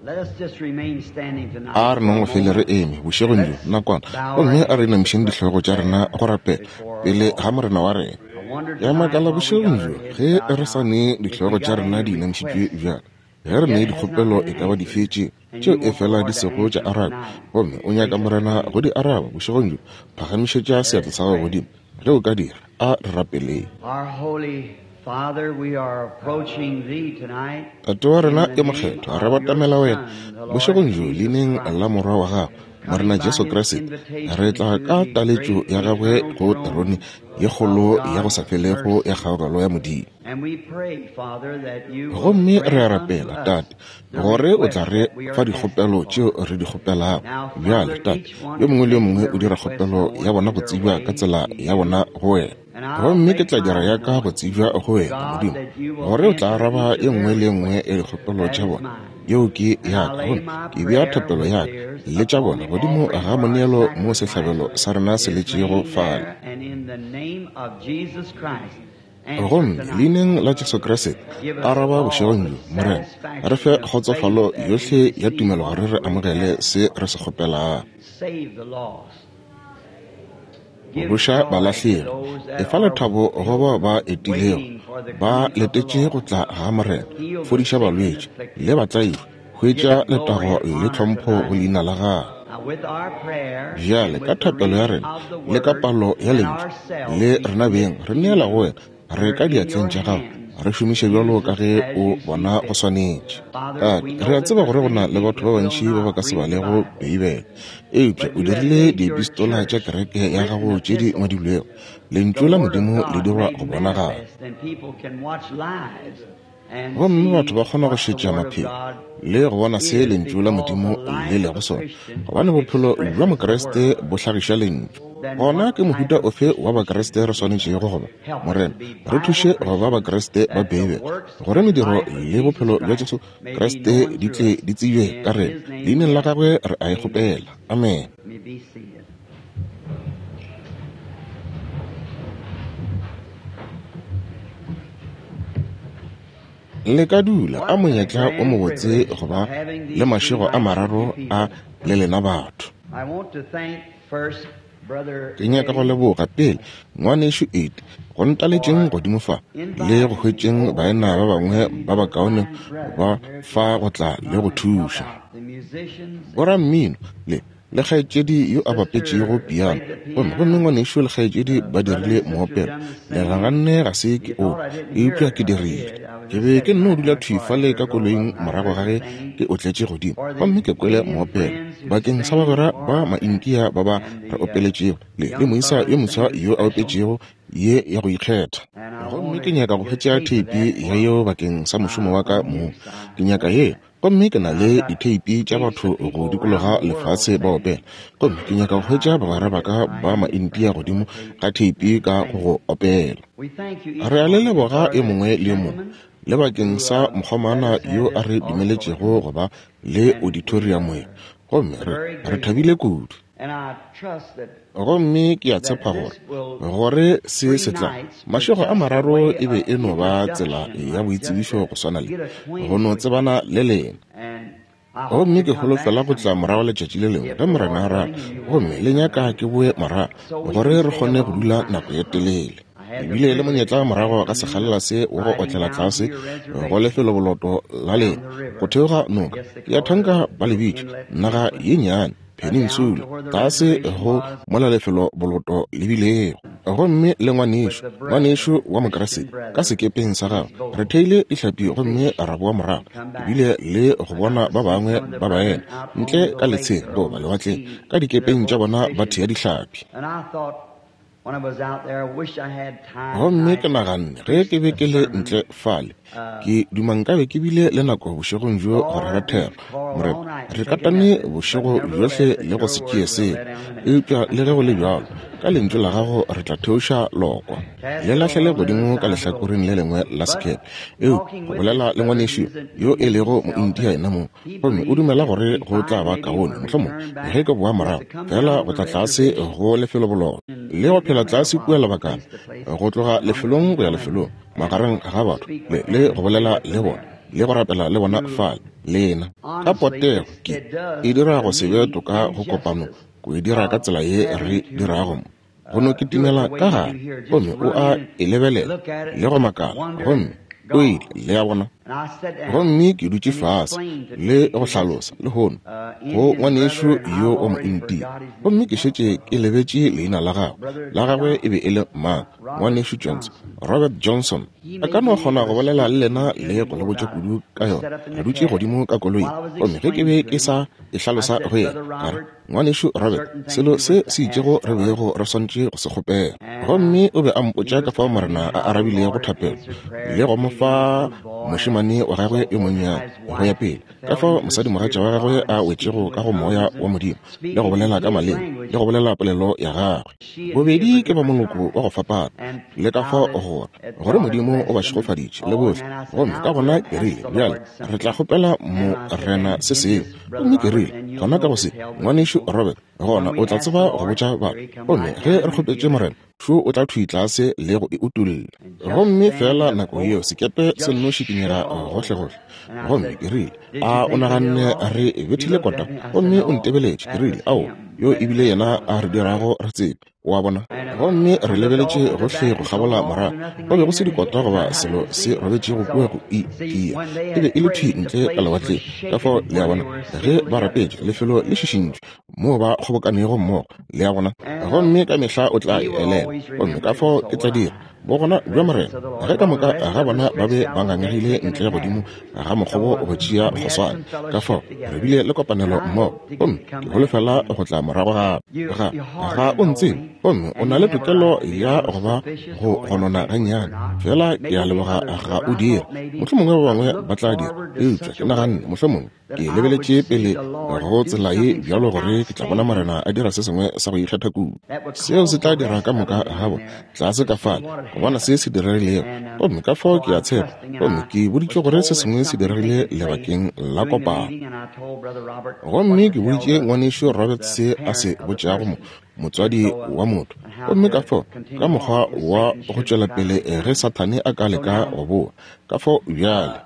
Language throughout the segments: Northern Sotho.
A re nong go fele re eme bošegong bjo nakwana, gomme a re inamišeng dihlogo tša rena go rapela pele ga Morena wa rena. Ke a makala bošegong bjo ge re sa ne dihlogo tša rena di inamišitšwe bjalo, ge re ne dikgopelo e ka ba dife tše tšeo e fela di sego tša arabja, gomme o nyaka Morena go di araba bošegong bjo, phagamišetša seatla sa gago godimo ge o ka dira. A re rapeleng. Tate wa rena yo mokgethwa, re batamela wena bošegong bjo leineng la Morwa wa gago, Morena Jesu Kriste. Re tla ka taletšo ya gagwe go terone ye kgolo ya go sa felego ya kgaogelo ya Modimo. Gomme re a rapela, Tate, gore o tla re fa dikgopelo tšeo re di kgopelago. Bjale, Tate, yo mongwe le yo mongwe o dira kgopelo ya bona go tsebja ka tsela ya bona go wena. Gomme ke tla dira ya ka go tsebja go wena, Modimo, gore o tla araba e nngwe le e nngwe ya dikgopelo tša bona. Yeo ke ya ka, gomme ke bea thapelo ya ka le tša bona godimo ga moneelo mo sehlabelo sa rena se letšego fale. Gomme Leineng la Jesu Kriste, araba bošegong bjo, Morena, re fe kgotsofalo yohle ya tumelo gore re amogele se re se kgopelago. Phološa balahlegi, efa lethabo go bao ba etilego, ba letetše go tla ga Morena, fodiša balwetši le batlaišwa, hwetša letago le tlhompho go leina la gago. Bjale ka thapelo ya rena le ka palo ya lentšu le rena beng re neela go wena, re ka diatleng tša gago, re šomiše bjalo ka ge o bona go swanetše. Tate, re a tseba gore go na le batho ba bantši ba ba ka se balego Beibele, eupša o dirile diepistola tša kereke ya gago tše di ngwadilwego. Lentšu la Modimo le dirwa go bonagala. Gomme batho ba kgona go šetša maphelo le go bona se Lentšu la Modimo le lego sona, gobane bophelo bja Mokriste bo hlagiša Lentšu. Gona ke mohuta ofe wa Bakriste re swanetšego go ba? Morena, re thuše go ba Bakriste ba Beibele, gore mediro le bophelo bja Jesu Kriste di tle di tsebje ka rena. Leineng la Gagwe re a e kgopela. Amene. Le ka dula a monyetla o mobotse go ba le mašego a mararo a le lena batho. Ke nyaka go leboga pele ngwanešu Ed go ntaletšeng godimo fa le go hwetšeng baena ba bangwe ba bakaone ba fa go tla le go thuša. Borammino le le kgaetšedi yo a bapetšego piano, gomme, gomme ngwanešu le kgaetšedi ba dirile moopelo. Le naganne ga se ke o, eupša ke dirile. Ke be ke nno dula thwi fale ka koloing morago ga ge ke otletše godimo, gomme ke kwele moopelo bakeng sa bagwera ba Maindia ba ba re opeletšego, le, le moisa yo moswa yo a opetšego ye ya go ikgetha. Gomme ke nyaka go hwetša theipi ya yeo bakeng sa mošomo wa ka mong. Ke nyaka yeo. Gomme ke na le ditheipi tša batho go dikologa lefase ba opela, gomme ke nyaka go hwetša bagwera ba ka ba Maindia godimo ga theipi ka go go opela. Re a le leboga yo mongwe le yo mongwe, le bakeng sa mokgomana yo a re dumeletšego go ba le auditoriamo ye, gomme re, re thabile kudu. Gomme ke a tshepa gore, gore se se tla, mašego a mararo e be e no ba tsela ya boitsebišo go swana le go no tsebana le lena. Gomme ke holofela go tla morago letšatši le lengwe ge Morena a rata, gomme le nyaka ke boe morago gore re kgone go dula nako ye telele. Ke bile le monyetla morago ga sekgalela se wa go otlela tlase go lefeloboloto la lena go theoga noka, ke a thanka ba le bitša naga ye nnyane, Peninsula, tlase go mola lefelo boloto le bilego. Gomme le ngwanešu, ngwanešu wa Mokriste, ka sekepeng sa gagwe, re theile dihlapi gomme ra boa morago. Ke bile le go bona ba bangwe ba baena ntle ka letsheng goba lewatleng, ka dikepeng tša bona ba thea dihlapi. Gomme ke naganne, ge ke be ke le ntle fale, ke duma nkabe ke bile le nako bošegong bjo go rera thero. Morena, re katane bošego bjohle le go se tšee selo, eupša le ge go le bjalo, ka Lentšu la Gago re tla theoša lokwa, le lahlele godimo ka lehlakoreng le lengwe la sekepe. Eupša go bolela le ngwanešu yo e lego Moindia yenamong, gomme o dumela gore go tla ba kaone mohlomong ge ke boa morago fela go tla tlase go lefelobololo le go phela tlase kua lebakana go tloga lefelong go ya lefelong magareng ga batho le, le go bolela le bona le go rapela le bona fale. Lena. Ka potego, ke, e dira go se be toka go kopano go e dira ka tsela ye re dirago mo. Go no kitimela ka gare, gomme o a e lebelela le go makala, gomme o ile, le a bona. Gomme ke dutše fase le go hlalosa lehono go ngwanešu yo wa Mointia, gomme ke šetše ke lebetše leina la gagwe. La gagwe e be e le mang? Ngwanešu Johnson, Robert Johnson. A ka no kgona go bolela le lena le go le botša kudu ka yona. Re dutše godimo ka koloing, gomme ge ke be ke sa e hlalosa go yena, ka re, Ngwanešu Robert, selo se se itšego re bego re swanetše go se kgopela. Gomme o be a mpotša ka fao Morena a arabilego thapelo le go mo fa mošemane wa gagwe yo monnyane go ya pele, ka fao mosadimogatša wa gagwe a wetšego ka go Moya wa Modimo le go bolela ka maleme le go bolela polelo ya gagwe. Bobedi ke ba moloko wa go fapana, le ka fao gore, gore Modimo o ba šegofaditše le bohle. Gomme ka gona ke rile, Bjale re tla kgopela Morena se sengwe. Gomme ke rile, Gona ka go se, Ngwanešu Robert, gona o tla tseba go botša batho. Gomme ge re kgopetše Morena, šo o tla thwi tlase le go e utolla. Gomme feela nako yeo sekepe se nno šikinyega gohlegohle. Gomme ke rile, A o naganne re bethile kota? Gomme o ntebeletše. Ke rile, Ao, yo e bile yena a re dirago re tsebe. O a bona? Gomme re lebeletše gohle go kgabola morago, go be go se dikota goba selo se robetšego kua go i tia. E be e le thwi ntle ka lewatleng. Ka fao, le a bona, ge ba rapetše, lefelo le šišintšwe moo ba kgobokanego mmogo, le a bona. Gomme ka mehla o tla e elelwa. Gomme ka fao ke tla dira. Bogona bja Morena, ge ka moka ga bona ba be ba ngangegile ntle godimo ga mokgobo go tšea kgoswane. Ka fao re bile le kopanelo mmogo, gomme ke holofela go tla morago gape. Ga, ga o ntsebe, gomme o na le tokelo ya go ba go gonona gannyane. Fela ke a leboga ga o dire. Mohlomongwe ba bangwe ba tla dira, eupša ke naganne mohlomongwe Ke lebeletše pele go tsela ye bjalo gore ke tla bona Morena a dira se sengwe sa go ikgetha kudu. Seo se tla dira ka moka ga bona tlase ka fale go bona se se diregilego. Gomme ka fao ke a tshepa, gomme ke boditšwe gore se sengwe se diregile lebakeng la kopano. Gomme ke boditše Ngwanešu Robert se a se botšago mo, motswadi wa motho. Gomme ka fao ka mokgwa wa go tšwela pele ge Sathane a ka leka go boa. Ka fao bjale.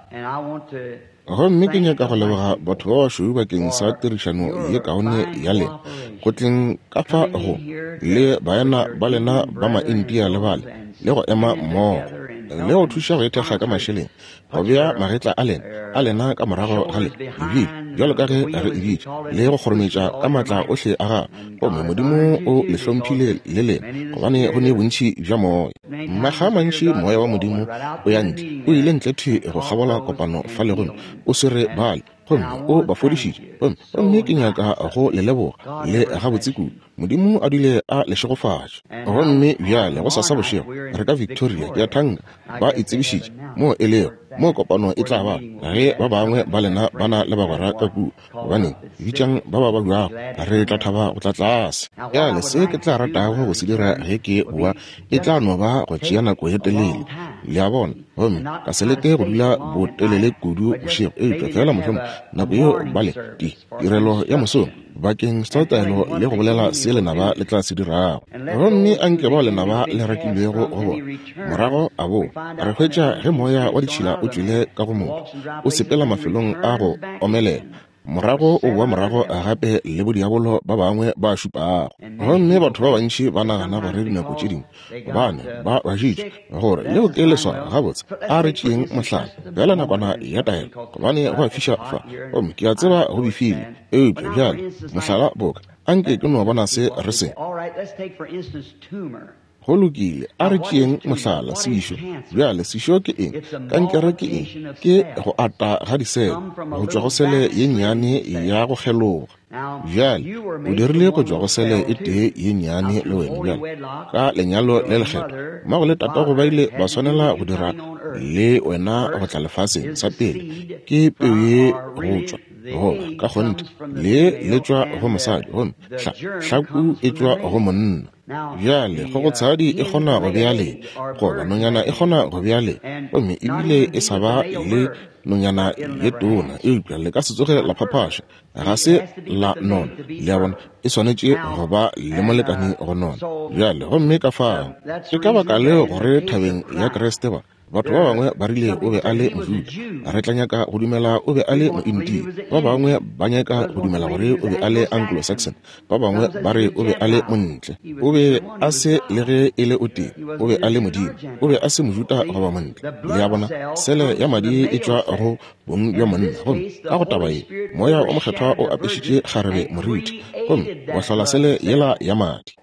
Gomme ke nyaka go leboga batho ba bašweu bakeng sa tirišano ye kaone ya lena go tleng ka fa go le baena ba lena ba Maindia le bale, le go ema mmogo le go thuša go ithekga ka mašeleng, go bea magetla a lena, a lena ka morago ga le, ebile bjalo ka ge re e bitša, le go kgorometša ka maatla ohle a gago. Gomme Modimo o le hlomphile le lena, gobane go ne bontši bja Moya. Makga a mantši Moya wa Modimo o ya ntle, o ile ntle thwi go kgabola kopano fale gomme o swere bale, gomme o ba fodišitše. Gomme, gomme ke nyaka go le leboga, le gabotse kudu. Modimo a dule a le šegofatše. Gomme bjale, gosasa bošego, re ka Victoria, ke a thanka ba e tsebišitše moo e lego, moo kopano e tla ba. Ge ba bangwe ba lena ba na le bagwera ka kua, Gobaneng, bitšang ba ba babjago, re tla thaba go tla tlase. Bjale, se ke tla ratago go se dira ge ke boa e tla no ba go tšea nako ye telele, le a bona, gomme ka se leke go dula botelele kudu bošego, eupša feela mohlomongwe nako yeo ba le ti, tirelo ya mosong bakeng sa taelo le go bolela se lenaba le tla se dirago. Gomme a nke bao lenaba le rakilwego go bona morago a boa, re hwetša ge moya wa ditšhila o tšwele ka go motho, o sepela mafelong a go omelela, morago o boa morago gape le bodiabolo ba bangwe ba šupago. Gomme batho ba bantši ba nagana gore dinako tše dingwe gobane ba bašitše gore leo ke leswao. Gabotse, a re tšeeng mohlala bjala nakwana ya taelo, gobane go a fiša fa, gomme ke a tseba go befile. Eupša bjale, mohlala boka, anke ke no bona se re se. Go lokile, a re tšeeng mohlala, sešo. Bjale, sešo ke eng? Kankere ke eng? Ke go ata ga disele, go tšwa go sele ye nnyane ya go kgeloga. Bjale, o dirile go tšwa go sele e tee ye nnyane le wena bjale, ka lenyalo le lekgethwa. Mmago le tatago ba ile ba swanela go dira le wena go tla lefaseng. Sa pele, ke peu ye go tšwa, goba ka kgonthe, lee le tšwa go mosadi, gomme hla, hlaku e tšwa go monna. Bjale, kgogotshadi e kgona go bea lee, goba nonyana e kgona go bea lee, gomme ebile e sa ba le nonyana ye tona, eupša le ka se tsoge la phaphaša, ga se la nona. Le a bona, e swanetše go ba le molekani go nona. Bjale, gomme ka fao, ke ka baka leo gore thabeng ya Kriste ba. Batho ba bangwe ba rile o be a le Mojuda. Re tla nyaka go dumela o be a le Moindia. Ba bangwe ba nyaka go dumela gore o be a le Anglo-Saxon. Ba bangwe ba re o be a le Montle. O be a se le ge e le o tee. O be a le Modimo. O be a se Mojuda goba Montle. Le a bona, sele ya madi e tšwa go bong bja monna. Gomme ka go taba ye, Moya o Mokgethwa o apešitše kgarebe moriti gomme wa hlola sele yela ya madi.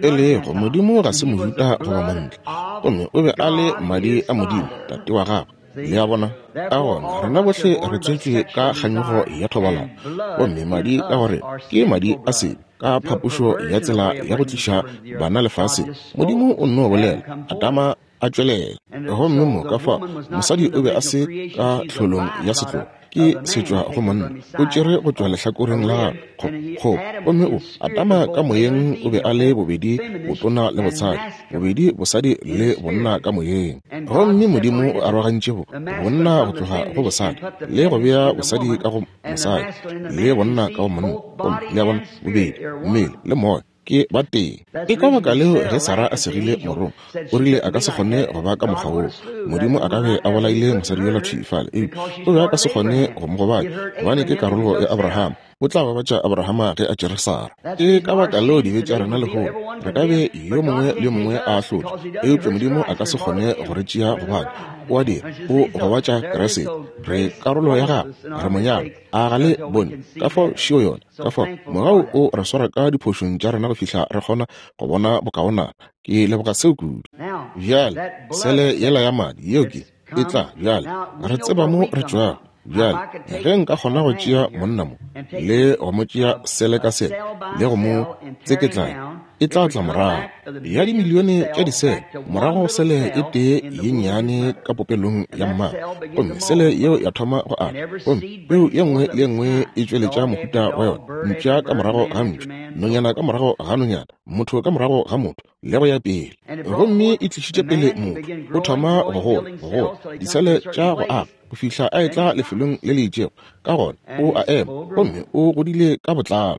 E lego, Modimo ga se Mojuda goba Montle, gomme o be a le madi a Modimo, Tate wa gagwe. Le a bona? Ka gona, rena bohle re tswetšwe ka kganyogo ya thobalano, gomme madi ka gore ke madi a sebe, ka phapošo ya tsela ya go tliša bana lefaseng. Modimo o nno bolela, Adama a tšwelela. Gomme mo ka fao, mosadi o be a se ka tlholong ya setlogo, ke setšwa go monna, o tšere go tšwa lehlakoreng la gagwe, kgo, gomme o, Adama ka moyeng o be a le bobedi botona le botshadi, bobedi bosadi le bonna ka moyeng. Gomme Modimo o arogantše bo, bonna go tloga go bosadi, le go bea bosadi ka go mosadi, le bonna ka go monna, gomme, le a bona, bobedi mmele le moya ke ba tee. Ke ka baka leo ge Sara a segile morongwa, o rile a ka se kgone go ba ka mokgwa woo. Modimo a ka be a bolaile mosadi yola thwi fale, eupša o be a ka se kgone go mo gobatša, gobane ke karolo ya Abrahama. O tla gobatša Abrahama ge a tšere Sara. Ke ka baka leo dibe tša rena lehono, re ka be yo mongwe le yo mongwe a ahlotšwe, eupša Modimo a ka se kgone go re tšea gobane O a dira, O gobatša Kriste. Re karolo ya Gagwe, re Monyalwa. A ga le bone ka fao šio yona? Ka fao mogau o re swara ka diphošong tša rena go fihla re kgona go bona bokaonana. Ke leboga seo kudu. Bjale, sele yela ya madi, yeo ke, e tla bjale. Re tseba mo re tšwago. Bjale, ge nka kgona go tšea monna mo, le go mo tšea sele ka sele, le go mo tseketlanya, e tla tla morago ya dimilione tša disele, morago sele e tee ye nnyane ka popelong ya mma, gomme sele yeo ya thoma go ata, gomme peu ye nngwe le ye nngwe e tšweletša mohuta wa yona, mpša ka morago ga mpša, nonyana ka morago ga nonyana, motho ka morago ga motho, le go ya pele. Gomme e tlišitše pele motho, o thoma go gola, go gola, disele tša go aga, go fihla a etla lefelong le le itšego, ka gona o a ema, gomme o godile ka botlalo.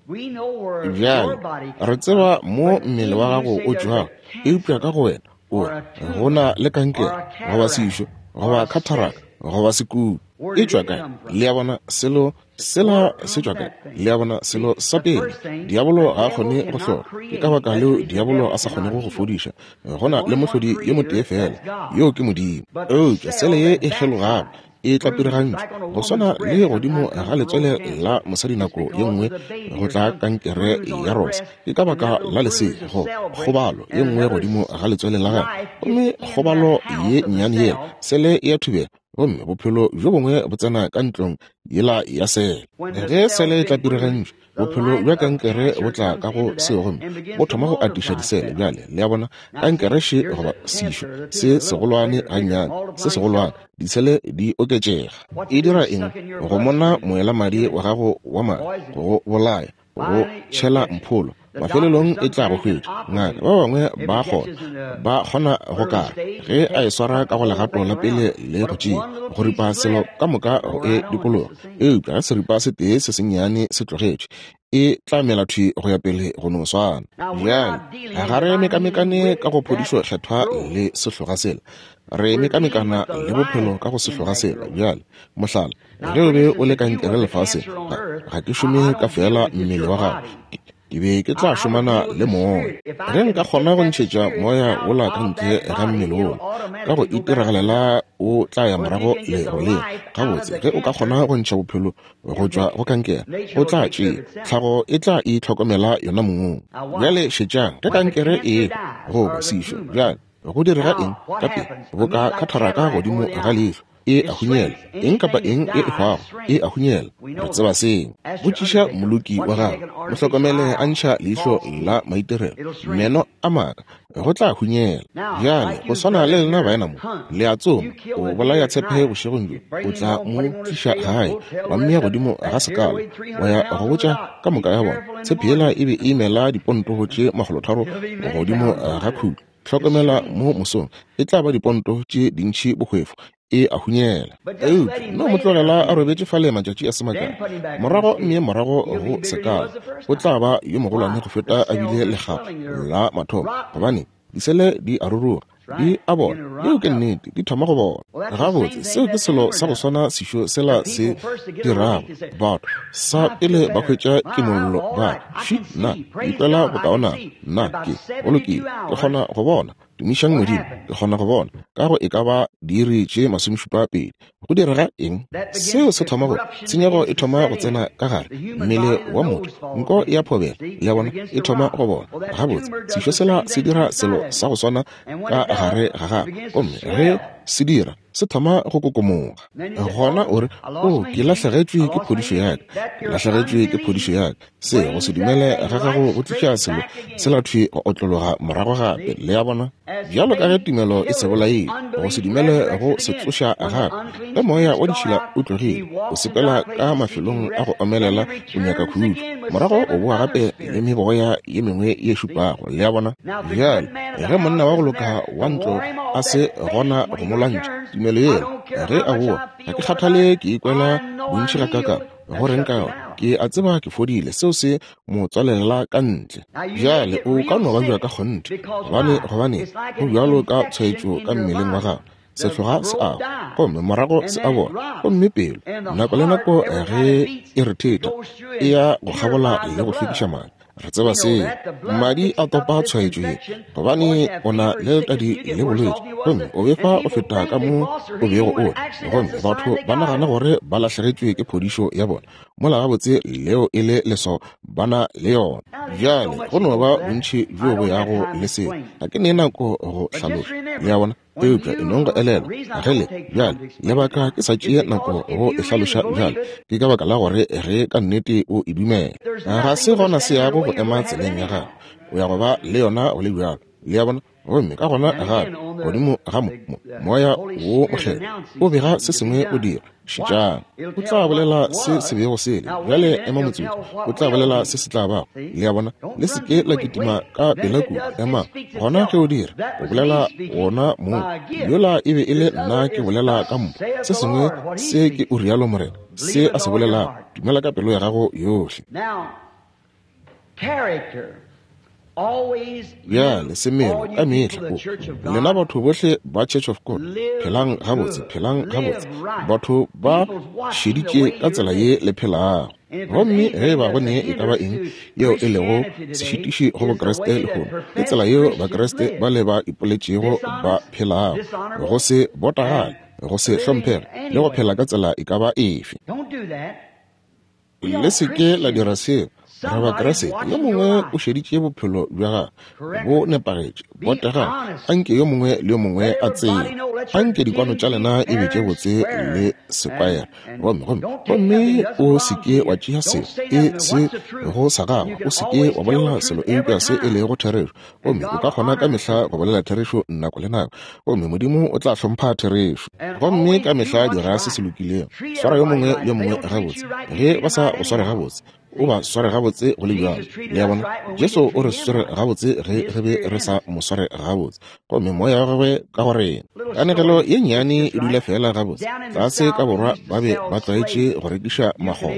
Bjale, re tseba mo mmele wa gago o tšwago, eupša ka go wena o re go na le kankere, goba sešo, goba khatharaka, goba sekubu. E tšwa kae? Le a bona, selo sela se tšwa kae? Le a bona, selo sa pele, diabolo ga a kgone go hlola. Ke ka baka leo diabolo a sa kgonego go fodiša. Go na le mohlodi yo motee feela, yoo ke Modimo. Eupša sele ye e kgelogago e tla piragantšwa go swana le godimo ga letswele la mosadi nako ye nngwe go tla kankere ya rosa. Ke ka baka la lesea go kgobalo ye nngwe godimo ga letswele la gagwe, gomme kgobalo ye nnyane yela sele e a thubega, gomme bophelo bjo bongwe bo tsena ka ntlong yela ya sele. Ge sele e tla piragantšwa, bophelo bja kankere bo tla ka go seo gomme bo thoma go atiša disele. Bjale, le a bona, kankere še goba sešo se segolwane gannyane, se segolwane, disele di oketšega. E dira eng? Go mona moelamadi wa gago wa madi, go go bolaya, go tšhela mpholo. Mafelelong e tla go hwetša. Ngaka, ba bangwe ba kgona, ba kgona go kara ge a e swara ka go legato la pele le go tšea, go ripa selo ka moka go e dikologa. Eupša ge seripa se tee se sennyane se tlogetšwe, e tla mela thwi go ya pele go no swana. Bjale, ga re mekamekane ka go phodišo kgethwa le sehloga sela. Re mekamekana le bophelo ka go sehloga sela. Bjale, mohlala, ge o be o le kankere lefaseng, ga ke šome ka feela mmele wa gago, ke be ke tla šomana le moya. Ge nka kgona go ntšhetša moya wola ka ntle ga mmele wola, ka go itiragalela o tla ya morago le go leng. Gabotse, ge o ka kgona go ntšha bophelo go tšwa go kankere, o tla tšea, tlhago e tla itlhokomela yona mong. Bjale šetšang, ge kankere e goba sešo, bjale go direga eng ka pele? Boka khatharaka godimo ga leihlo, e a hunyela. Eng kapa eng e e hwago e a hunyela. Re tseba seo. Botšiša moloki wa gago, mo hlokomele a ntšha leihlo la maitirelo, meno a maaka, go tla hunyela. Bjale, go swana le lena baena mo, le a tsoma, o bolaya tshepe bošegong bjo, o tla mo tliša gae, wa mmea godimo ga sekala, wa ya go botša ka moka ya bona, tshepe yela e be e imela diponto tše 300 godimo ga khutlo. Hlokomela mo mosong, e tla ba diponto tše dintši bohwefo, e a hunyela. Eupša no mo tlogela a robetše fale matšatši a se makae, morago mme morago go sekala, o tla ba yo mogolwane go feta a bile lekga la mathomo, gobane disele di a ruruga. Di a bola. Yeo ke nnete, di thoma go bola. Gabotse, seo ke selo sa go swana sešo sela se dirago. Batho, sa pele ba hwetša kimollo, ba re, Fši, nna, ke ikwela bokaonana. Nna, ke, go lokile, ke kgona go bona. Tumišang Modimo, ke kgona go bona. Ka go e ka ba diiri tše masomešupa pedi. Go direga eng? Seo se thoma go, tshenyego e thoma go tsena ka gare mmele wa motho, nko e a phobela, le a bona, e thoma go bola. Gabotse, sešo sela se dira selo sa go swana ka gare ga gagwe, gomme ge se dira, se thoma go kokomoga. Gona o re, O, ke lahlegetšwe ke phodišo ya ka. Ke lahlegetšwe ke phodišo ya ka. Se go se dumele ga gago go tliša selo sela thwi go otlologa morago gape. Le a bona? Bjalo ka ge tumelo e se bolaile, go se dumele go se tsoša gape. Ge moya wa ditšhila o tlogile, o sepela ka mafelong a go omelela o nyaka khutšo. Morago o boa gape le meboya ye mengwe ye šupago. Le a bona? Bjale, ge monna wa go loka wa ntlo a se gona go mo lwantšha, tumelo yela, ge a boa, ga ke kgathale ke ikwela bontši gakaakang, go reng ka yona? Ke a tseba ke fodile. Seo se mo tswalela ka ntle. Bjale o ka no babja ka kgonthe, gobane, gobane go bjalo ka tshwaetšo ka mmeleng wa gago. Sehloga se a hwa, gomme morago se a bola, gomme pelo, nako le nako ge e rethetha, e ya go kgabola le go hlwekiša madi. Re tseba seo. Madi a topa tshwaetšo ye, gobane o na le letadi le bolwetši, gomme o befa go feta ka mo o bego o le. Gomme batho ba nagana gore ba lahlegetšwe ke phodišo ya bona, mola gabotse leo e le leswao ba na le yona. Bjale, go no ba bontši bjo bo yago le seo. Ga ke ne nako go hlaloša. Le a bona? Eupša e nong go elelwa, ge le, bjale, lebaka ke sa tšee nako go e hlaloša bjale, ke ka baka la gore ge ka nnete o e dumela, ga se gona se yago go ema tseleng ya gago. O ya go ba le yona go le bjalo. Le a bona? Gomme ka gona gape, godimo ga mo, mo, Moya wo Mokgethwa o bega se sengwe o dira. Šetšang. O tla bolela se se bego se le. Bjale ema motsotso. O tla bolela se se tla bago. Le a bona? Le se ke la kitima ka pela kudu. Emang. Gona ge o dira, o bolela wona moo. Yola e be e le nna ke bolela ka mpho. Se sengwe se ke o rialo Morena, se a se bolelago. Dumela ka pelo ya gago yohle. Bjale, semelo, ka mehla o, lena batho bohle ba Church of God, phelang gabotse, phelang gabotse. Batho ba šeditše ka tsela ye le phelago. Gomme ge e ba go ne e ka ba eng yeo e lego sešitiši go Bokriste lehono, ke tsela yeo Bakriste ba le ba ipoletšego ba phelago, go se botagale, go se hlomphege, le go phela ka tsela e ka ba efe. Le se ke la dira seo. Re Bakriste. Yo mongwe o šeditše bophelo bja gagwe bo nepagetše, botegang. Anke yo mongwe le yo mongwe a tsebe. Anke dikwano tša lena e be tše botse le sekwayere. Gomme, gomme, gomme o se ke wa tšea selo e se go sa gago. O se ke wa bolela selo eupša se e lego therešo. Gomme o ka kgona ka mehla go bolela therešo nako le nako, gomme Modimo o tla hlompha therešo. Gomme ka mehla dira se se lokilego. Swara yo mongwe le yo mongwe gabotse. Ge ba sa go sware gabotse, o ba sware gabotse go le bjalo. Le a bona? Jesu o re swere gabotse ge re be re sa mo sware gabotse, gomme Moya wa gagwe ka go rena. Kanegelo ye nnyane e dula feela gabotse. Tlase ka borwa ba be ba tlwaetše go rekiša makgoba.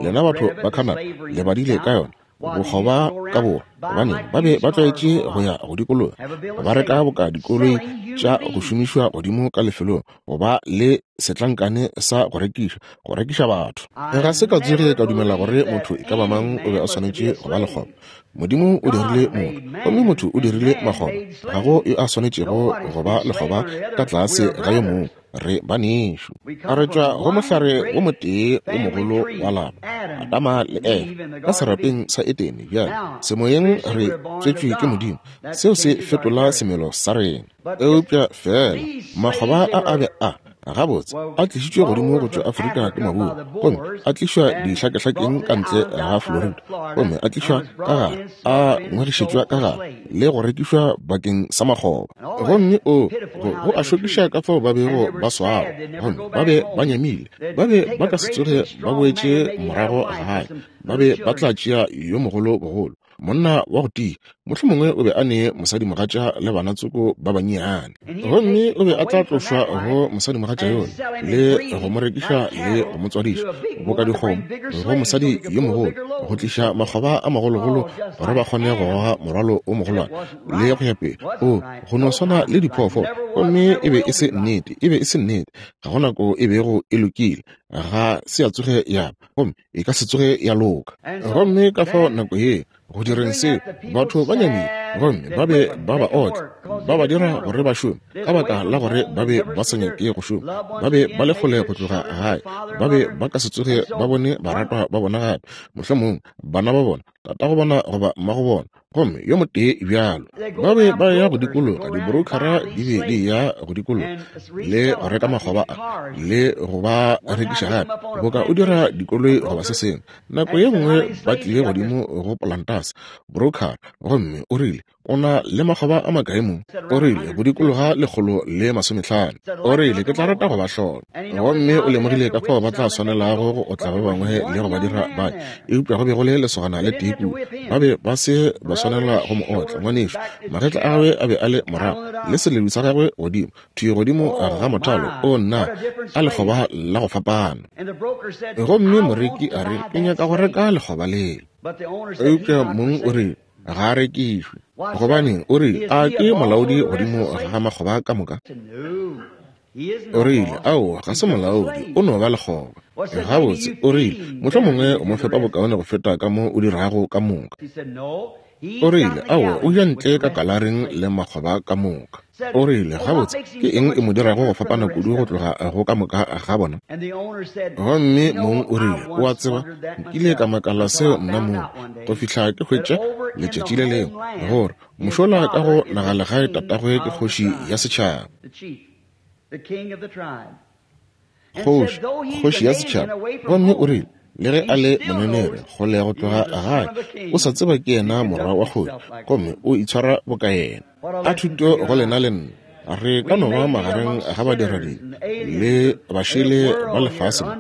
Lena batho ba Canada le badile ka yona. Bokgoba ka borwa, gobane ba be ba tlwaetše go ya go dikologa ba reka boka dikoloi tša go šomišwa godimo ka lefelong go ba le setlankane sa go rekiša, go rekiša batho. Ga se ka tsoge ka dumela gore motho e ka ba mang o be a swanetše go ba lekgoba. Modimo o dirile motho, gomme motho o dirile makgoba. Ga go yo a swanetšego go ba lekgoba ka tlase ga yo mongwe. Re banešu. Re tšwa go mohlare wo motee wo mogolo wa lapa, Adama le Efa, ka serapeng sa Edene. Bjale, semoyeng re tswetšwe ke Modimo. Seo se fetola semelo sa rena. Eupša feela makgoba a a be a, gabotse, a tlišitšwe godimo go tšwa Afrika ke Maburu, gomme a tlišwa dihlakehlakeng ka ntle ga Florida, gomme a tlišwa ka gare, a ngwegišetšwa ka gare, le go rekišwa bakeng sa makgoba. Gomme o, go, go a šokiša ka fao ba bego ba swarwa, gomme ba be ba nyamile. Ba be ba ka se tsoge ba boetše morago gae. Ba be ba tla tšea yo mogolo bogolo, monna wa go tia. Mohlomongwe o be a ne mosadimogatša le bana tsoko ba bannyane. Gomme o be a tla tlošwa go mosadimogatša yola, le go mo rekiša le go mo tswadiša, boka dikgomo, go mosadi yo mogolo, go tliša makgoba a magologolo gore ba kgone go goga morwalo o mogolwane, le go ya pele. O, go no swana le diphoofolo. Gomme e be e se nnete. E be e se nnete. Ga go nako e bego e lokile. Ga se ya tsoge ya ba, gomme e ka se tsoge ya loka. Gomme ka fao nako ye, go direng seo, batho ba nyamile, gomme ba be ba ba otla, ba ba dira gore ba šome, ka baka la gore ba be ba sa nyake go šoma. Ba be ba le kgole go tloga gae. Ba be ba ka se tsoge ba bone baratwa ba bona gape, mohlomongwe bana ba bona, tatago bona goba mmago bona, gomme yo motee bjalo. Ba be ba ya go dikologa, dibrokhara di be di ya go dikologa le go reka makgoba a le go ba rekiša gape, boka o dira dikoloi goba se sengwe. Nako ye nngwe ba tlile godimo go polantase, brokhara, gomme o rile, O na le makgoba a makae mo? O rile, Go dikologa 150. O rile, Ke tla rata go ba hlola. Gomme o lemogile ka fao ba tla swanelago go otla ba bangwe le go ba dira ba, eupša go be go le lesogana le tee kua. Ba be ba se ba swanela go mo otla, ngwanešu. Magetla a gagwe a be a le morago, le seledu sa gagwe godimo, thwi godimo ga mothalo. O nna, a lekgoba la go fapana. Gomme moreki a re, Ke nyaka go reka lekgoba lela. Eupša mong o rile, Ga a rekišwe. Gobaneng, o rile, a ke molaodi godimo ga makgoba ka moka? O rile, Aowa, ga se molaodi, o no ba lekgoba. Gabotse, o rile, mohlomongwe o mo fepa bokaone go feta ka mo o dirago ka moka. O rile, Aowa, o ja ntle ka kalaring le makgoba ka moka. O rile, Gabotse, ke eng e mo dirago go fapana kudu go tloga go ka moka ga bona? Gomme mong o rile, O a tseba, nkile ka makala seo nna mong, go fihla ke hwetša letšatši le lengwe, gore mošola ka go nagalegae tatagwe ke kgoši ya setšhaba. Kgoši, kgoši ya setšhaba. Gomme o rile, Le ge a le monenere kgole go tloga gae, o sa tseba ke yena morwa wa kgoši, gomme o itshwara boka yena. A thuto go lena le nna. Re ka no ba magareng ga badiradibe le bašele ba lefase mo,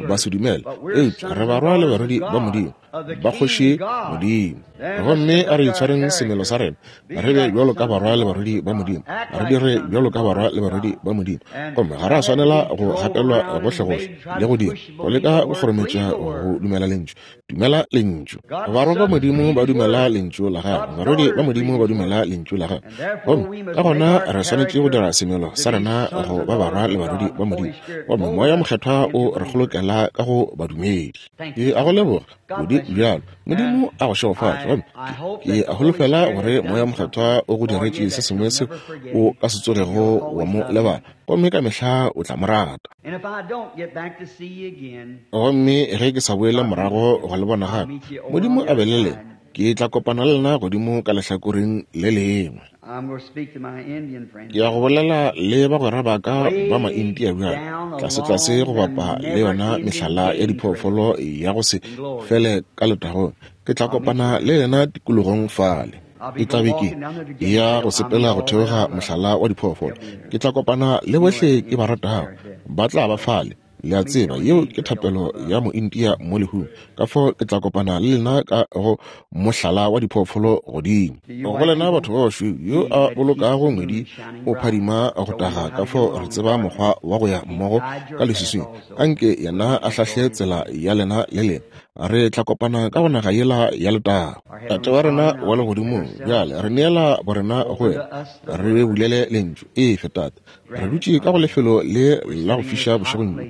basedumele, eupša re barwa le barwedi ba Modimo, ba Kgoši Modimo. Gomme a re itshwareng semelo sa rena, re be bjalo ka barwa le barwedi ba Modimo, re dire bjalo ka barwa le barwedi ba Modimo. Gomme ga ra swanela go gatelwa gohlegohle le go dira, go leka go kgorometša go dumela Lentšu. Dumela Lentšu. Barwa ba Modimo ba dumela Lentšu la Gagwe, barwedi ba Modimo ba dumela Lentšu la Gagwe. Gomme ka gona re swanetše go dira semelo sa rena go ba barwa le barwedi ba Modimo. Gomme Moya Mokgethwa o re kgolokela ka go badumedi. Ke a go leboga kudu bjalo. Modimo a go šegofatše. Gomme ke a holofela gore Moya Mokgethwa o go diretše se sengwe seo o ka se tsogego wa mo lebala, gomme ka mehla o tla mo rata. Gomme ge ke sa boele morago go le bona gape, Modimo a be le lena, ke tla kopana le lena godimo ka lehlakoreng le lengwe. Ke ya go bolela le bagwera ba ka ba Maindia bjale, tlasetlase go bapa le yona mehlala ya diphoofolo ya go se fele ka letagong. Ke tla kopana le lena tikologong fale. Ke tla be ke ya go sepela go theoga mohlala wa diphoofolo. Ke tla kopana le bohle ke ba ratago. Ba tla ba fale. Le a tseba, yeo ke thapelo ya Moindia mo lehung. Ka fao ke tla kopana le lena ka go mohlala wa diphoofolo godimo. Go lena batho ba bašweu, yo a bolokago ngwedi o phadima go taga, ka fao re tseba mokgwa wa go ya mmogo ka leswiswing. Anke yena a hlahle tsela ya lena le lena. Re tla kopana ka go naga yela ya letago. Tate wa rena wa Legodimong, bjale re neela borena go wena. Re bulele Lentšu. Efe, Tate. Re dutše ka go lefelo le la go fiša bošegong bjo.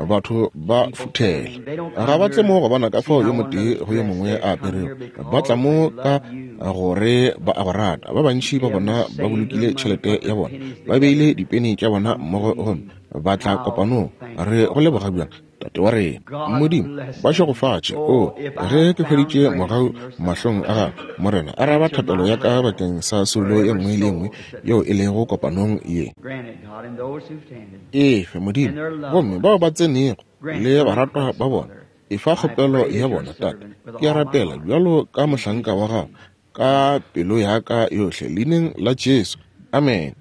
Batho ba futhela. Ga ba tle mo go bona ka fao yo motee go yo mongwe a aperego. Ba tla mo ka gore ba a go rata. Ba bantši ba bona ba bolokile tšhelete ya bona, ba beile dipeni tša bona mmogo gomme ba tla kopanong. Re go leboga bjang. Tate wa rena, Modimo, ba šegofatše. O, ge ke hweditše mogau mahlong a gago, Morena, araba thapelo ya ka bakeng sa soulo ye nngwe le ye nngwe yeo e lego kopanong ye. Efe, Modimo, gomme bao ba tsenego le baratwa ba bona, efa kgopelo ya bona, Tate. Ke a rapela bjalo ka mohlanka wa gago, ka pelo ya ka yohle, Leineng la Jesu. Amene.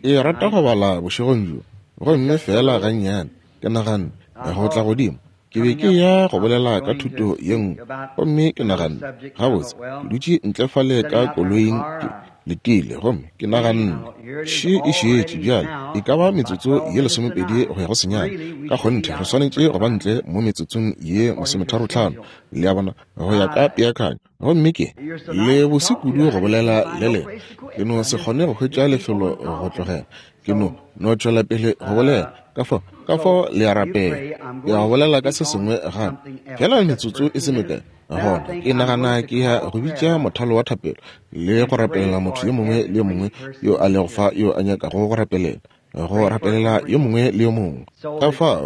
Ke rata go bala bošegong bjo, gomme feela gannyane, ke naganne, go tla godimo. Ke be ke ya go bolela ka thuto ye nngwe, gomme ke naganne, Gabotse, ke dutše ntle fale ka koloing, ke letile, gomme ke naganne, Še e šetše bjale, e ka ba metsotso ye 20 go ya go 9. Ka kgonthe re swanetše go ba ntle mo metsotsong ye 35, le a bona, go ya ka peakanyo. Gomme ke le bose kudu go bolela le lena. Ke no se kgone go hwetša lefelo go tlogela. Ke no tšwela pele go bolela. Ka fao le a rapela. Ke ya go bolela ka se sengwe gape, feela metsotso e se mekae. Gona ke nagana ke ya go bitša mothalo wa thapelo le go rapelela motho yo mongwe le yo mongwe yo a lego fa yo a nyakago go rapelela, go rapelela yo mongwe le yo mongwe. Ka fa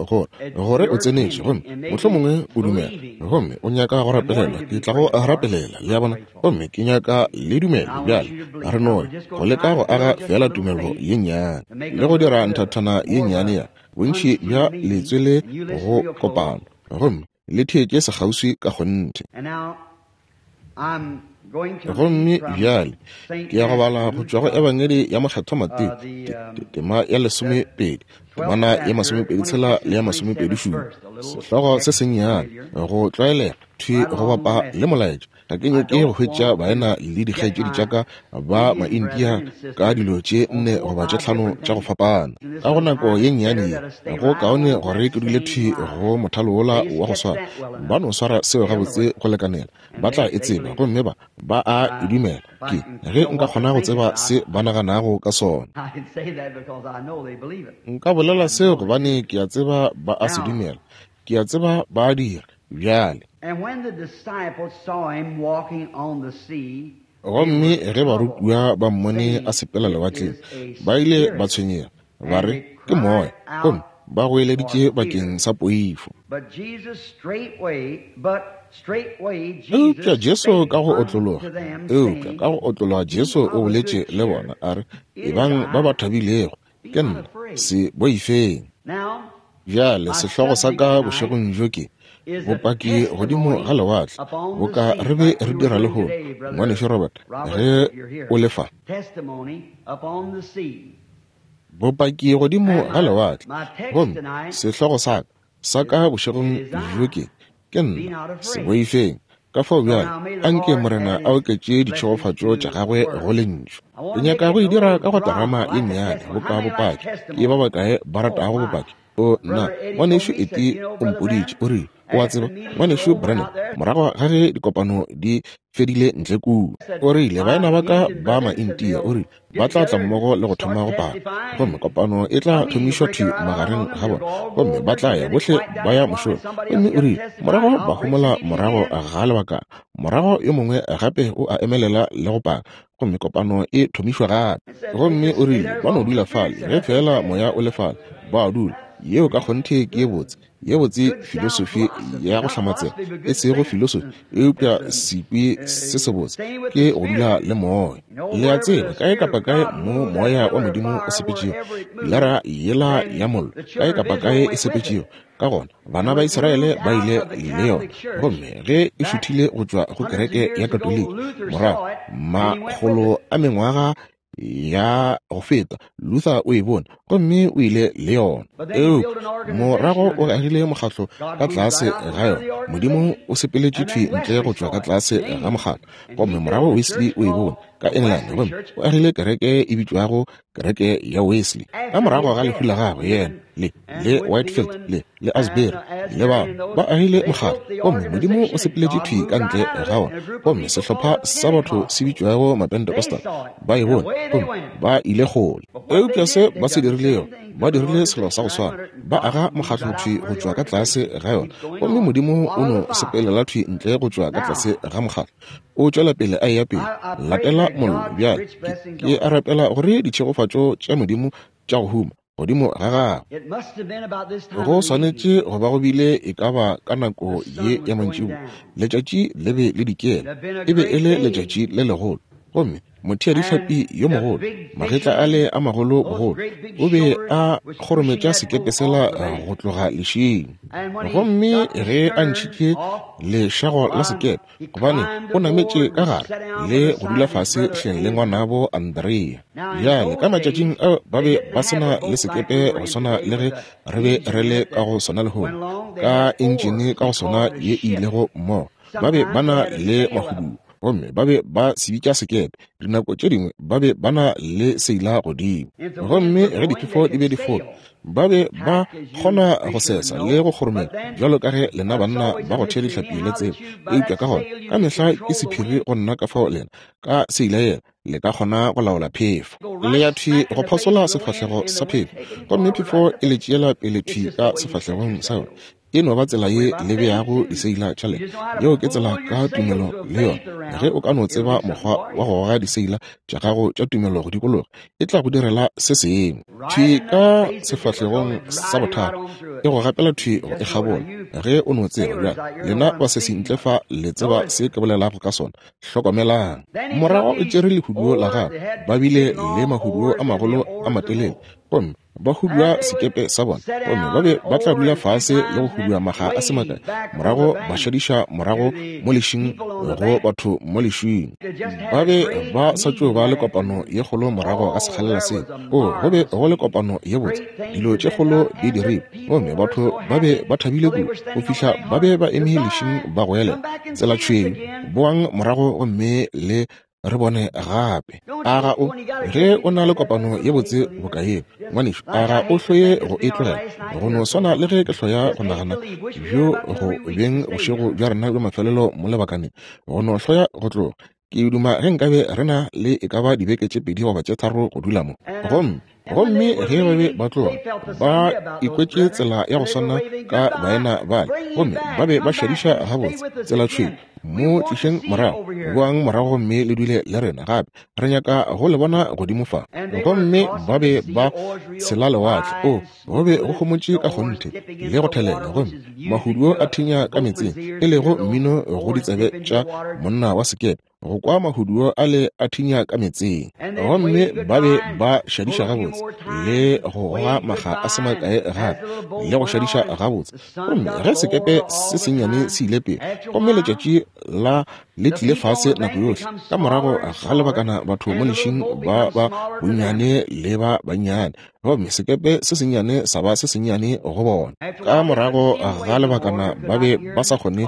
gore o tsenetše gomme mohlomongwe o dumela gomme o nyaka go rapelelwa, ke tla go rapelela, le a bona, gomme ke nyaka le dumele. Bjale re no go leka go aga feela tumelo ye nnyane le go dira nthathana ye nnyane ya bontši bja letswele go kopano, gomme le theetše sekgauswi ka kgonthe. Gomme bjale ke ya go bala go tšwa go Ebangedi ya Mokgethwa Mateo, tema ya 12, temana ya 26 le ya 27, sehlogo se sennyane, go tlwaelega thwi go bapa le molaetša. Ga ke nyake go hwetša baena le dikgaetšedi tša ka ba Maindia ka dilo tše 4 goba tše 5 tša go fapana. Ka go nako ye nnyane ye, go kaone gore ke dule thwi go mothalo wola wa go swara. Ba no swara seo gabotse go lekanela, ba tla e tseba, gomme ba a e dumela. Ke ge nka kgona go tseba se ba naganago ka sona. Nka bolela seo gobane ke a tseba ba a se dumela. Ke a tseba ba a dira. Bjale. Gomme ge barutiwa ba mmone a sepela lewatleng, ba ile ba tshwenyega, ba re, Ke moya, gomme ba goeleditše bakeng sa poifo. Eupša Jesu ka go otlologa, Jesu o boletše le bona, a re, Ebang ba ba thabilego, ke nna, se boifeng. Bjale sehlogo sa ka bošegong bjo ke bopaki godimo ga lewatle, boka re be re dira lehono, Ngwanešu Robert, ge o le fa. Bopaki godimo ga lewatle. Gomme sehlogo sa ka bošegong bjo ke nna, se boifeng. Ka fao bjale, anke Morena a oketše ditšhegofatšo tša gagwe go lentšu. Ke nyaka go e dira ka go terama ye nnyane, boka bopaki. Ke ba bakae ba ratago bopaki? O nna, ngwanešu Eti o mpoditše, o rile, o a tseba, ngwanešu Branham, morago ga ge dikopano di fedile ntle kua, o rile, baena ba ka ba Maintia, o rile, ba tla tla mmogo le go thoma go paka, gomme kopano e tla thomišwa thwi magareng ga bona, gomme ba tla ya bohle ba ya mošomo. Gomme o rile, morago ba homola morago ga lebaka, morago yo mongwe gape o a emelela le go paka, gomme kopano e thomišwa gape. Gomme o rile, ba no dula fale, ge fela moya o le fale, ba dula. Yeo ka kgonthe ke ye botse filosofi ya go hlamatsega, e sego filosofi, eupša sekwi se sebotse ke go dula le moya. Le a tseba, kae kapa kae mo moya wa Modimo o sepetšego, pilara yela ya mollo, kae kapa kae e sepetšego, ka gona bana ba Israele ba ile le yona. Gomme ge e šuthile go tšwa go kereke ya Katoliki morago makgolo a mengwaga ya go feta, Luther o e bone gomme o ile le yona. Eupša morago o agile mokgatlo ka tlase ga yona. Modimo o sepeletše thwi ntle go tšwa ka tlase ga mokgatlo. Gomme morago Wesley o e bone ka England, gomme o agile kereke e bitšwago kereke ya Wesley. Ka morago ga lehu la gagwe, yena le Whitefield le Asbury le ba agile mokgatlo, gomme Modimo o sepeletše thwi ka ntle ga ona. Gomme sehlopha sa batho se bitšwago Mapentecostal ba e bone, gomme ba ile kgole. Eupša se ba se dirilego, ba dirile selo sa go swana, ba aga mokgatlo thwi go tšwa ka tlase ga yona, gomme Modimo o no sepelela thwi ntle go tšwa ka tlase ga mokgatlo, o tšwela pele a eya pele. Latela mollo. Bjale ke a rapela gore ditšhegofatšo tša Modimo tša go huma godimo ga gagwe. Go swanetše go ba go bile e ka ba ka nako ye ya mantšiboa, letšatši le be le dikela, e be e le letšatši le legolo. Gomme Motheadihlapi yo mogolo, magetla ale a magolo bogolo, o be a kgorometša sekepe sela go tloga lešing. Gomme ge a ntšhitše lešago la sekepe, gobane o nametše ka gare le go dula fase hleng le ngwanabo Andrea. Bjale ka matšatšing ao ba be ba se na le sekepe go swana le ge re be re le ka go sona lehono, ka entšene ka go sona ye e ilego mmogo. Ba be ba na le mahuduo, gomme ba be ba se bitša sekepe. Dinako tše dingwe ba be ba na le seila godimo, gomme ge diphefo di be di foka, ba be ba kgona go sesa le go kgoromela bjalo ka ge lena banna ba go thea dihlapi le tseba. Eupša ka gona ka mehla ke sephiri go nna ka fao lena ka seila yela le ka kgona go laola phefo. Le ya thwi go phasola sefahlego sa phefo, gomme phefo e le tšeela pele thwi ka sefahlegong sa yona. E no ba tsela ye le beago diseila tša lena. Yeo ke tsela ka tumelo le yona. Ge o ka no tseba mokgwa wa go goga diseila tša gago tša tumelo go dikologa, e tla go direla se sengwe. Thwi ka sefahlegong sa bothata, e go gapela thwi go e kgabola. Ge o no tseba bjale, lena basesi ntle fa le tseba se ke bolelago ka sona. Hlokomelang. Morago o tšere lehuduo la gagwe. Ba bile le mahuduo a magolo a matelele, gomme ba hudua sekepe sa bona, gomme ba be ba tla dula fase le go hudua maga a se makae, morago ba šadiša morago mo lešing go batho mo lešing. Ba be ba sa tšo ba le kopano ye kgolo morago ga sekgalela seo. O, go be go le kopano ye botse, dilo tše kgolo di dirilwe, gomme batho ba be ba thabile kudu go fihla ba be ba eme lešing ba goelela, Tsela tšhweu, boang morago gomme le re bone gape. A ga o, ge o na le kopano ye botse boka yeo, ngwanešu, a ga o hloye go e tlogela? Go no swana le ge ke hloya go nagana bjo go beng bošego bja rena bja mafelelo mo lebakaneng, go no hloya go tloga. Ke duma ge nkabe re na le e ka ba dibeke tše 2 goba tše 3 go dula mo. Gomme Gomme ge ba be ba tloga, ba ikwetše tsela ya go swana ka baena bale, gomme ba be ba šadiša gabotse tsela tšhweu. Mo tlišeng morago, boang morago gomme le dule le rena gape. Re nyaka go le bona godimo fa. Gomme ba be ba tshela lewatle. O, go be go homotše ka kgonthe le go thelela, gomme mahuduo a thinya ka meetseng, e lego mmino go ditsebe tša monna wa sekepe. go kwa mahuduo a le a thinya ka meetseng. Gomme ba be ba šadiša gabotse le go goga makga a se makae gape le go šadiša gabotse. Gomme ge sekepe se sennyane se ile pele, gomme letšatši la le tlile fase nako yohle, ka morago ga lebakana batho mo lešing ba ba bonnyane le ba bannyane, gomme sekepe se sennyane sa ba se sennyane go bona. Ka morago ga lebakana ba be ba sa kgone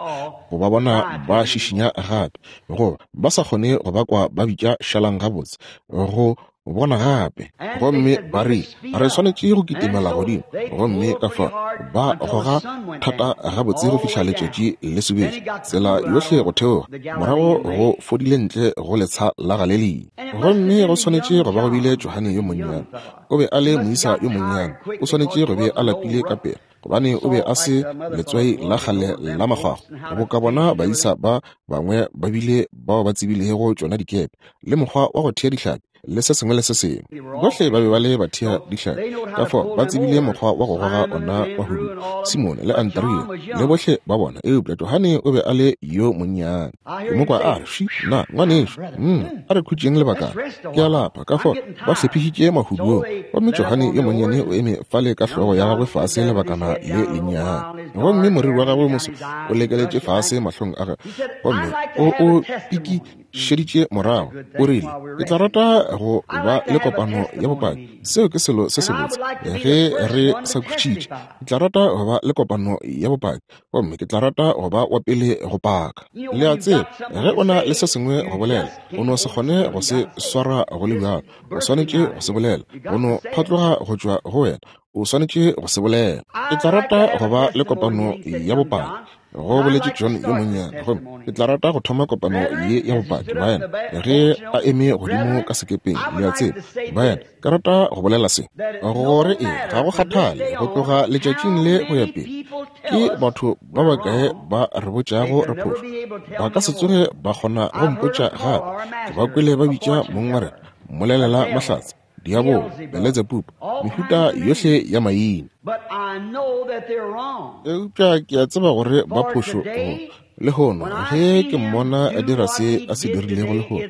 go ba bona ba šišinya gape, goba ba sa kgone go ba kwa ba bitša šalang gabotse go bona gape. Gomme ba rile, Re swanetše go kitimela godimo. Gomme ka fao ba goga thata gabotse go fihla letšatši le sobetše, tsela yohle go theoga, morago go fodile ntle go letsha la Galelia. Gomme go swanetše go ba go bile Johane yo monnyane. O be a le moisa yo monnyane. O swanetše go be a lapile ka pela, gobane o be a se letswai la kgale la makgwakgwa, boka bona baisa ba bangwe ba bile bao ba tsebilego tšona dikepe, le mokgwa wa go thea dihlapi, le se sengwe le se sengwe. Bohle ba be ba le bathea dihlapi, ka fao ba tsebile mokgwa wa go goga ona mahudu, Simone le Andrea le bohle ba bona. Eupša Johane o be a le yo monnyane. Ke mo kwa a re, Fši, na, ngwanešu, a re khutšeng lebakana. Ke a lapa. Ka fao ba hlephišitše mahuduong, gomme Johane yo monnyane o eme fale ka hlogo ya gagwe fase lebakana le lennyane, gomme moriri wa gagwe moso o lekeletše fase mahlong a gagwe, gomme o o pikišeditše morago. O rile, Ke tla rata go ba le kopano ya bopaki. Seo ke selo se sebotse ge re sa khutšitše. Ke tla rata go ba le kopano ya bopaki, gomme ke tla rata go ba wa pele go paka. Le a tseba, ge o na le se sengwe go bolela, o no se kgone go se swara go le bjalo. O swanetše go se bolela. Go no phatloga go tšwa go wena. O swanetše go se bolela. Ke tla rata go ba le kopano ya bopaki, go boletše John yo monnyane, gomme ke tla rata go thoma kopano ye ya bopaki, baena, ge a eme godimo ka sekepeng. Le a tseba, baena, ke rata go bolela se, gore e ga go kgathale go tloga letšatšing le go ya pele, ke batho ba bakae ba re botšago re phošo. Ba ka se tsoge ba kgona go mpotša gape. Ke ba kwele ba bitša mong wa rena, mmolelela mahlatse, diabolo, Beletsebubu, mehuta yohle ya maina. Eupša ke a tseba gore ba phošo go. Lehono, ge ke mmona a dira se a se dirilego lehono,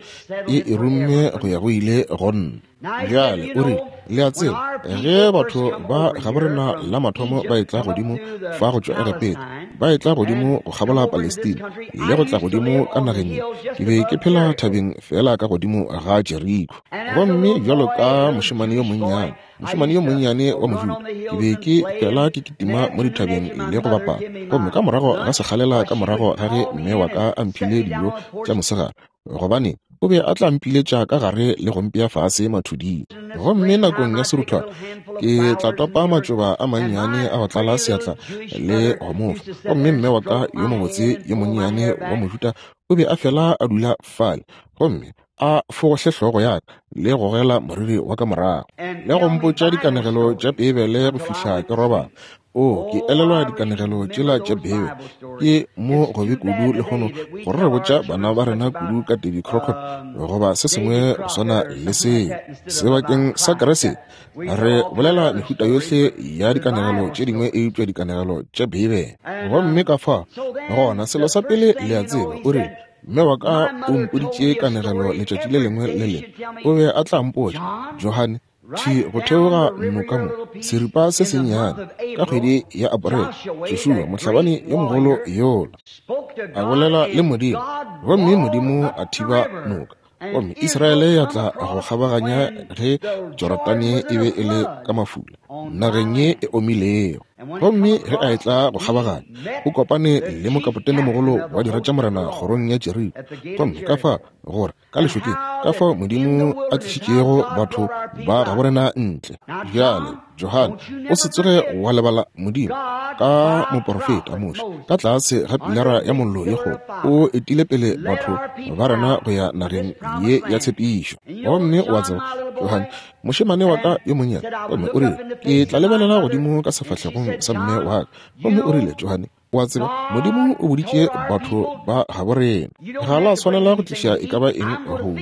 e e rumme go ya go ile go nna. Bjale, o rile, le a tseba, ge batho ba gaborena la mathomo ba etla godimo fa go tšwa Egepeta, ba etla godimo go kgabola Palestina, le go tla godimo ka nageng ye, ke be ke phela thabeng feela ka godimo ga Jeriko. Gomme bjalo ka mošemane yo monnyane, mošemane yo monnyane wa Mojuda, ke be ke fela ke kitima mo dithabeng le go bapala. Gomme ka morago ga sekgalela ka morago ga ge mme wa ka a mphile dijo tša mosegare, gobane o be a tla mpiletša ka gare le go mpea fase mathuding. Gomme nakong ya seruthwana ke tla topa matšoba a mannyane a go tlala seatla le go mo fa. Gomme mme wa ka yo mobotse yo monnyane wa Mojuda o be a fela a dula fale gomme a fogohle hlogo ya ka le gogela moriri wa ka morago le go mpotša dikanegelo tša Beibele go fihla ke robala. O, ke elelwa dikanegelo tšela tša Beibele. Ke mo gobe kudu lehono gore re botša bana ba rena kudu ka Davy Crockett goba se sengwe go swana le seo. Sebakeng sa Kriste, re bolela mehuta yohle ya dikanegelo tše dingwe eupša dikanegelo tša Beibele. Gomme ka fa, gona selo sa pele le a tseba, o rile, Mme wa ka o mpoditše kanegelo letšatši le lengwe le lengwe. O be a tla mpotša, Johane, thwi go theoga noka mo, seripa se sennyane, ka kgwedi ya Aporele, Joshua, mohlabani yo mogolo yola, a bolela le Modimo, gomme Modimo a thiba noka, gomme Israele ya tla go kgabaganya ge Jorodane e be e le ka mafula, nageng ye e omilego. Gomme ge a etla go kgabaganya, o kopane le mokapotene mogolo wa dira tša morena kgorong ya Jeriko. Gomme ka fa gore ka lešokeng, ka fao Modimo a tlišitšego batho ba gaborena ntle. Bjale, Johane, o se tsoge wa lebala Modimo ka moporofeta Moshe ka tlase ga pilara ya mollo ye kgolo, o etile pele batho ba rena go ya nageng ye ya tshepišo. Gomme wa tseba, Johane, mošemane wa ka yo monnyane, gomme o rile, ke tla lebelela godimo ka sefahlegong sa mme wa ka. Gomme o rile, Johane, o a tseba, Modimo o boditše batho ba gabo rena, ga la swanela go tliša e ka ba eng go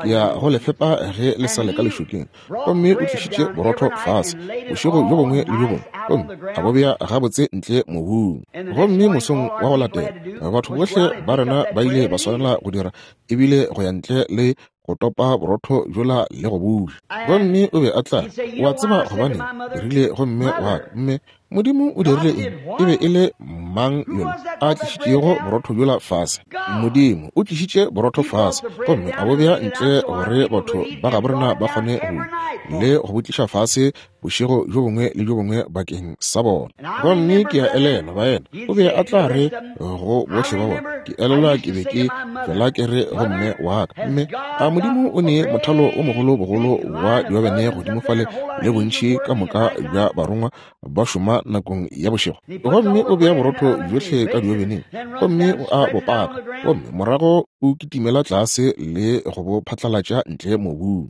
ke ya go le fepa ge le sa le ka lešokeng. Gomme o tlišitše borotho fase bošego bjo bongwe le bjo bongwe, gomme a bo bea gabotse ntle mobung. Gomme mosong wa go latela, batho bohle ba rena ba ile ba swanela go dira ebile go ya ntle le go topa borotho bjola le go buša. Gomme o be a tla, o a tseba gobaneng, ke rile go mme wa ka, mme, Modimo o dirile eng? E be e le mang yola a tlišitšego borotho bjola fase? Modimo o tlišitše borotho fase gomme a bo bea ntle gore batho ba gabo rena ba kgone go ja, le go bo tliša fase bošego bjo bongwe le bjo bongwe bakeng sa bona. Gomme ke a elelwa, baena, o be a tla re go bohle ba bona, ke elelwa ke be ke fela ke re go mme wa ka, mme a Modimo o ne mothalo o mogolo bogolo wa diobene godimo fale le bontši ka moka bja barongwa ba šoma nakong ya bošego. Gomme o bea borotho bjohle ka diobeneng gomme o a bo paka, gomme morago o kitimela tlase le go bo phatlalatša ntle mobung.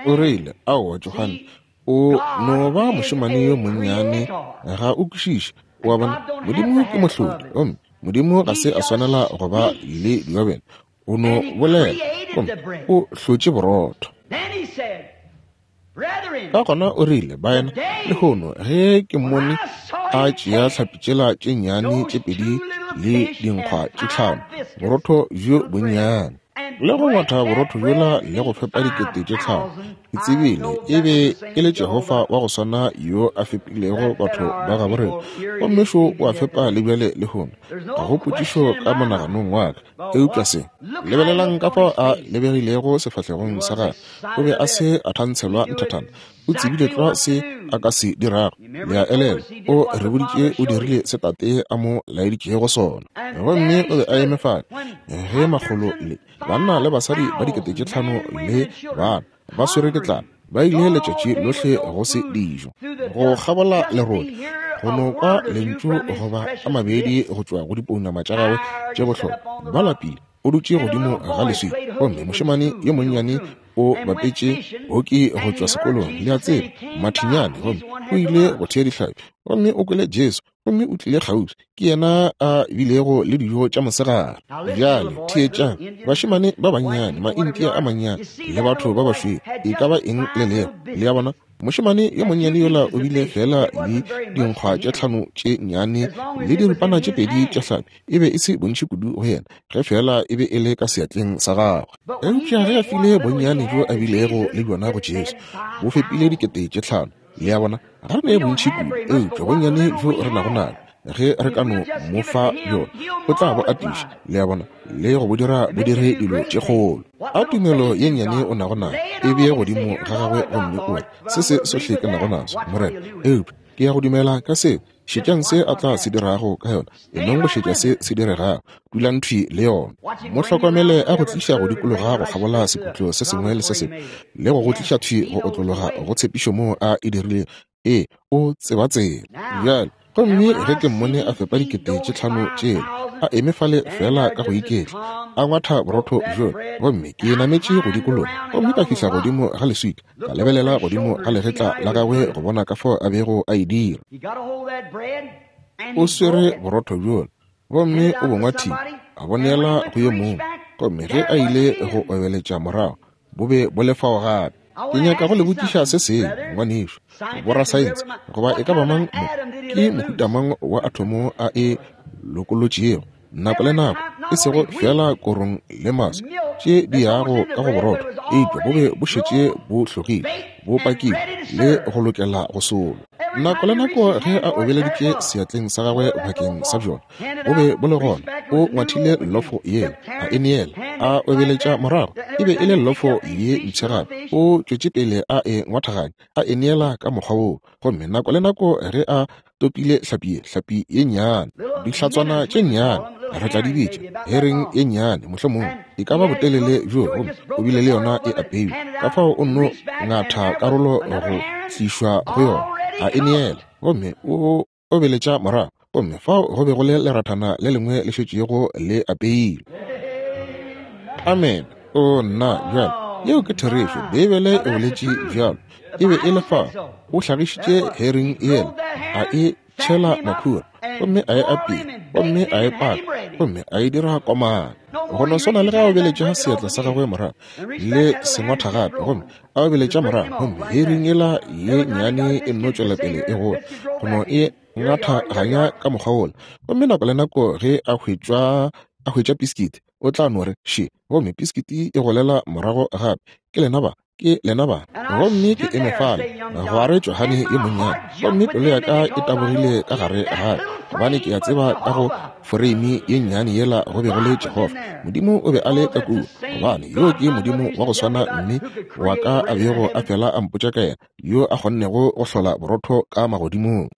O rile, Aowa, Johane, o no ba mošemane yo monnyane, ga o kwešiše. O a bona, Modimo ke mohlodi, gomme Modimo ga se a swanela go ba le diobene. O no bolela, gomme o hlotše borotho. Ka gona o rile, Baena, lehono ge ke mmone a tšea hlapi tšela tše nnyane tše pedi le dinkgwa tše tlhano, borotho bjo bonnyane, le go ngwatha borotho bjola le go fepa 5 000, ke tsebile e be e le Jehofa wa go swana yo a fepilego batho ba gabo rena, gomme šo o a fepa le bjale lehono. Ga go potšišo ka monaganong wa ka. Eupša se, lebelelang ka fao a lebegilego sefahlegong sa gagwe. O be a se a thantshelwa nthathana. O tsebile tlwa se a ka se dirago. Le a elelwa, o re boditše o dirile se Tate a mo laeditšego sona. Gomme o be a eme fale ge makgolo le banna le basadi ba 5,000 le bana ba swere ke tlala, ba ile letšatši lohle go se dijo, go kgabola lerole, go no kwa lentšu goba a mabedi go tšwa go dipounama tša gagwe tše bohlokwa. Ba lapile. O dutše godimo ga leswika, gomme mošemane yo monnyane o bapetše hoki go tšwa sekolong, le a tseba, mathinyane, gomme O ile go thea dihlapi, gomme o kwele Jesu, gomme o tlile kgauswi. Ke yena a bilego le dijo tša mosegare. Bjale theetšang, bašemane ba bannyane, Maindia a mannyane, le batho ba bašweu, e ka ba eng le lego. Le a bona? Mošemane yo monnyane yola o bile feela le dinkgwa tše tlhano tše nnyane le diripana tše pedi tša hlapi. E be e se bontši kudu go yena, ge feela e be e le ka seatleng sa gagwe. Eupša ge a file bonnyane bjo a bilego le bjona go Jesu, bo fepile 5000. Le a bona? Ga re ne bontši kudu, eupša bonnyane bjo re nago nabo, ge re ka no mo fa bjona, o tla bo atiša, le a bona, le go bo dira bo dire dilo tše kgolo. A tumelo ye nnyane o nago nayo, e bee godimo ga gagwe gomme o re, Se se sohle ke nago naso, Morena, eupša ke ya go dumela ka seo. Šetšang se a tla se dirago ka yona. E nong go šetša se se diregago. Dulang thwi le yona. Mo hlokomele a go tliša go dikologa go kgabola sekhutlo se sengwe le se sengwe, le go go tliša thwi go otlologa go tshepišo moo a e dirilego. Ee, o tseba tsela. Bjale, gomme ge ke mmone a fepa 5000 tšela, a eme fale feela ka go iketla, a ngwatha borotho bjola, gomme ke nametše go dikologa, gomme ka fihla godimo ga leswika, ka lebelela godimo ga legetla la gagwe go bona ka fao a bego a e dira. O swere borotho bjola, gomme o bo ngwathile, a bo neela go yo mongwe, gomme ge a ile go obeletša morago, bo be bo le fao gape. Ke nyaka go le botšiša se sengwe, ngwanešu, borasaense, goba e ka ba mang mo, ke mohuta mang wa athomo a e lokolotšego nako le nako, e sego feela korong le maswi tše di yago ka go borotho, eupša bo be bo šetše bo hlogile, bo pakilwe le go lokela go solwa. Nako le nako ge a obeleditše seatleng sa gagwe bakeng sa bjona, bo be bo le gona. O ngwathile llofo yela, a e neela, a obeletša morago. E be e le llofo ye mpsha gape. O tšwetše pele a e ngwathaganya, a e neela ka mokgwa woo. Gomme nako le nako ge a topile hlapi ye, hlapi ye nnyane, dihlatswana tše nnyane, re tla di bitša hereng ye nnyane, mohlomongwe e ka ba botelele bjo, gomme o bile le yona e apeilwe. Ka fao o nno ngatha karolo go tlišwa go yona, a e neela, gomme o obeletša morago, gomme fao go be go le lerathana le lengwe le šetšego le apeilwe. Amen. O nna, bjale, yeo ke therešo. Beibele e boletše bjalo. E be e le fao. O hlagišitše herring yela, a e tšhela makhura, gomme a e apea, gomme a e paka, gomme a e dira komana. Go no swana le ge a obeletša seatla sa gagwe morago le sengwatha gape, gomme a obeletša morago, gomme herring yela ye nnyane e nno tšwela pele e gola, go no e ngathaganya ka mokgwa wola. Gomme nako le nako ge a hwetša piskiti, o tla no re, Še, gomme piskiti e golela morago gape. Ke lena ba, ke lena ba. Gomme ke eme fale, gwa re Johane yo monnyane, gomme pelo ya ka e tabogile ka gare ga ka, gobane ke a tseba ka go foreimi ye nnyane yela go be go le Jehofa. Modimo o be a le ka kua, gobane yo ke Modimo wa go swana mme wa ka a bego a fela a mpotša ka yena, yo a kgonnego go hlola borotho ka magodimong.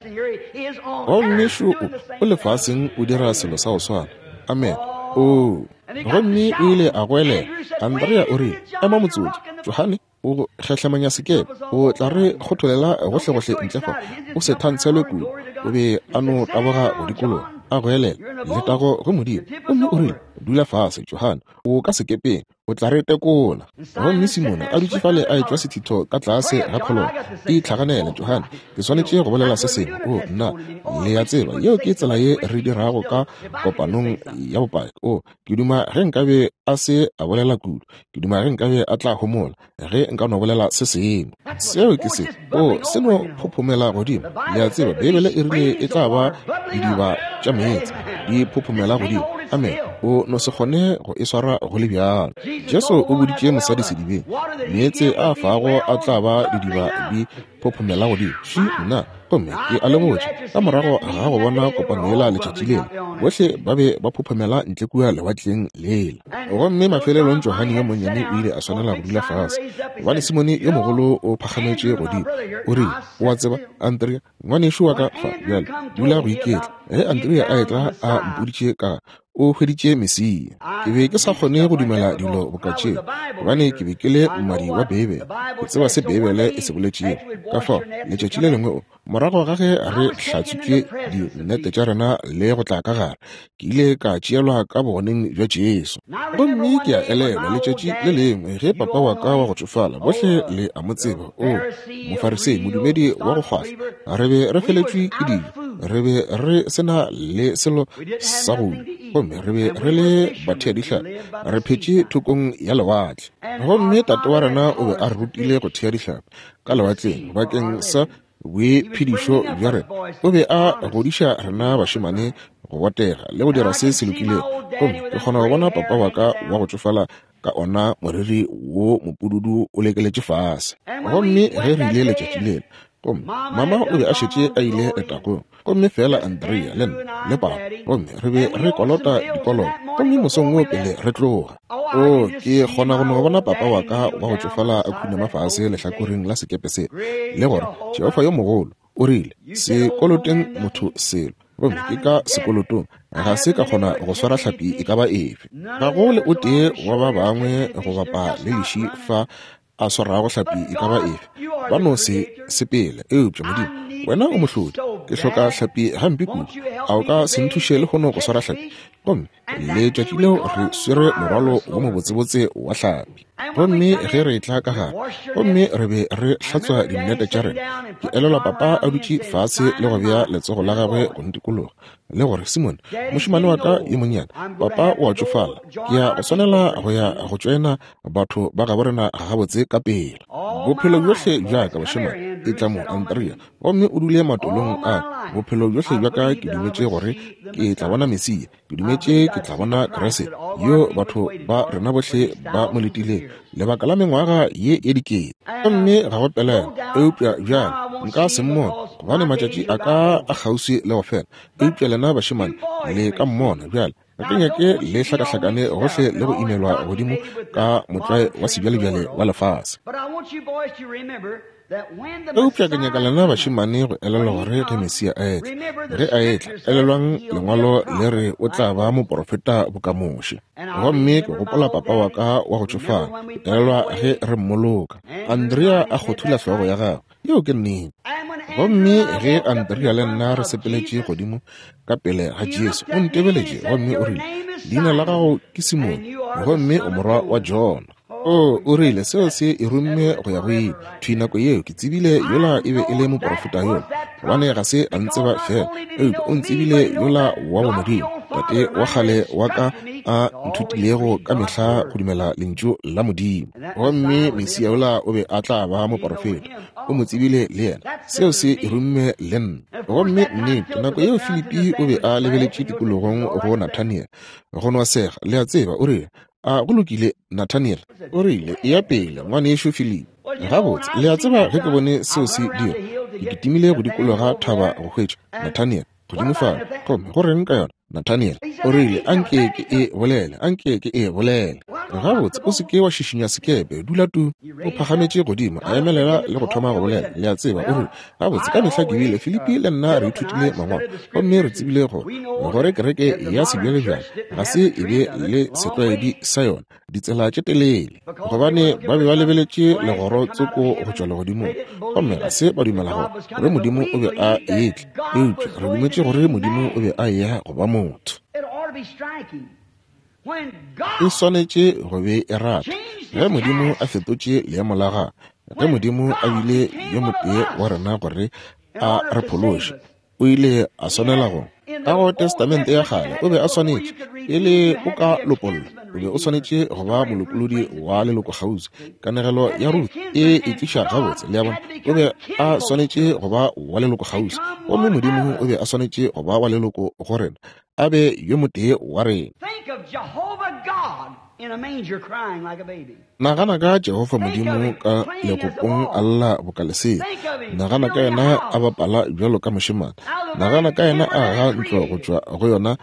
Gomme šo o, o lefaseng o dira selo sa go swana. Amen. Oo. Gomme o ile a goelela. Andrea o rile, Ema motsotso, Johane, o go kgehlemanya sekepe, o tla re kgotholela gohlegohle ntle fa, o se thantshelwe kudu. O be a no taboga go dikologa, a goelela, Letago go Modimo. Gomme o rile, Dula fase, Johane, o ka sekepeng, o tla re tekola. Gomme Simone a dutše fale a etšwa sethitho ka tlase ga kgolong. Itlhaganele, Johane, ke swanetše go bolela se sengwe. O, nna, le a tseba, yeo ke tsela ye re dirago ka kopanong ya bopaki. O, ke duma ge nkabe a se a bolela kudu. Ke duma ge nkabe a tla homola, ge nka no bolela se sengwe. Seo ke se. O, se no phophomela godimo. Le a tseba, Beibele e rile e tla ba didiba tša meetse, di phophomela godimo. Amen. O no se kgone go e swara go le bjalo. Jesu o boditše mosadi sedibeng, meetse a fago a tla ba didiba di phophomela godimo. Ši, nna, gomme ke a le botša, ka morago ga go bona kopano yela letšatši lela, bohle ba be ba phophomela ntle kua lewatleng lela. Gomme mafelelong Johane yo monnyane o ile a swanela go dula fase, gobane Simone yo mogolo o phagametše godimo. O rile, O a tseba, Andrea, ngwanešu wa ka fa bjale, dula go iketla. Ge Andrea a etla a mpoditše ka. O hweditše Mesia. Ke be ke sa kgone go dumela dilo boka tšeo, gobane ke be ke le mmadi wa Beibele. Ke tseba se Beibele e se boletšego. Ka fao, letšatši le lengwe, morago ga ge re hlatswitše dinnete tša rena le go tla ka gare, ke ile ka tšeelwa ka bogoneng bja Jesu. Gomme ke a elelwa letšatši le lengwe ge papa wa ka wa go tšofala, bohle le a mo tseba, o Mofarisei, modumedi wa go kgwahla, re be re feletšwe ke dijo, re be re se na le selo sa go ja, gomme re be re le batheadihlapi, re phetše thokong ya lewatle. Gomme tate wa rena o be a re rutile go thea dihlapi ka lewatleng bakeng sa boiphedišo bja rena. O be a godiša rena bašemane go botega le go dira se se lokilego. Gomme ke kgona go bona papa wa ka wa go tšofala ka ona moriri wo mopududu o lekeletše fase. Gomme ge re ile letšatši lela, gomme mama o be a šetše a ile letagong, gomme fela Andrea le nna le papa, gomme re be re kolota dikoloto, gomme mosong wo pele re tloga, o ke kgona go no bona papa wa ka wa go tšofala a khunama fase lehlakoreng la sekepe se, le gore Jehofa yo mogolo o rile, se koloteng motho selo, gomme ke ka sekolotong, ga se ka kgona go swara hlapi e ka ba efe. Ga go le o tee wa ba bangwe go bapa le leši fa a swarago hlapi e ka ba efe, ba no se sepele. Eupša Modimo, wena o mohlodi, ke hloka hlapi gampe kudu, a o ka se nthuše lehono go swara hlapi? Gomme letšatši leo re swere morwalo wo mobotsebotse wa hlapi. Gomme ge re etla ka gare, gomme re be re hlatswa dinnete tša rena, ke elelwa papa a dutše fase le go bea letsogo la gagwe go ntikologa, le gore, Simone, mošemane wa ka yo monnyane, papa o a tšofala, ke ya go swanela go ya go tšoena batho ba gabo rena gabotse ka pela. Bophelo bjohle bja ka, bašemane, etla mo, Andrea, gomme o dule matolong a. Bophelo bjohle bja ka ke dumetše gore ke tla bona Mesia, ke dumetše ke tla bona Kriste, yo batho ba rena bohle ba mo letileng lebaka la mengwaga ye ye dikete. Gomme ga go pelaelo, eupša bjale nka se mmone, gobane matšatši a ka a kgauswi le go fela. Eupša lena bašemane le ka mmona bjale. Ga ke nyake le hlakahlakane gohle le go imelwa godimo ka motlwae wa sebjalebjale wa lefase. Eupša ke nyaka lena bašemane go elelwa gore ge Mesia a etla, ge a etla, elelwang Lengwalo le re o tla ba moporofeta boka Moshe. Gomme ke gopola papa wa ka wa go tšofala, ke elelwa ge re mmoloka. Andrea a kgothula hlogo ya gagwe. Yeo ke nnete. Gomme ge Andrea le nna re sepeletše godimo ka pele ga Jesu, o ntebeletše gomme o rile, Leina la gago ke Simone, gomme o morwa wa Jona. O, o rile, seo se e rumme go ya go ile. Thwi nako yeo ke tsebile yola e be e le moprofeta yola, gobane ga se a ntseba fela, eupša o ntsebile yola wa bomodimo, tate wa kgale wa ka a nthutilego ka mehla go dumela Lentšu la Modimo. Gomme Mesia yola o be a tla ba moprofeta, o mo tsebile le yena. Seo se e rumme le nna. Gomme nnete, nako yeo Filipi o be a lebeletše tikologong go Nathaniel, go no sega, le a tseba, o rile, A go lokile, Nathaniel? O rile, Eya pele, ngwanešu Filipi. Gabotse, le a tseba, ge ke bone seo se dira, ke kitimile go dikologa thaba go hwetša Nathaniel godimo fale. Gomme go reng ka yona, Nathaniel? O rile, Anke ke e bolele, anke ke e bolele. Gabotse, o se ke wa šišinya sekepe, dula tu. O phagametše godimo, a emelela le go thoma go bolela. Le a tseba, o rile, Gabotse, ka mehla ke bile, Filipi le nna re ithutile Mangwalo, gomme re tsebile gore, gore kereke ya sebjalebjale ga se e be le setlwaedi sa yona, ditsela tše telele, gobane ba be ba lebeletše legoro tsoko go tšwa legodimong, gomme ga se ba dumela gore, gore Modimo o be a etla, eupša re dumetše gore Modimo o be a eya go ba motho. E swanetše go be e rata ge Modimo a fetotše leemo la gagwe, ge Modimo a bile yo motee wa rena gore a re phološe, o ile a swanela go. Ka go Testamente ya Kgale o be a swanetše, pele o ka lopollwa, o be o swanetše go ba molopolodi wa leloko kgauswi. Kanegelo ya Ruth e e tliša gabotse, le a bona. O be a swanetše go ba wa leloko kgauswi, gomme Modimo o be a swanetše go ba wa leloko go rena, a be yo motee wa rena. Nagana ka Jehofa Modimo ka legopong a lla boka lesea. Nagana ka yena a bapala bjalo ka mošemane. Nagana ka yena a aga ntlo go tšwa go yona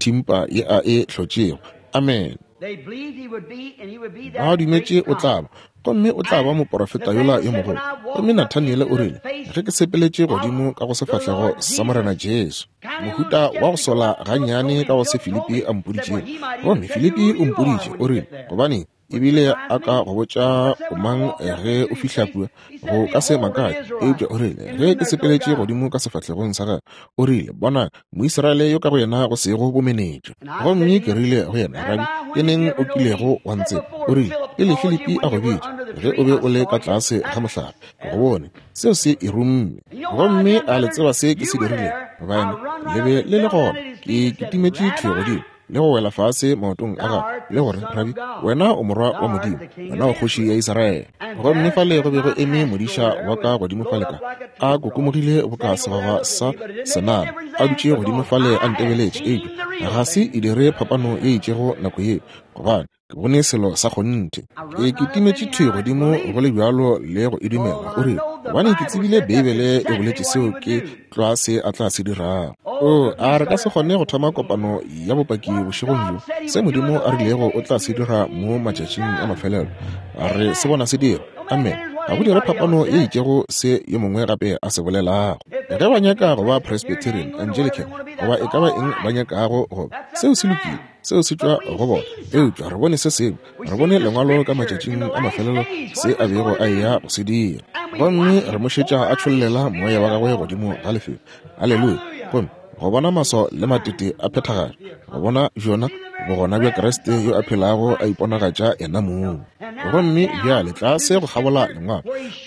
thimpa ye a e hlotšego. Amene. Ba dumetše o tla ba, gomme o tla ba moporofeta yola yo mogolo. Gomme Nathaniele o rile, Ge ke sepeletše godimo ka go sefahlego sa Morena Jesu, mohuta wa go sola gannyane ka go se Filipi a mpoditšego. Gomme Filipi o mpoditše, o rile, gobane ebile a ka go botša o mang ge o fihla kua, go ka se makatše. Eupša o rile, ge ke sepeletše godimo ka sefahlegong sa gagwe, o rile, Bona, Moisraele yo ka go yena go sego bomenetša. Gomme ke rile go yena, Rabi, ke neng o kilego wa ntseba? O rile, Pele Filipi a go bitša, ge o be o le ka tlase ga mohlare, ke go bone. Seo se e rumme. Gomme a le tseba se ke se dirilego? Baena, le be le le gona. Ke kitimetše thwi godimo le go wela fase maotong a gagwe le gore, Rabi, wena o Morwa wa Modimo, wena o Kgoši ya Israele. Gomme fale go be go eme modiša wa ka godimo fale ka a kokomogile boka segwagwa sa senama, a dutše godimo fale a ntebeletše, eupša ga se e dire phapano ye itšego nako yeo, gobane ke bone selo sa kgonthe. Ke kitimetše thwi godimo go le bjalo le go e dumela. O rile, Gobane ke tsebile Beibele e boletše seo ke tlwa se a tla se dirago. Oo, a re ka se kgone go thoma kopano ya bopaki bošegong bjo, se Modimo a rilego o tla se dira mo matšatšing a mafelelo. Re se bona se dira. Amen. Ga go dire phapano ye itšego se yo mongwe gape a se bolelago. Ge ba nyaka go ba Presbyterian, Anglican, goba e ka ba eng ba nyakago go ba, seo se lokile. Seo se tšwa go bona. Eupša re bone se sengwe. Re bone Lengwalo ka matšatšing a mafelelo, se a bego a eya go se dira. Gomme re mo šetša a tšhollela moya wa gagwe godimo ga lefelo. Haleluya! Gomme go bona maswao le matete a phethagatšwa, go bona bjona Bogona bja Kriste yo a phelago a iponagatša yena mong. Gomme bjale tlase go kgabola Lengwalo,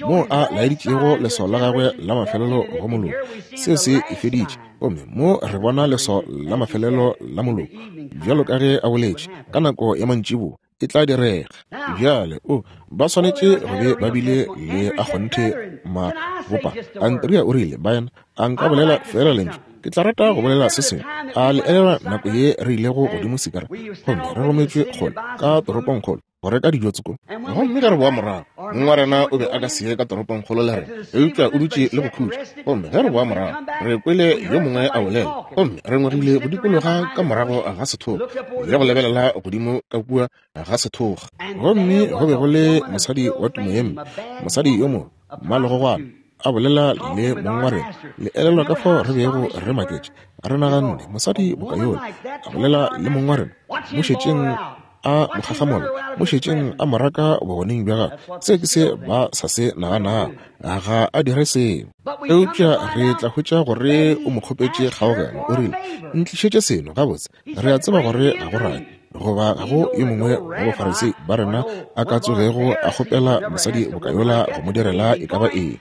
moo a laeditšego leswao la gagwe la mafelelo go moloko, seo se e feditše. Gomme mo re bona leswao la mafelelo la moloko, bjalo ka ge a boletše, ka nako ya mantšiboa e tla direga. Bjale, o, ba swanetše go be ba bile le a kgonthe mabopa. Andrea o rile, Baena, a nka bolela feela lentšu? Ke tla rata go bolela se sengwe. A le elelwa nako ye re ilego godimo Sikara, gomme re rometšwe kgole ka toropongkgolo go reka dijo tsoko? Gomme ge re boa morago, mong wa rena o be a ka se ye ka toropongkgolo le rena, eupša o dutše le go khutša. Gomme ge re boa morago, re kwele yo mongwe a bolela, gomme re ngwegile go dikologa ka morago ga sethoga le go lebelela godimo ka kua ga sethoga. Gomme go be go le mosadi wa tumo ye mpe, mosadi yo mobe, mmalegogwana, a bolela le mong wa rena. Le elelwa ka fao re bego re maketše, re naganne, mosadi boka yola, a bolela le mong wa rena, mo šetšeng a mo kgakgamolla, mo šetšeng a mo raka bogoneng bja gagwe. Se ke se ba sa se naganago, ga a dire seo. Eupša re tla hwetša gore o mo kgopetše kgaogelo, o rile, Ntlišetše seno. Gabotse, re a tseba gore ga go rabi goba ga go yo mongwe wa Bafarisei ba rena a ka tsogego a kgopela mosadi boka yola go mo direla e ka ba eng.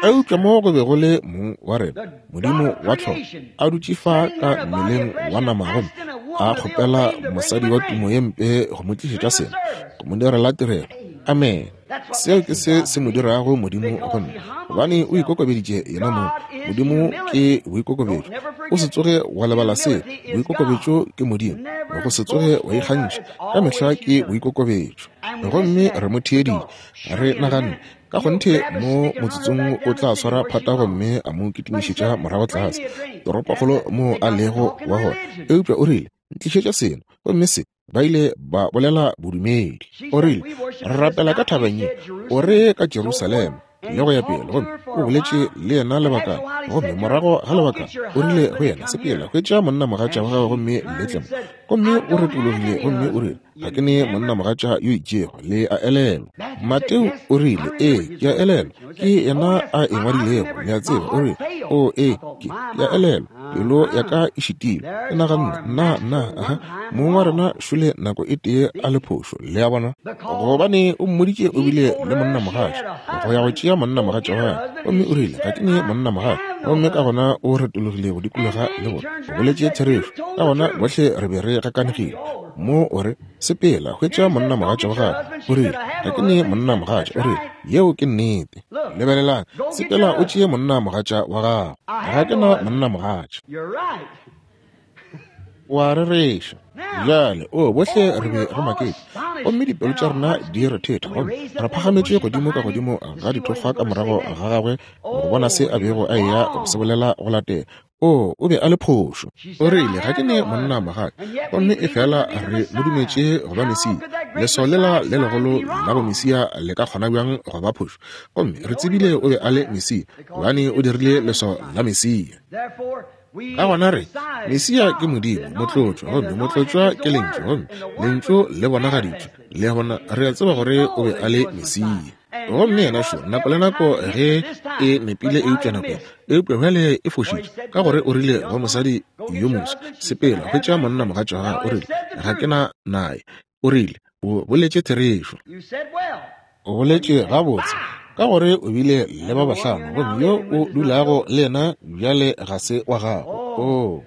Eupša mo go be go le mong wa rena, Modimo wa tlhogo, a dutše fa ka mmeleng wa nama gomme a kgopela mosadi wa tumo ye mpe go mo tlišetša seno, go mo direla tirelo. Amen. Seo ke se se mo dirago Modimo go nna, gobane o ikokobeditše yena mong. Modimo ke boikokobetšo. O se tsoge wa lebala se. Boikokobetšo ke Modimo. Go se tsoge wa ikgantšha, ka mehla ke boikokobetšo. Gomme re mo theeditše, re naganne, Ka kgonthe mo motsotsong o tla swara phata gomme a mo kitimišetša morago tlase toropokgolo moo a lego wa gona. Eupša o rile, Ntlišetša seno. Gomme se ba ile ba bolela bodumedi. O rile, Re rapela ka thabeng ye, o re ka Jerusalema, le go ya pele. Gomme o boletše le yena lebakana, gomme morago ga lebakana o rile go yena, Sepela, hwetša monnamogatša wa gago gomme le tle mo. Gomme o retologile gomme o rile, Ga ke ne monnamogatša yo itšego, le a elelwa. Mateo o rile, Ee, ke a elelwa, ke yena a e ngwadilego, le a tseba. O rile, O, ee, ke, ke a elelwa. Pelo ya ka e šitilwe. Ke naganne, Nna, nna, aha, mong wa rena šole nako e tee a le phošo, le a bona. Gobane o mmoditše o bile le monnamogatša, go ya go tšea monnamogatša wa gagwe. Gomme o rile, Ga ke ne monnamogatša. Gomme ka gona o retologile go dikologa le go re, O boletše therešo. Ka gona bohle re be re gakanegile. Mo o re, Sepela, hwetša monnamogatša wa gago. O rile, Ga ke ne monnamogatša. O rile, Yeo ke nnete. Lebelelang, sepela o tšee monnamogatša wa gago. Ga ke na monnamogatša. O a rereša. Bjale, o, bohle re be re maketše, gomme dipelo tša rena di rethetha, gomme re phagametše godimo ka godimo ga dithokgwa ka morago ga gagwe go bona se a bego a eya go se bolela go latela. O, o be a le phošo. O rile, Ga ke ne monna mogatša, gomme efela re mo dumetše go ba Mesia. Leswao lela le legolo la bomesia le ka kgona bjang go ba phošo? Gomme re tsebile o be a le Mesia, gobane o dirile leswao la Mesia. Ka gona re, Mesia ke Modimo, Motlotšwa, gomme Motlotšwa ke Lentšu, gomme Lentšu le bonagaditšwe. Le a bona, re a tseba gore o be a le Mesia. Gomme yena šo, nako le nako ge e nepile eupša nako ye, eupša bjale e fošitše, ka gore o rile go mosadi yo moswa, Sepela, hwetša monna mogatša wa gago. O rile, Ga ke na naye. O rile, O boletše therešo. O boletše gabotse, ka gore o bile le ba bahlano, gomme yo o dulago le yena bjale ga se wa gago. Oo.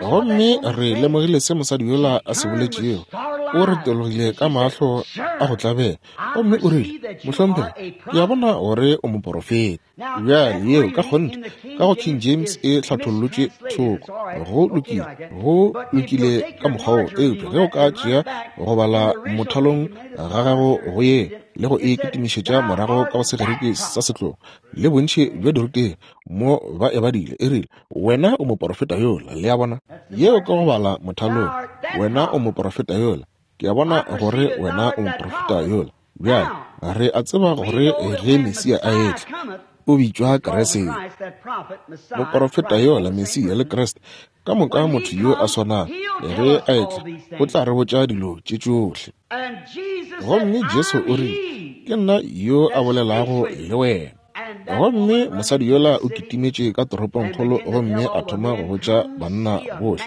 Gomme re lemogile se mosadi yola a se boletšego. O retologile ka mahlo a go tlabela, gomme o rile, Mohlomphegi, ke a bona gore o moporofeta. Bjale, yeo ka kgonthe ka go King James e hlathollotšwe thoko. Go lokile, go lokile ka mokgwa wo, eupša ge o ka tšea go bala mothalong ga gago go ye le go e kitimišetša morago ka go Segerike sa setlogo, le bontši bja dirutegi mo ba e badile, e rile, Wena o moporofeta yola. Le a bona? Yeo ke go bala mothalong. Wena o moporofeta yola. Ke a bona gore wena o moporofeta yola. Bjale, re a tseba gore ge Mesia a etla, o bitšwa Kriste. Moporofeta yola, Mesia le Kriste, ka moka motho yo a swanago, ge a etla, o tla re botša dilo tše tšohle. Gomme Jesu o rile, Ke nna yo a bolelago le wena. Gomme mosadi yola o kitimetše ka toropongkgolo gomme a thoma go botša banna bohle,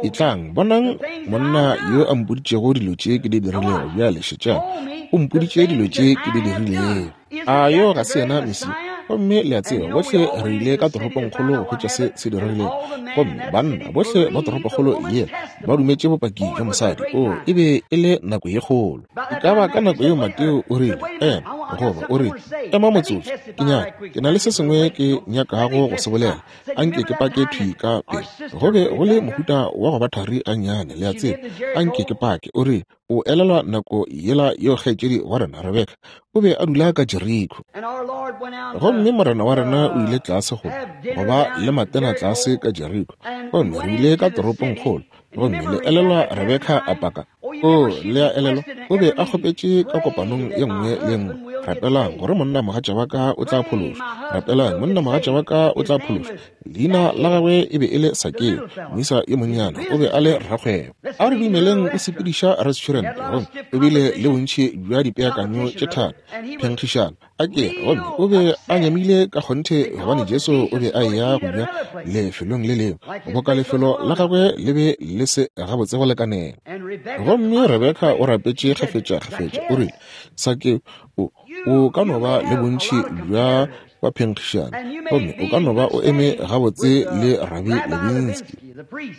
Etlang, bonang monna yo a mpoditšego dilo tše ke di dirilego. Bjale šetšang, o mpoditše dilo tše ke di dirilego. A yo ga se yena Mesia? Gomme le a tseba, bohle re ile ka toropongkgolo go hwetša se se diregilego. Gomme banna bohle ba toropokgolo yela ba dumetše bopaki bja mosadi. Oo, e be e le nako ye kgolo. E ka ba ka nako yeo Mateo o rile, Ema, goba o rile, Ema motsotso, ke nyaka, ke na le se sengwe ke nyakago go se bolela. A nke ke pake thwi ka pele. Go be go le mohuta wa go ba thari gannyane, le a tseba. A nke ke pake. O rile, O elelwa nako yela yeo kgaetšedi wa rena Rebeka o be a dula ka Jeriko. Gomme morena wa rena o ile tlase go go ba le matena tlase ka Jeriko. Gomme re ile ka toropongkgolo. Gomme le elelwa Rebeka a paka. O, le a elelwa, o be a kgopetše ka kopanong ye nngwe le ye nngwe, Rapelang gore monna mogatša wa ka o tla phološwa. Rapelang monna mogatša wa ka o tla phološwa. Leina la gagwe e be e le Sakeo, moisa yo monnyane, o be a le rakgwebo. A re dumeleng o sepediša restaurant, gomme o bile le bontši bja dipeakanyo tše thata, phenkgišano, a ke gomme o be a nyamile ka kgonthe gobane Jesu o be a eya go ja lefelong le lengwe, boka lefelo la gagwe le be le se gabotse go lekanela. Gomme Rebeka o rapetše kgafetšakgafetša, o rile, Sakeo, o, o ka no ba le bontši bja baphenkgišani gomme o ka no ba o eme gabotse le Rabi Levinsky,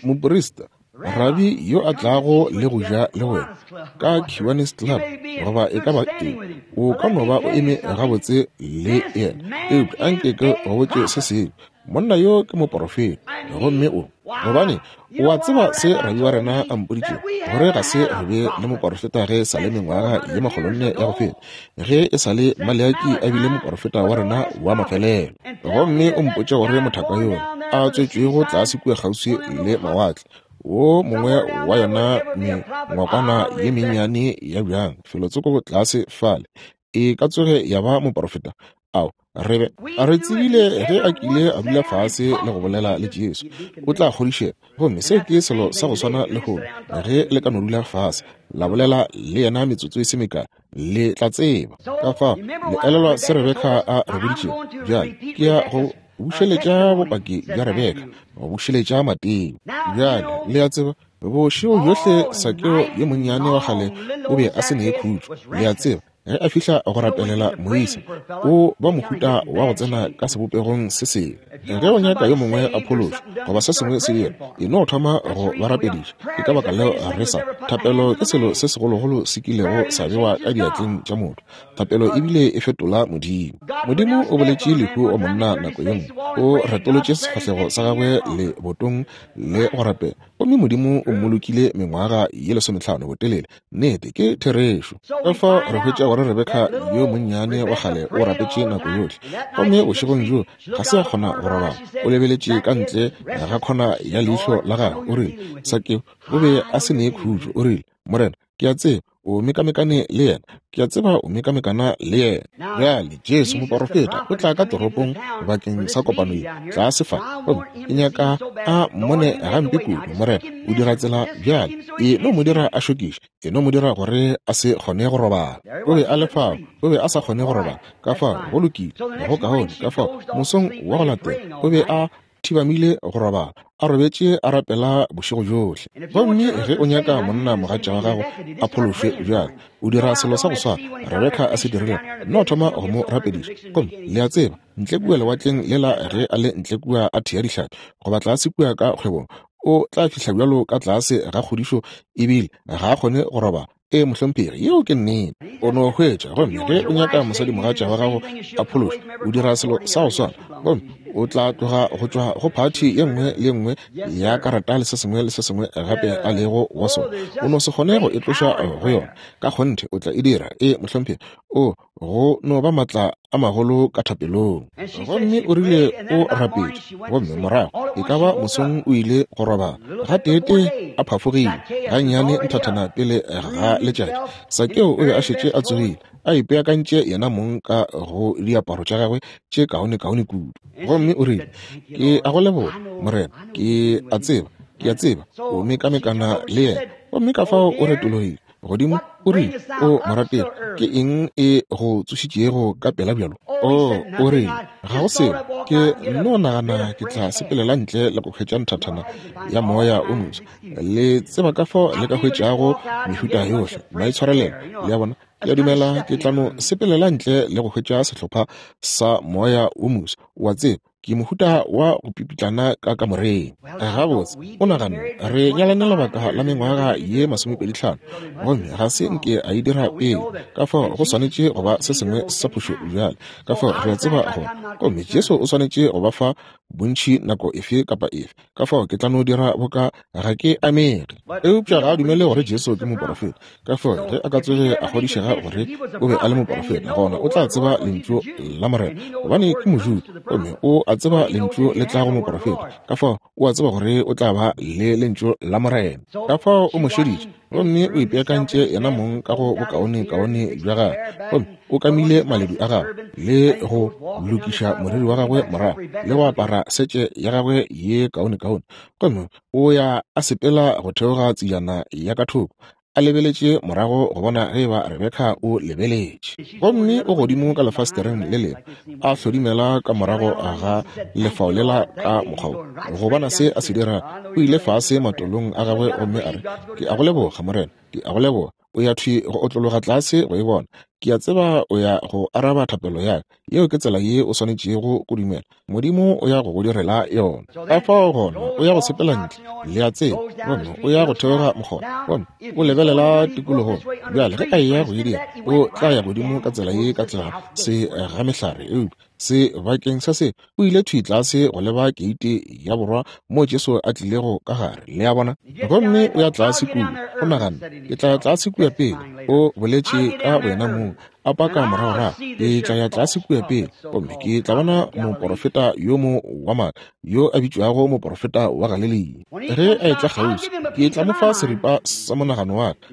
moprista, rabi yo a tlago le go ja le wena ka Kiwanis Club goba e ka ba eng, o ka no ba o eme gabotse le yena. Eupša anke ke go botše se sengwe, monna yo ke moporofeta, gomme o, gobane o a tseba se rabi wa rena a mpoditšego, gore ga se re be le moporofeta ge e sa le mengwaga ye makgolonne ya go feta, ge e sa le Maleaki a bile moporofeta wa rena wa mafelelo. Gomme o mpotše gore mothaka yola a tswetšwego tlase kua kgauswi le mawatle, wo mongwe wa yona mengwakwana ye mennyane ya bjang felotsoko tlase fale, e ka tsoge ya ba moporofeta? Ao, re be re tsebile ge a kile a dula fase le go bolela le Jesu, o tla kgodišega. Gomme seo ke selo sa go swana lehono, ge le ka no dula fase la bolela le yena metsotso e se mekae, le tla tseba. Ka fao, le elelwa se Rebeka a re boditšego? Bjale ke ya go bušeletša bopaki bja Rebeka, go bušeletša Mateo. Bjale le a tseba, bošego bjohle Sakeo yo monnyane wa kgale o be a se ne khutšo. Le a tseba, Ge a fihla go rapelela moisa, o ba mohuta wa go tsena ka sebopegong se sengwe. Ge o nyaka yo mongwe a phološwa goba se sengwe se dira, e no thoma go ba rapediša. Ke ka baka leo re sa. Thapelo ke selo se segologolo se kilego sa bewa ka diatleng tša motho. Thapelo ebile e fetola Modimo. Modimo o boletše lehu go monna nako ye nngwe. O retolotše sefahlego sa gagwe lebotong le go rapela, gomme Modimo o mmolokile mengwaga ye lesomehlano botelele. Nnete, ke therešo. Ka fao re hwetša gore. gore Rebeka yo monnyane wa kgale o rapetše nako yohle. Gomme bošegong bjo ga se a kgona go robala. O lebeletše ka ntle ga khona ya leihlo la gagwe. O rile, Sakeo o be a se ne khutšo. O rile, Morena, ke a tseba o mekamekane le yena. Ke a tseba o mekamekana le yena. Bjale, Jesu moporofeta o tla ka toropong bakeng sa kopano ye, tlase fa. Gomme ke nyaka a mmone gampe kudu. Morena, o dira tsela bjale. E no mo dira a šokiše. E no mo dira gore a se kgone go robala. O be a le fao, o be a sa kgone go robala. Ka fao, go lokile, go kaone. Ka fao, mosong wa go latela, o be a thibamile go robala, a robetše a rapela bošego bjohle. Gomme ge o nyaka monna mogatša wa gago a phološwe bjale, o dira selo sa go swana Rebeka a se dirilego, nno thoma go mo rapediša. Gomme le a tseba, ntle kua lewatleng lela ge a le ntle kua a thea dihlapi, goba tlase kua ka kgwebong, o tla fihla bjalo ka tlase ga kgodišo ebile ga a kgone go robala. Ee, mohlomphegi, yeo ke nnete. O no hwetša, gomme ge o nyaka mosadimogatša wa gago a phološwe, o dira selo sa go swana, gomme o tla tloga go tšwa go phathi ye nngwe le ye nngwe ya karata le se sengwe le se sengwe gape a lego wa sona. O no se kgone go e tloša go yona. Ka kgonthe o tla e dira. Ee, mohlomphegi. O, go no ba maatla a magolo ka thapelong. Gomme o rile o rapetše, gomme morago e ka ba mosong o ile go robala. Gateetee a phafogile gannyane nthathana pele ga letšatši. Sakeo o be a šetše a tsogile, a ipeakantše yena mong ka go diaparo tša gagwe tše kaonekaone kudu. Gomme o rile, Ke a go leboga, Morena. Ke a tseba, ke a tseba o mekamekana le yena. Gomme ka fao o retologile godimo, o rile, O morategi, ke eng e go tsošitšego ka pela bjalo? O, o rile, ga go selo. Ke nno nagana ke tla sepelela ntle le go hwetša nthathana ya moya o moswa. Le tseba ka fao le ka hwetšago mehuta yohle, maitshwarelelo, le a bona. Ke a dumela ke tla no sepelela ntle le go hwetša sehlopha sa moya o moswa, o a tseba. Ke mohuta wa go pipitlana ka kamoreng. Gabotse, o naganne, re nyalane lebaka la mengwaga ye 25, gomme ga se nke a e dira pele. Ka fao go swanetše go ba se sengwe sa phošo bjale. Ka fao re a tseba gore, gomme Jesu o swanetše go ba fa bontši nako efe kapa efe. Ka fao ke tla no dira boka ga ke amege. Eupša ga a dumele gore Jesu ke moporofeta. Ka fao ge a ka tsoge a kgodišega gore o be a le moporofeta, gona o tla tseba Lentšu la Morena, gobane ke Mojuda, gomme o a tseba Lentšu le tla go moporofeta. Ka fao o a tseba gore o tla ba le Lentšu la Morena. Ka fao o mo šeditše, gomme o ipeakantše yena mong ka go bokaonekaone bja gagwe, gomme o kamile maledu a gagwe le go lokiša moriri wa gagwe morago le go apara setše ya gagwe ye kaonekaone, gomme o ya a sepela go theoga tsejana ya ka thoko, a lebeletše morago go bona ge eba Rebeka o lebeletše. Gomme o godimo ka lefastereng le lengwe, a hlodimela ka morago ga lefao lela ka mokgwa wo, go bona se a se dira. O ile fase matolong a gagwe gomme a re, Ke a go leboga, Morena, ke a go leboga. O ya thwi go otlologa tlase go e bona. Ke a tseba o ya go araba thapelo ya ka. Yeo ke tsela ye o swanetšego go dumela. Modimo o ya go go direla yona. Ka fao gona o ya go sepela ntle, le a tseba, gomme o ya go theoga mokgotha, gomme o lebelela tikologong. Bjale ge a eya go e dira, o tla ya godimo ka tsela ye ka tlase ga mehlare, eupša sebakeng sa se o ile thwi tlase go leba keite ya borwa moo Jesu a tlilego ka gare, le a bona. Gomme o ya tlase kua, o nagana, Ke tla ya tlase kua pele, o boletše ka boyena mong, a paka moragorago, ke tla ya tlase kua pele, gomme ke tla bona moporofeta yo mo wa maaka, yo a bitšwago moporofeta wa Galilea. Ge a etla kgauswi, ke tla mo fa seripa sa monagano wa ka.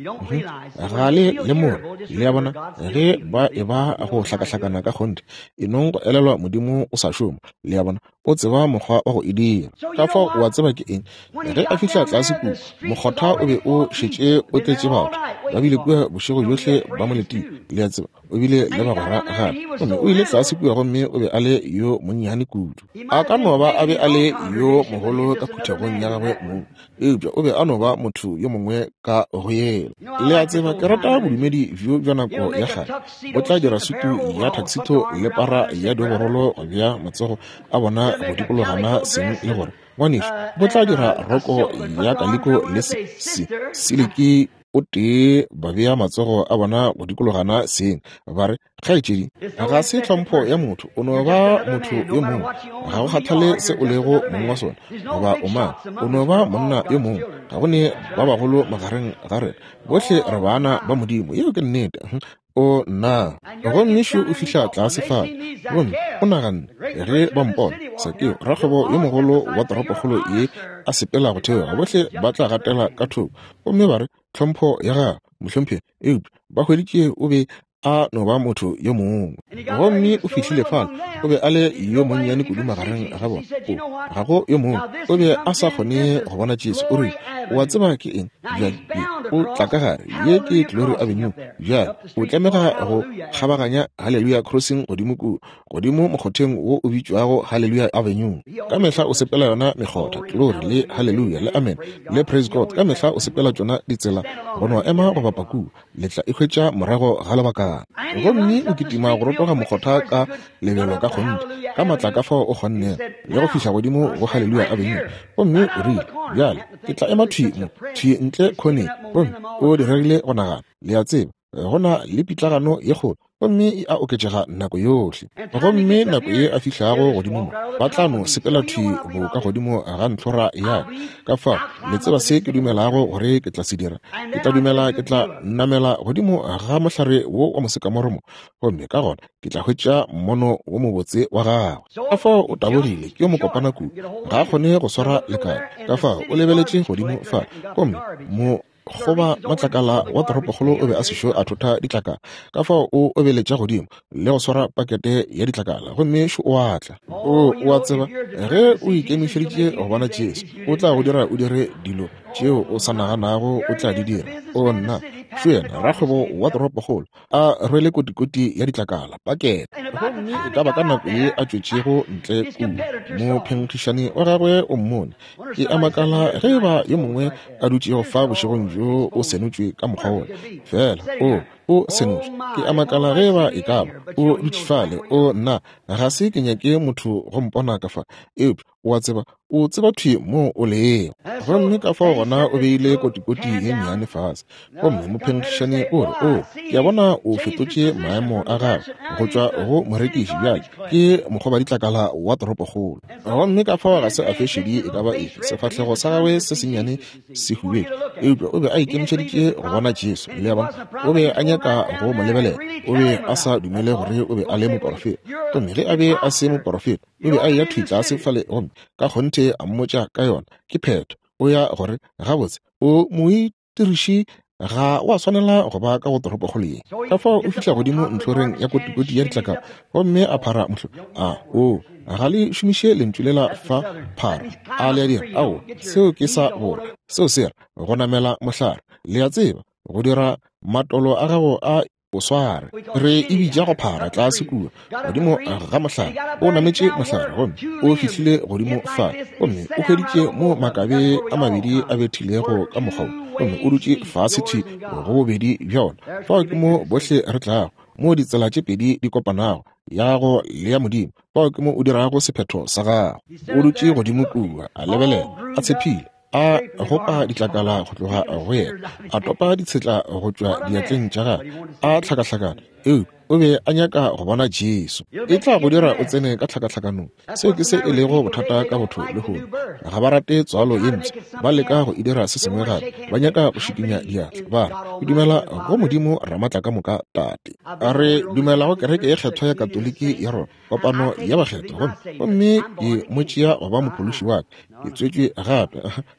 Ga le lemoge, le a bona, ge ba eba go hlakahlakana ka kgonthe. E nong go elelwa Modimo o sa šoma, le a bona, o tseba mokgwa wa go e dira. Ka fao o a tseba ke eng. Ge a fihla tlase kua, mokgotha o be o šetše o tletše batho. Ba bile kua bošego bjohle ba mo letile, le a tseba. O bile le bagwera gape. Gomme o ile tlase kua gomme o be a le yo monnyane kudu. A ka no ba a be a le yo mogolo ka phuthegong ya gagwe mong, eupša o be a no ba motho yo mongwe ka go yela. Le a tseba, ke rata bodumedi bjo bja nako ya kgale. Bo tla dira sutu ya tuxedo le para ya dioborolo go bea matsogo a bona go dikologana seng le gore, Ngwanešu, bo tla dira roko ya kaliko le se, se, siliki o tee ba bea matsogo a bona go dikologana seng, ba re, Kgaetšedi, ga se tlhompho ya motho, o no ba motho yo mongwe. Ga go kgathale se o lego mong wa sona, goba o mang, o no ba monna yo mongwe. Ga go ne ba bagolo magareng ga rena, bohle re bana ba Modimo. Yeo ke nnete. O, nna! Gomme šo o fihla tlase fale, gomme o naganne, Ge ba mpona, Sakeo, rakgwebo yo mogolo wa toropokgolo ye, a sepela go theoga, bohle ba tla gatela ka thoko gomme ba re, Tlhompho ya gago, mohlomphegi. Eupša ba hweditše o be a no ba motho yo mongwe. Gomme o fihlile fale, o be a le yo monnyane kudu magareng ga bona. O, ga go yo mongwe. O be a sa kgone go bona Jesu. O rile, O a tseba ke eng? Bjale, ye, o tla ka gare. Ye ke Glory Avenue. Bjale, o tlamega go kgabaganya Hallelujah Crossing godimo kua, godimo mokgotheng wo o bitšwago Hallelujah Avenue. Ka mehla o sepela yona mekgotha, Glory le Hallelujah le Amen le Praise God. Ka mehla o sepela tšona ditsela go no ema go bapa kua. Le tla e hwetša morago ga lebakana. Gomme o kitima go rotoga mokgotha ka lebelo ka kgonthe, ka maatla ka fao o kgonnego, le go fihla godimo go Haleluya Avenue. Gomme o rile, Bjale, ke tla ema thwi mo, thwi ntle khoneng. Gomme o diregile go nagana, le a tseba, go na le pitlagano ye kgolo, gomme e a oketšega nako yohle. Gomme nako ye a fihlago godimo mo, ba tla no sepela thwi bo ka godimo ga ntlhora ya ka. Ka fao, le tseba se ke dumelago gore ke tla se dira? Ke tla dumela ke tla namela godimo ga mohlare wo wa mosekamoro mo, gomme ka gona ke tla hwetša mmono wo mobotse wa gagwe. Ka fao o tabogile, ke yo mokopana kudu, ga a kgone go swara lekala. Ka fao o lebeletše godimo fa, gomme mo Goba matlakala wa toropokgolo o be a sešo a thotha ditlakala, ka fao o obeletša godimo le go swara pakete ya ditlakala, gomme šo o a tla. O, o a tseba, ge o ikemišeditše go bona Jesu, o tla go dira o dire dilo tšeo o sa naganago o tla di dira. O, nna! Šo yena, rakgwebo wa toropokgolo, a rwele kotikoti ya ditlakala, pakete. Gomme e ka ba ka nako ye a tšwetšego ntle kua, mophenkgišani wa gagwe o mmone. Ke a makala ge e ba yo mongwe a dutšego fa bošegong bjo o senotšwe ka mokgwa wola. Feela o, o senotšwe. Ke a makala ge e ba e ka ba o dutše fale. O, nna, ga se ke nyake motho go mpona ka fa. Eupša, o a tseba, o tseba thwi moo o lego. Gomme ka fao gona o beile kotikoti ye nnyane fase. Gomme mophenkgišani o re, O, ke a bona o fetotše maemo a gago go tšwa go morekiši bjale ke mokgobaditlakala wa toropokgolo. Gomme ka fao ga se a fe šedi e ka ba efe, sefahlego sa gagwe se sennyane se hubedu, eupša o be a ikemišeditše go bona Jesu. Le a bona? O be a nyaka go mo lebelela. O be a sa dumele gore o be a le moporofeta. Gomme ge a be a se moporofeta, o be a eya thwi tlase fale gomme ka kgonthe a mmotša ka yona. Ke phetho. O ya gore, Gabotse, o moitiriši ga wa swanela go ba ka go toropokgolo ye. Ka fao o fihla godimo ntlhoreng ya kotikoti ya ditlakala gomme a phara mohlo. A o ga le šomiše lentšu lela fa phara, a le a dira? Ao, seo ke sa borwa. Seo se ra go namela mohlare. Le a tseba, go dira matolo a gago a o sware. Re e bitša go phara tlase kua godimo ga mohlare. O nametše mohlare gomme o fihlile godimo fa, gomme o hweditše mo makabe a mabedi a bethilego ka mokgwa wo, gomme o dutše fase thwi go bobedi bja ona. Fao ke mo bohle re tlago, mo ditsela tše pedi di kopanago, ya go le ya Modimo. Fao ke mo o dirago sephetho sa gago. O dutše godimo kua, a lebelela, a tshephile. A gopa ditlakala go tloga go yena, a topa ditshetla go tšwa diatleng tša gagwe, a hlakahlakana. Eupša o be a nyaka go bona Jesu. E tla go dira o tsene ka tlhakatlhakanong. Seo ke se e lego bothata ka botho lehono. Ga ba rate tswalo ye mpsha. Ba leka go e dira se sengwe gape. Ba nyaka go šikinya diatla. Ba re, Ke dumela go Modimo Ramatlakamoka Tate. Re dumela go kereke ye kgethwa ya Katoliki ya Roma. kopano ya bakgethwa, gomme, gomme ke mo tšea go ba mophološi wa ka. Ke tswetšwe gape.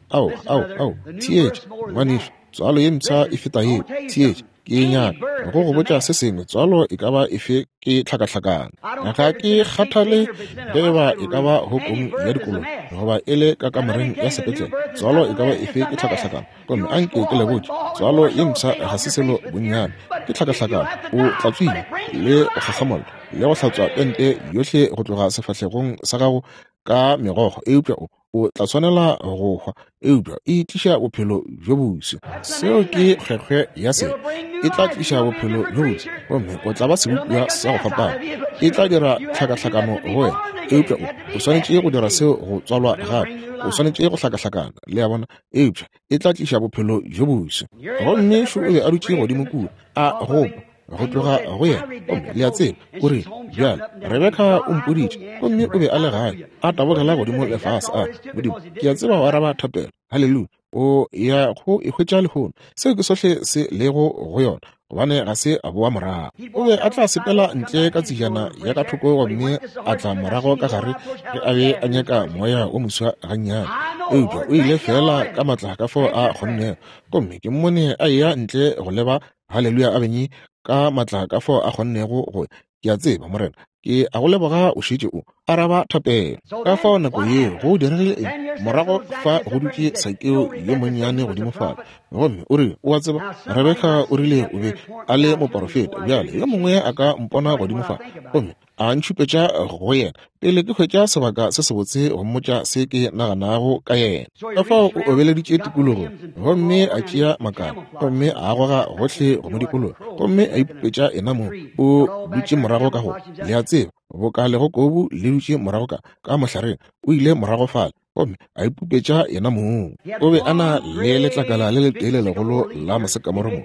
Ao, ao, ao, theetša, ngwanešu, tswalo ye mpsha e feta yeo. Theetša, ke nyaka go go botša se sengwe. Tswalo e ka ba efe ke tlhakahlakano. Ga ke kgathale ge e ba e ka ba hokong ya dikolobe goba e le ka kamoreng ya sepetlele. Tswalo e ka ba efe ke tlhakahlakano. Gomme a nke ke le botše, tswalo ye mpsha ga se selo bonnyane, ke tlhakahlakano. O tlatswile le go kgakgamolla le go hlatswa pente yohle go tloga sefahlegong sa gago ka megokgo, eupša o, o tla swanela go hwa, eupša e tliša bophelo bjo boswa. Seo ke kgwekgwe ya sebe. E tla tliša bophelo bjo boswa, gomme o tla ba sebopiwa sa go fapana. E tla dira tlhakahlakano go wena, eupša o, o swanetše go dira seo go tswalwa gape. O swanetše go hlakahlakana, le a bona, eupša e tla tliša bophelo bjo boswa. Gomme šo o be a dutše godimo kua, a gopa go tloga go yena. Gomme le a tseba, o rile, Bjale, Rebeka o mpoditše. Gomme o be a le gae, a tabogela godimo le fase, a re, Modimo, ke a tseba o araba thapelo. Haleluya! O ya go e hwetša lehono. Seo ke sohle se lego go yona. gobane ga se a boa morago. O be a tla sepela ntle ka tsejana ya ka thoko gomme a tla morago ka gare ge a be a nyaka moya wo moswa gannyane. Eupša o ile feela ka matla ka fao a kgonnego. Gomme ke mmone a eya ntle go leba Haleluya Avenue ka matla ka fao a kgonnego go. Ke a tseba, Morena, ke a go leboga o šetše o araba thapelo. Ka fao nako yeo go diregile eng? Morago fa go dutše Sakeo yo monnyane godimo fale, gomme o rile, O a tseba, Rebeka o rile o be a le moporofeta. Bjale yo mongwe a ka mpona godimo fa gomme a ntšhupetša go yena pele ke hwetša sebaka se sebotse go mmotša se ke naganago ka yena. Ka fao o obeleditše tikologong gomme a tšea makala gomme a goga gohle go mo dikologa gomme a ipupetša yena mong. O dutše morago ka go, le a tseba, boka legokobu le dutše morago ka, ka mohlareng. O ile morago fale gomme a ipupetša yena mong. O be a na le letlakala le letee le legolo la mosekamoro mo.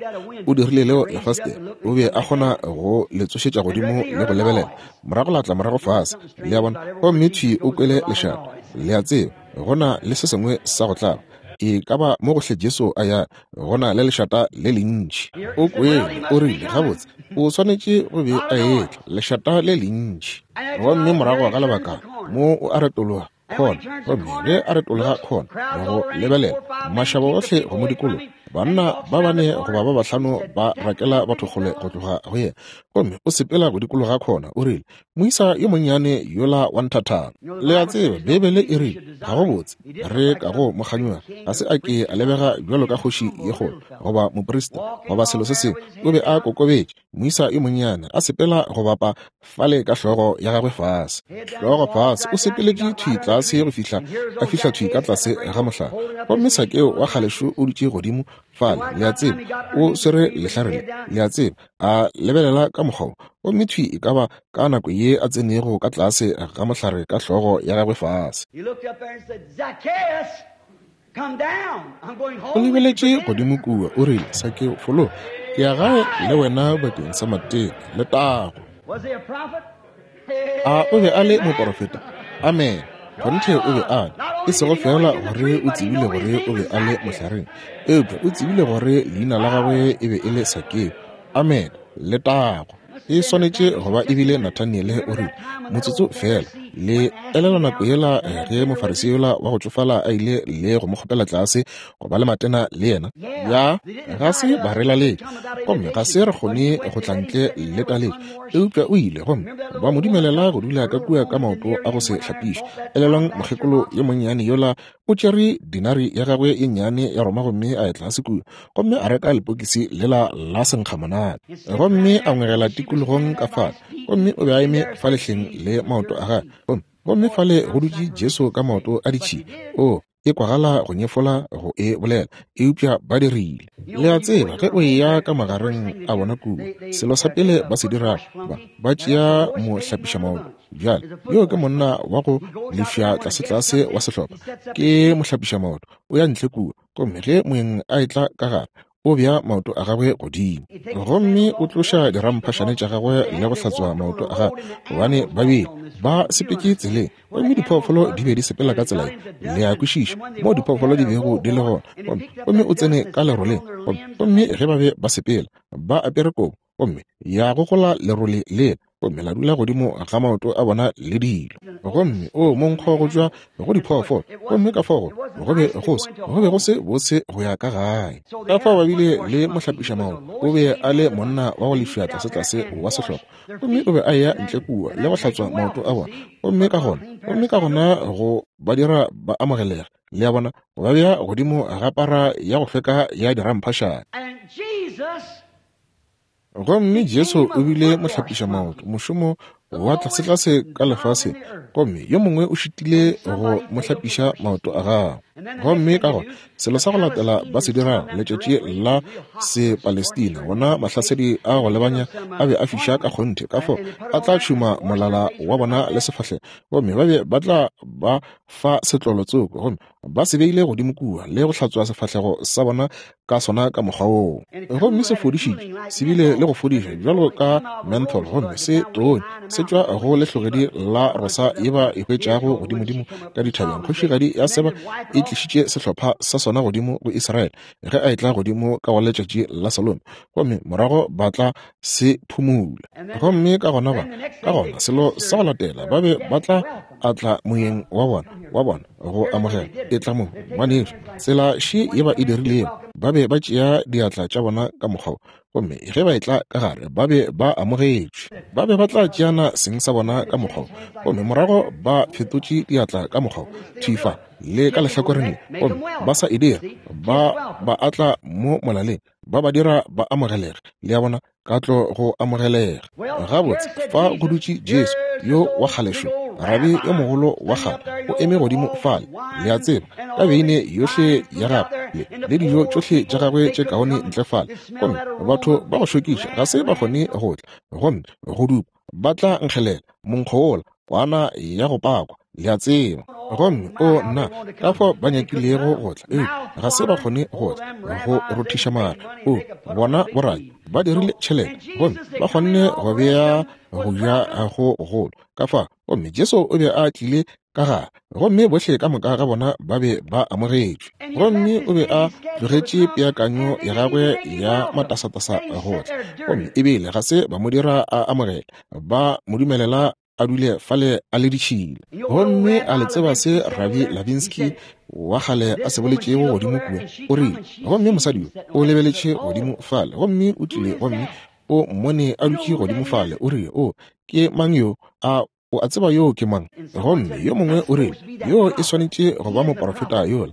O dirile leo lefastere. O be a kgona go le tsošetša godimo le go lebelela morago, la tla morago fase, le a bona, gomme thwi o kwele lešata. Le a tseba, go na le se sengwe sa go tlaba. E ka ba mo gohle Jesu a ya, go na le lešata le lentši. O kwele, o rile, Gabotse, o swanetše go be a etla, lešata le lentši. Gomme morago ga lebaka mo o a retologa khona, gomme ge a retologa khona go lebelela mašaba ohle go mo dikologa, banna ba bane goba ba bahlano ba rakela batho kgole go tloga go yena, gomme o sepela go dikologa khona, o rile, Moisa yo monnyane yola wa nthathana. Le a tseba, Beibele e rile, ga go botse re ka go mo kganyoga. Ga se a ke a lebega bjalo ka kgoši ye kgolo goba moprista goba selo se sengwe. O be a kokobetše, moisa yo monnyane a sepela go bapa fale ka hlogo ya gagwe fase, hlogo fase, o sepeletše thwi tlase go fihla a fihla thwi ka tlase ga mohlare. Gomme Sakeo wa kgalešo o dutše godimo fale, le a tseba, o swere lehlare le, le a tseba, a lebelela ka mokgwa wo. Gomme thwi e ka ba ka nako ye a tsenego ka tlase ga mohlare ka hlogo ya gagwe fase. O lebeletše godimo kua, o rile, Sakeo, fologa, ke ya gae le wena bakeng sa matena. Letago! A o be a le moporofeta? Amene. Kgonthe o be a le. E sego feela gore o tsebile gore o be a le mohlareng, eupša o tsebile gore leina la gagwe e be e le Sakeo. Amene. Letago! E swanetše go ba e bile Nathaniele, o rile, Motsotso feela. Le elelwa nako yela ge Mofarisei yola wa go tšofala a ile le go mo kgopela tlase go ba le matena le yena? Ya, ga se ba re laletša, gomme ga se re kgone go tla ntle le taletšo. Eupša o ile, gomme ba mo dumelela go dula ka kua ka maoto a go se hlapišwe. Elelwang mokgekolo yo monnyane yola o tšere dinari ya gagwe ye nnyane ya Roma gomme a ya tlase kua gomme a reka lepokisi lela la senkgamonate gomme a ngwegela tikologong ka fale, gomme o be a eme fa lehleng le maoto a gagwe, gomme, gomme fale go dutše Jesu ka maoto a ditšhila. O, e kwagala go nyefola go e bolela, eupša ba dirile. Le a tseba, ge o eya ka magareng a bona kua, selo sa pele ba se dirago, ba, ba tšea mohlapišamaoto. Bjale, yo ke monna wa go lefša tlasetlase wa sehlopha, ke mohlapišamaoto. O ya ntle kua, gomme ge moeng a etla ka gare, o bea maoto a gagwe godimo gomme o tloša diramphašane tša gagwe le go hlatswa maoto a gagwe, gobane ba bile ba sepetše tseleng gomme diphoofolo di be di sepela ka tsela ye. Le a kwešiša moo diphoofolo di bego di le gona. Gomme o tsene ka leroleng, gomme ge ba be ba sepela ba apere kobo, gomme ya gogola lerole lela gomme la dula godimo ga maoto a bona le dilo, gomme o monkgo go tšwa go diphoofolo, gomme ka fao go be go se, go be go se bose go ya ka gae. Ka fao ba bile le mohlapišamaoto, o be a le monna wa go lefša tlasetlase wa sehlopha, gomme o be a eya ntle kua le go hlatswa maoto a bona, gomme ka gona, gomme ka gona go ba dira ba amogelege, le a bona, go ba bea godimo ga para ya go hlweka ya diramphašane. Gomme Jesu o bile mohlapišamaoto, mošomo wa tlasetlase ka lefaseng, gomme yo mongwe o šitile go mo hlapiša maoto a gagwe. Gomme ka gona selo sa go latela ba se dirago letšatši la Sepalestina, bona mahlasedi a go lebanya a be a fiša ka kgonthe, ka fao a tla tšhuma molala wa bona le sefahlego, gomme ba be ba tla ba fa setlolo tsoko, gomme ba se beile godimo kua le go hlatswa sefahlego sa bona ka sona ka mokgwa woo. Gomme se fodišitše, se bile le go fodiša bjalo ka menthol, gomme se tonye, se tšwa go lehlogedi la rosa ye ba e hwetšago godimodimo ka dithabeng. Kgošigadi ya Seba e e tlišitše sehlopha sa sona godimo go Israele ge a etla godimo ka go letšatši la Salome, gomme morago ba tla se phumula. Gomme ka gona ba, ka gona selo sa go latela, ba be ba tla atla moyeng wa bona, wa bona go amogela. Etla mo, ngwanešu. Tsela še ye ba e dirilego, ba be ba tšea diatla tša bona ka mokgwa wo, gomme ge ba etla ka gare ba be ba amogetšwe. Ba be ba tla tšeana seng sa bona ka mokgwa wo, gomme morago ba fetotše diatla ka mokgwa wo, thwi fa le ka lehlakoreng le, gomme ba sa e dira, ba ba atla mo molaleng, ba ba dira ba amogelege. Le a bona, ka tlo go amogelega. Gabotse, fa go dutše Jesu yo wa kgale šo, rabi yo mogolo wa kgale, o eme godimo fale, le a tseba, ka beine yohle ya gagwe le, le dijo tšohle tša gagwe tše kaone ntle fale, gomme batho ba go šokiša ga se ba kgone go tla, gomme go dupa ba tla nkgelela monkgo wola, kwana ya go pakwa, le a tseba. Gomme o nna, ka fao ba nyakilego go tla, eupša ga se ba kgone go tla, go rothiša mare. O bona borai ba dirile tšhelete, gomme ba kgonne go bea go ja go gogolo ka fa. Gomme Jesu o be a tlile ka gare, gomme bohle ka moka ga bona ba be ba amogetšwe. Gomme o be a tlogetše peakanyo ya gagwe ya matasatasa go tla, gomme ebile ga se ba mo dira a amogela, ba mo dumelela a dule fale a le ditšhila. Gomme a le tseba se Rabi Lavinsky wa kgale a se boletšego godimo kua? O rile, gomme mosadi yo o lebeletše godimo fale, gomme o tlile gomme o mmone a dutše godimo fale, o rile, O, ke mang yo? A o a tseba yoo ke mang? Gomme yo mongwe o rile, Yoo e swanetše go ba moporofeta yola.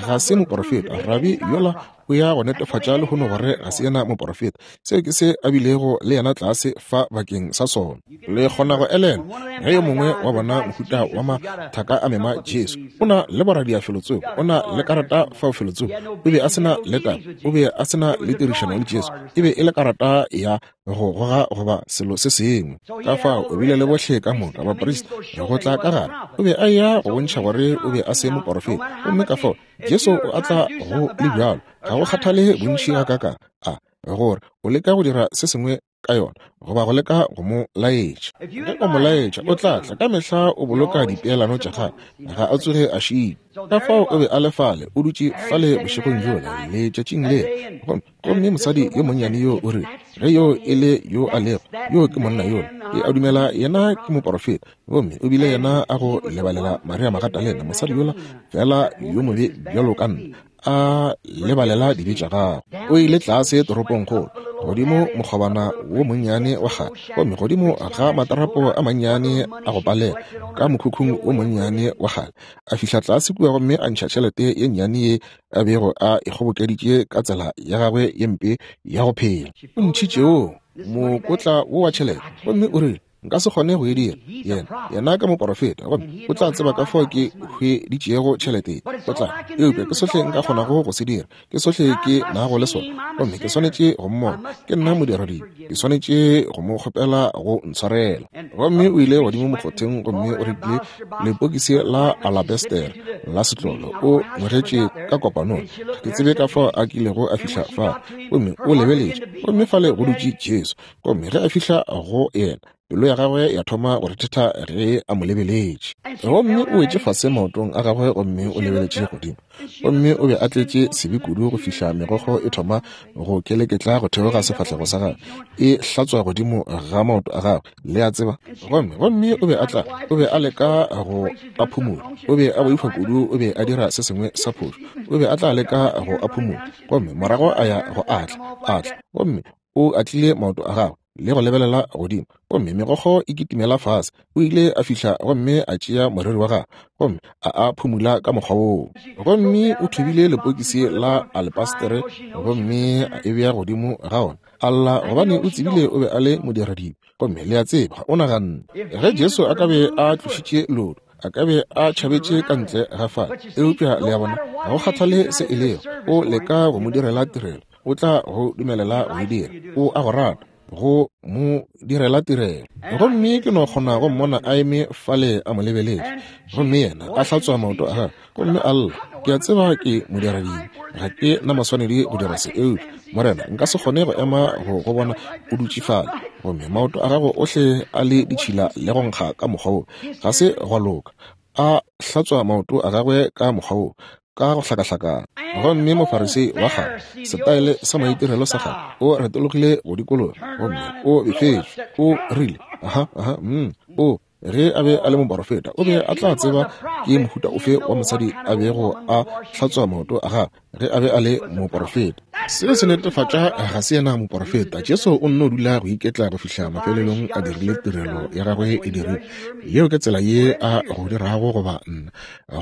Ga se moporofeta, rabi yola o ya go netefatša lehono gore ga se yena moporofeta. Seo ke se a bilego le yena tlase fa bakeng sa sona. Le kgona go elelwa ge yo mongwe wa bona mohuta wa mathaka a mema Jesu. O na le boradia felotsoko, o na le karata fao felotsoko. O be a se na le taba, o be a se na le tirišano le Jesu. E be e le karata ya go goga goba selo se sengwe. Ka fao o bile le bohle ka moka baprista go tla ka gare. O be a eya go bontšha gore o be a se moporofeta. Gomme ka fao Jesu o a tla go le bjalo, ga go kgathale bontši gakaakang a gore o leka go dira se sengwe ka yona goba go leka go mo laetša. Ge o mo laetša, o tla tla. Ka mehla o boloka dipeelano tša gagwe, ga a tsoge a šitwa. Ka fao o be a le fale, o dutše fale bošegong bjola, letšatšing lela. Gomme, gomme mosadi yo monnyane yo o rile, ge yoo e le yo a lego, yoo ke monna yola. Ke a dumela yena ke moporofeta. Gomme o bile yena a go lebalela Maria Magatalena, mosadi yola feela yo mobe bjalo ka nna, a lebalela dibe tša gagwe. O ile tlase toropongkgolo, godimo mokgobana wo monnyane wa kgale, gomme godimo ga matarapo a mannyane a go palela, ka mokhukhung wo monnyane wa kgale, a fihla tlase kua gomme a ntšha tšhelete ye nnyane ye a bego a e kgobokeditše ka tsela ya gagwe ye mpe ya go phela. O ntšhitše wo mokotla wo wa tšhelete, gomme o rile, Nka se kgone go e dira. Yena, yena ke moporofeta, gomme o tla tseba ka fao ke hweditšego tšhelete ye. O tla, eupša ke sohle nka kgonago go se dira. Ke sohle ke nago le sona, gomme ke swanetše go mmona. Ke nna modiradibe. Ke swanetše go mo kgopela go ntshwarela. Gomme o ile godimo mokgotheng gomme o rekile lepokisi la alabestere la setlolo. O ngwegetše ka kopanong. Ga ke tsebe ka fao a kilego a fihla fa. Gomme o lebeletše, gomme fale go dutše Jesu. Gomme ge a fihla go yena, pelo ya gagwe ya thoma go rethetha ge a mo lebeletše. Gomme o wetše fase maotong a gagwe gomme o lebeletše godimo. Gomme o be a tletše sebe kudu go fihla megokgo e thoma go keleketla go theoga sefahlego sa gagwe, e hlatswa godimo ga maoto a gagwe, le a tseba. Gomme, gomme o be a tla, o be a leka go a phumola. O be a boifa kudu o be a dira se sengwe sa phošo. O be a tla leka go a phumola, gomme morago a ya go atla, atla. Gomme O atlile maoto a gagwe le go lebelela godimo, gomme megokgo e kitimela fase. O ile a fihla gomme a tšea moriri wa gagwe gomme a a phumula ka mokgwa woo. Gomme o thubile lepokisi la alepastere gomme a e bea godimo ga ona. A lla gobane o tsebile o be a le modiradibe. Gomme le a tseba, o naganne ge Jesu a ka be a tlošitše leoto, a ka be a tšhabetše ka ntle ga fale. Eupša le a bona, ga go kgathale se e lego, o leka go mo direla tirelo. O tla go dumelela go e dira. O a go rata, go mo direla tirelo. Gomme ke no kgona go mmona a eme fale a mo lebeletše, gomme yena a hlatswa maoto a gagwe gomme a lla. Ke a tseba ke modiradibe, ga ke na maswanedi go dira se, eupša, Morena, nka se kgone go ema go go bona o dutše fale, gomme maoto a gago ohle a le ditšhila le go nkga ka mokgwa wo. Ga se gwa loka. A hlatswa maoto a gagwe ka mokgwa wo. ka go hlakahlakana. Gomme Mofarisei wa kgale, setaele sa maitirelo sa kgale, o retologile go dikologa gomme o befetšwe. O rile, Aha, aha, mm, o, ge a be a le moporofeta, o be a tla tseba ke mohuta ofe wa mosadi a bego a hlatswa maoto a gagwe ge a be a le moporofeta. Seo se netefatša ga se yena moporofeta. Jesu o nno dula go iketla go fihla mafelelong a dirile tirelo ya gagwe e dirile. Yeo ke tsela ye a go dirago goba nna,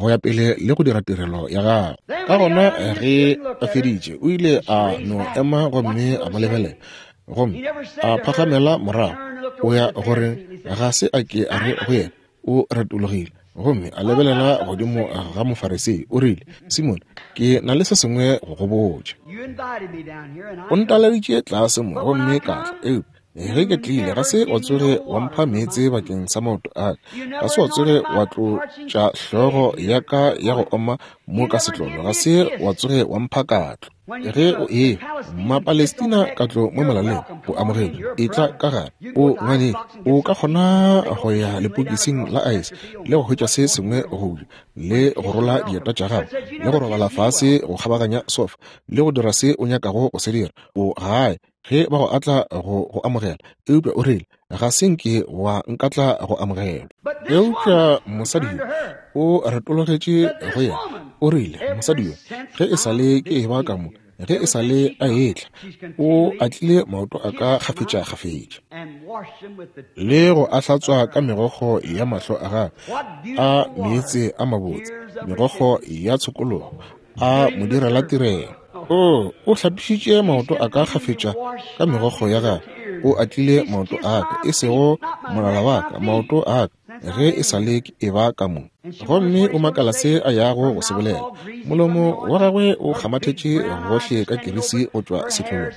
go ya pele le go dira tirelo ya gagwe. Ka gona ge a feditše, o ile a no ema gomme a mo lebelela, gomme a phagamela morago. O ya gore ga se a ke a re go yena, o retologile gomme a lebelela godimo ga Mofarisei, o rile, Simone, ke na le se sengwe go go botša. O ntaleditše tlase mo gomme ka tla, eupša ge ke tlile ga se wa tsoge wa mpha meetse bakeng sa maoto a ka, ga se wa tsoge wa tlotša hlogo ya ka ya go oma mo ka setlolo, ga se wa tsoge wa mpha katlo. Ge o e Mapalestina katlo mo molaleng, o amogetšwe, etla ka gare, o ngwaneng, o ka kgona go ya lepokising la aese le go hwetša se sengwe go ja, le go rola dieta tša gago, le go robala fase go kgabaganya sofa, le go dira se o nyakago go se dira. O gae ge ba go atla go go amogela. Eupša o rile, Ga se nke wa nkatla go amogelwa. Eupša mosadi yo o retologetše go yena, o rile, Mosadi yo, ge e sa le ke eba ka mo, ge e sa le a etla, o atlile maoto a ka kgafetšakgafetša le go a hlatswa ka megokgo ya mahlo a gagwe a meetse a mabotse, megokgo ya tshokologo, a mo direla tirelo. O, o hlapišitše maoto a ka kgafetša ka megokgo ya gagwe. O atlile maoto a ka, e sego molala wa ka, maoto a ka, ge e sa le ke eba ka mo. Gomme o makala se a yago go se bolela. Molomo wa gagwe o kgamathetše gohle ka kirisi go tšwa sehlong.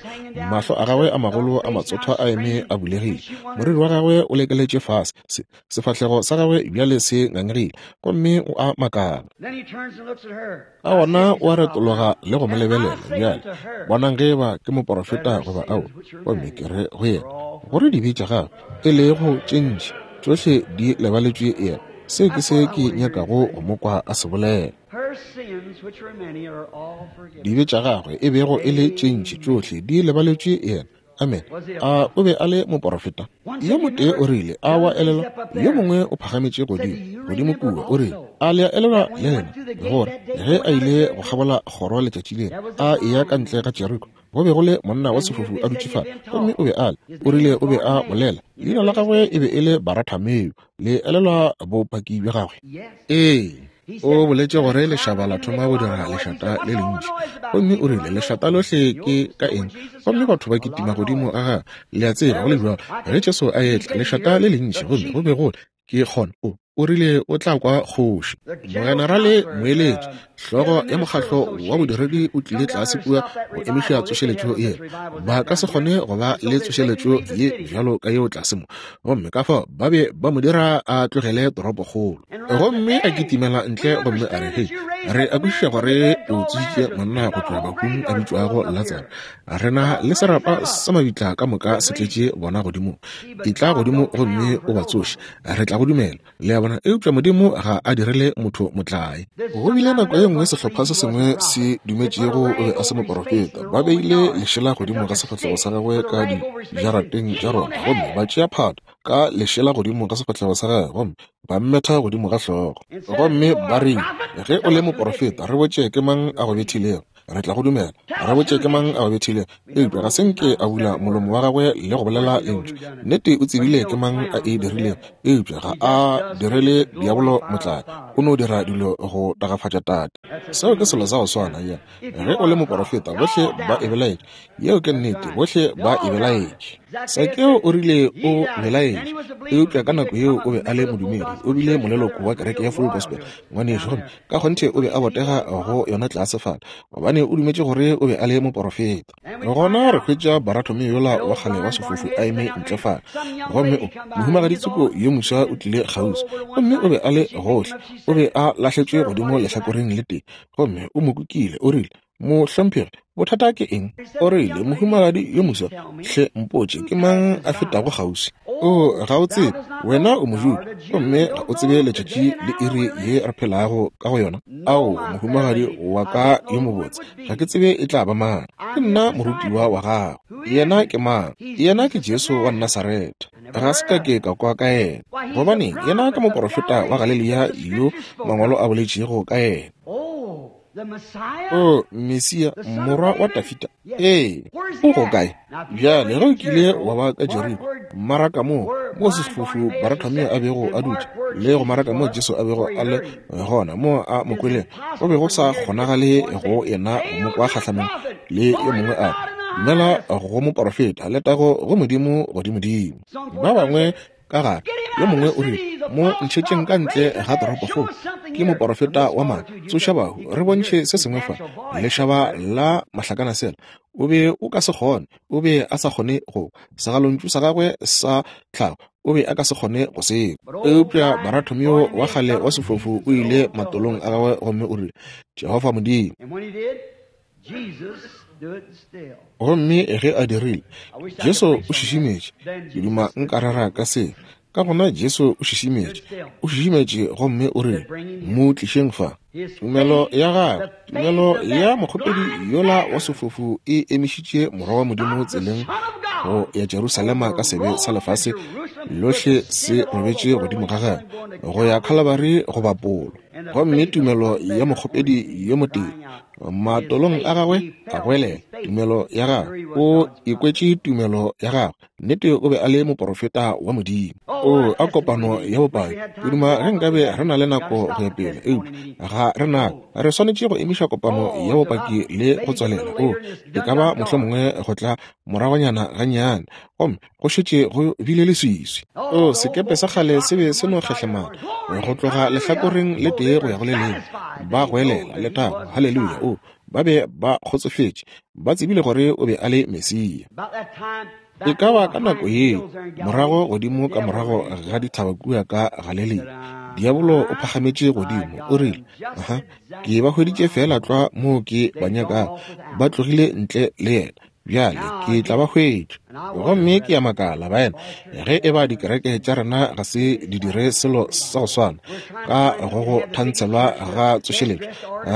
Mahlo a gagwe a magolo a matsothwa a eme a bulegile. Moriri wa gagwe o lekeletše fase. Se, Sefahlego sa gagwe bjale se ngangegile, gomme o a makala. Ka gona o a retologa le go mo lebelela. Bjale, bonang ge eba ke moporofeta goba ao. Gomme ke re go yena, gore dibe tša gagwe, e lego tše ntši, tšohle di lebaletšwe yena. Seo ke se ke nyakago go mo kwa a se bolela. Dibe tša gagwe, e bego e le tše ntši, tšohle di lebaletšwe yena. Amen. A o be a le moporofeta? Yo motee o rile, a wa elelwa? Yo mongwe o phagametše godimo, godimo kua, o rile, a le a elelwa le lena, gore ge a ile go kgabola kgoro letšatši lela, a eya ka ntle ga Jeriko, go be go le monna wa sefofu a dutše fale, gomme o be a le, o rile o be a bolela, leina la gagwe e be e le Baratameo. Le elelwa bopaki bja gagwe? Ee. O boletše gore lešaba la thoma go dira lešata le lentši, gomme o rile, Lešata lohle ke ka eng? Gomme batho ba kitima godimo ga gagwe. Le a tseba, go le bjalo, ge Jesu a etla, lešata le lentši, gomme go be go le, ke kgona, o, o rile o tla kwa kgoši. Mogenerale moeletši, hlogo ya mokgatlo wa bodiredi o tlile tlase kua go emiša tsošeletšo ye. Ba ka se kgone go ba le tsošeletšo ye bjalo ka yeo tlase mo. Gomme ka fao ba be ba mo dira a tlogele toropokgolo. Gomme a kitimela ntle gomme a re, Hei, re a kwešiša gore o tsošitše monna go tšwa bahung a bitšwago Latsaro. Re na le serapa sa mabitla ka moka se tletše bona godimo. Etla godimo gomme o ba tsoše. Re tla go dumela. Le a bona? Eupša Modimo ga a direle motho motlae. Go bile nako ye nngwe sehlopha se sengwe se dumetšego o be a se moporofeta. Ba beile lešela godimo ga sefahlego sa gagwe ka dijarateng tša Roma, gomme ba tšea phato ka lešela godimo ga sefahlego sa gagwe, gomme ba mmetha godimo ga hlogo. Gomme ba rile, Ge o le moporofeta, re botše ke mang a go bethilego. Re tla go dumela. Re botše ke mang a go bethilego. Eupša ga se nke a bula molomo wa gagwe le go bolela lentšu. Nnete o tsebile ke mang a e dirilego, eupša ga a direle diabolo motlae. O no dira dilo go tagafatša Tate. Seo ke selo sa go swana. Ya, ge o le moporofeta, bohle ba e belaetše. Yeo ke nnete, bohle ba e belaetše. Sakeo o rile o belaetše, eupša ka nako yeo o be a le modumedi. O bile moleloko wa kereke ya Full Gospel, ngwanešu, gomme ka kgonthe o be a botega go yona tlase fale, gobane o dumetše gore o be a le moporofeta. Gona re hwetša Baratomeo yola wa kgale wa sefofu a eme ntle fale, gomme o, mohumagadi tsoko yo moswa o tlile kgauswi, gomme o be a le gohle, o be a lahletšwe godimo lehlakoreng le tee, gomme o mo kukile, o rile, Mohlomphegi, bothata ke eng? O rile, Mohumagadi yo moswa, hle mpotše, ke mang a fetago kgauswi? O, ga o tsebe, wena o Mojuda, gomme ga o tsebe letšatši le iri ye re phelago ka go yona. Ao, mohumagadi wa ka yo mobotse, ga ke tsebe e tla ba mang. Ke nna morutiwa wa gago. Yena ke mang? Yena ke Jesu wa Nasaretha. Ga se ka ke ka kwa ka yena. Gobaneng, yena ke moporofeta wa Galelia yo Mangwalo a boletšego ka yena. O Mesia, morwa wa Dafida. Ee, o go kae? Bjale, ge o kile wa ba ka Jeriko, maraka moo, moo sefofu Baratomeo a bego a dutše, le go maraka moo Jesu a bego a le gona, moo a mo kwelego, go be go sa kgonagale go yena go mo kwa kgahlanong le yo mongwe a re, Dumela go moporofeta, letago go Modimo godimodimo. Ba bangwe ka gare. Yo mongwe o rile, Mo ntšhetšeng ka ntle ga toropokgolo. Ke moporofeta wa maaka. Tsoša bahu, re bontšhe se sengwe fa. Lešaba la mahlakanasela. O be o ka se kgone. O be a sa kgone go. Segalontšu sa gagwe sa tlhago, o be a ka se kgone go se kwa. Eupša Baratomeo wa kgale wa sefofu o ile matolong a gagwe gomme o rile, Jehofa Modimo. Gomme ge a dirile, Jesu o šišimetše. Ke duma nka rera ka se. Ka gona Jesu o šišimetše. O šišimetše gomme o rile, Mo tlišeng fa. Tumelo ya gagwe, tumelo ya mokgopedi yola wa sefofu e emišitše Morwa wa Modimo tseleng go ya Jerusalema ka sebe sa lefase lohle se robetše godimo ga gagwe, go ya Khalabari go bapolwa. Gomme tumelo ya mokgopedi yo motee matolong a gagwe a goelela tumelo ya gagwe, o ikwetše tumelo ya gagwe. Nnete o be a le moporofeta wa Modimo. O a kopano ya bopaki. Ke duma ge nkabe re na le nako go ya pele, eupša ga re na. Re swanetše go emiša kopano ya bopaki le go tswalela. O e ka ba mohlomongwe go tla moragonyana gannyane, gomme go šetše go bile leswiswi. O sekepe sa kgale se be se no kgehlemana go tloga lehlakoreng le tee go ya go le lengwe. Ba goelela, Letago! Haleluya! O, ba be ba kgotsofetše. Ba tsebile gore o be a le Mesia. E ka ba ka nako yeo, morago godimo ka morago ga dithaba kua ka Galelia, diabolo o phagametše godimo, o rile, Aha, ke ba hweditše feela tlwa moo ke ba nyakago. Ba tlogile ntle le yena. Bjale ke tla ba hwetša. Gomme ke a makala, baena, ge e ba dikereke tša rena ga se di dire selo sa go swana ka go go thantshelwa ga tsošeletšo.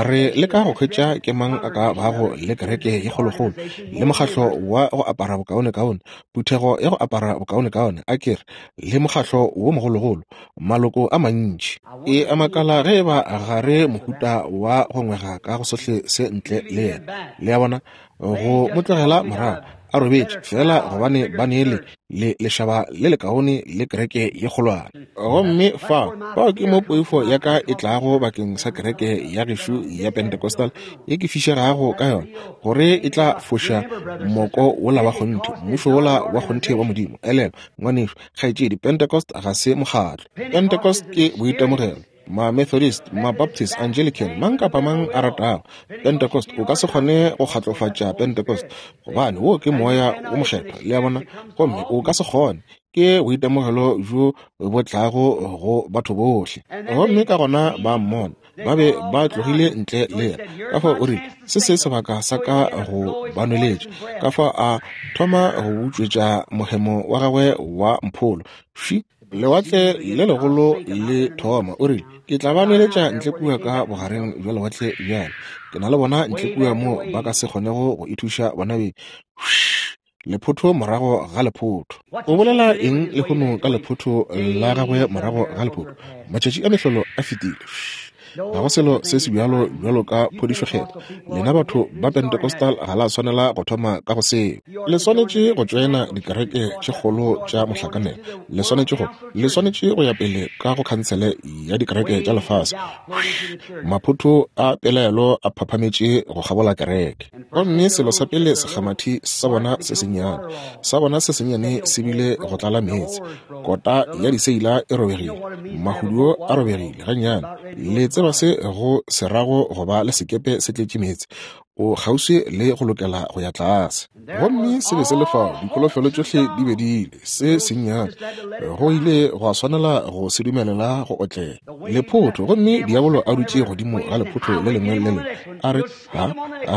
Re leka go hwetša ke mang a ka bago le kereke ye kgolokgolo, le mokgatlo wa go apara bokaonekaone, phuthego ya go apara bokaonekaone, a ke re, le mokgatlo wo mogologolo, maloko a mantši. Ke a makala ge e ba ga re mohuta wa go ngwega ka go sohle se ntle le yena. Le a bona? Go mo tlogela morago a robetše feela gobane ba ne le, le lešaba le lekaone le kereke ye kgolwane. Gomme fao, fao ke mo poifo ya ka e tlago bakeng sa kereke ya gešo ya Pentecostal ye ke fišegago ka yona, gore e tla foša moko wola wa kgonthe, mmušo wola wa kgonthe wa Modimo. Elelwa, ngwanešu, kgaetšedi, Pentecost ga se mokgatlo. Pentecost ke boitemogelo. Ma-Methodist, ma-Baptist, Anglican, mang kapa mang a ratago Pentecost, o ka se kgone go kgatlofatša Pentecost, gobane wo ke Moya wo Mokgethwa, le a bona, gomme o ka se kgone. Ke boitemogelo bjo bo tlago go batho bohle. Gomme ka gona ba mmona, ba be ba tlogile ntle le yena. Ka fao o rile, Se se sebaka sa ka go ba nweletša. Ka fao a thoma go butšwetša mohemo wa gagwe wa mpholo. Fši! Lewatle le legolo le thoma. O rile, Ke tla ba nweletša ntle kua ka bogareng bja lewatle bjale. Ke na le bona ntle kua moo ba ka se kgonego go ithuša bona beng. Lephotho morago ga lephotho. O bolela eng lehono ka lephotho la gagwe morago ga lephotho? Matšatši a mehlolo a fetile. Ga go selo se se bjalo bjalo ka phodišo Kgethwa. Lena batho ba Pentecostal ga la swanela go thoma ka go seo. Le swanetše go tšoena dikereke tše kgolo tša mohlakanelo. Le swanetše go, le swanetše go ya pele ka go khansele ya dikereke tša lefase. Maphotho a pelaelo a phaphametše go kgabola kereke. Gomme selo sa pele sekgamathi sa bona se sennyane, sa bona se sennyane se bile go tlala meetse. Kota ya diseila e robegile, mahuduo a robegile gannyane. Le tseba se go se rago go ba le sekepe se tletše meetse. O kgauswi le go lokela go ya tlase. Gomme se be se le fao, dikholofelo tšohle di be di ile, se sennyane. Go ile gwa swanela go se dumelela go otlela. Lephotho, gomme diabolo a dutše godimo ga lephotho le lengwe le lengwe, a re, Ha,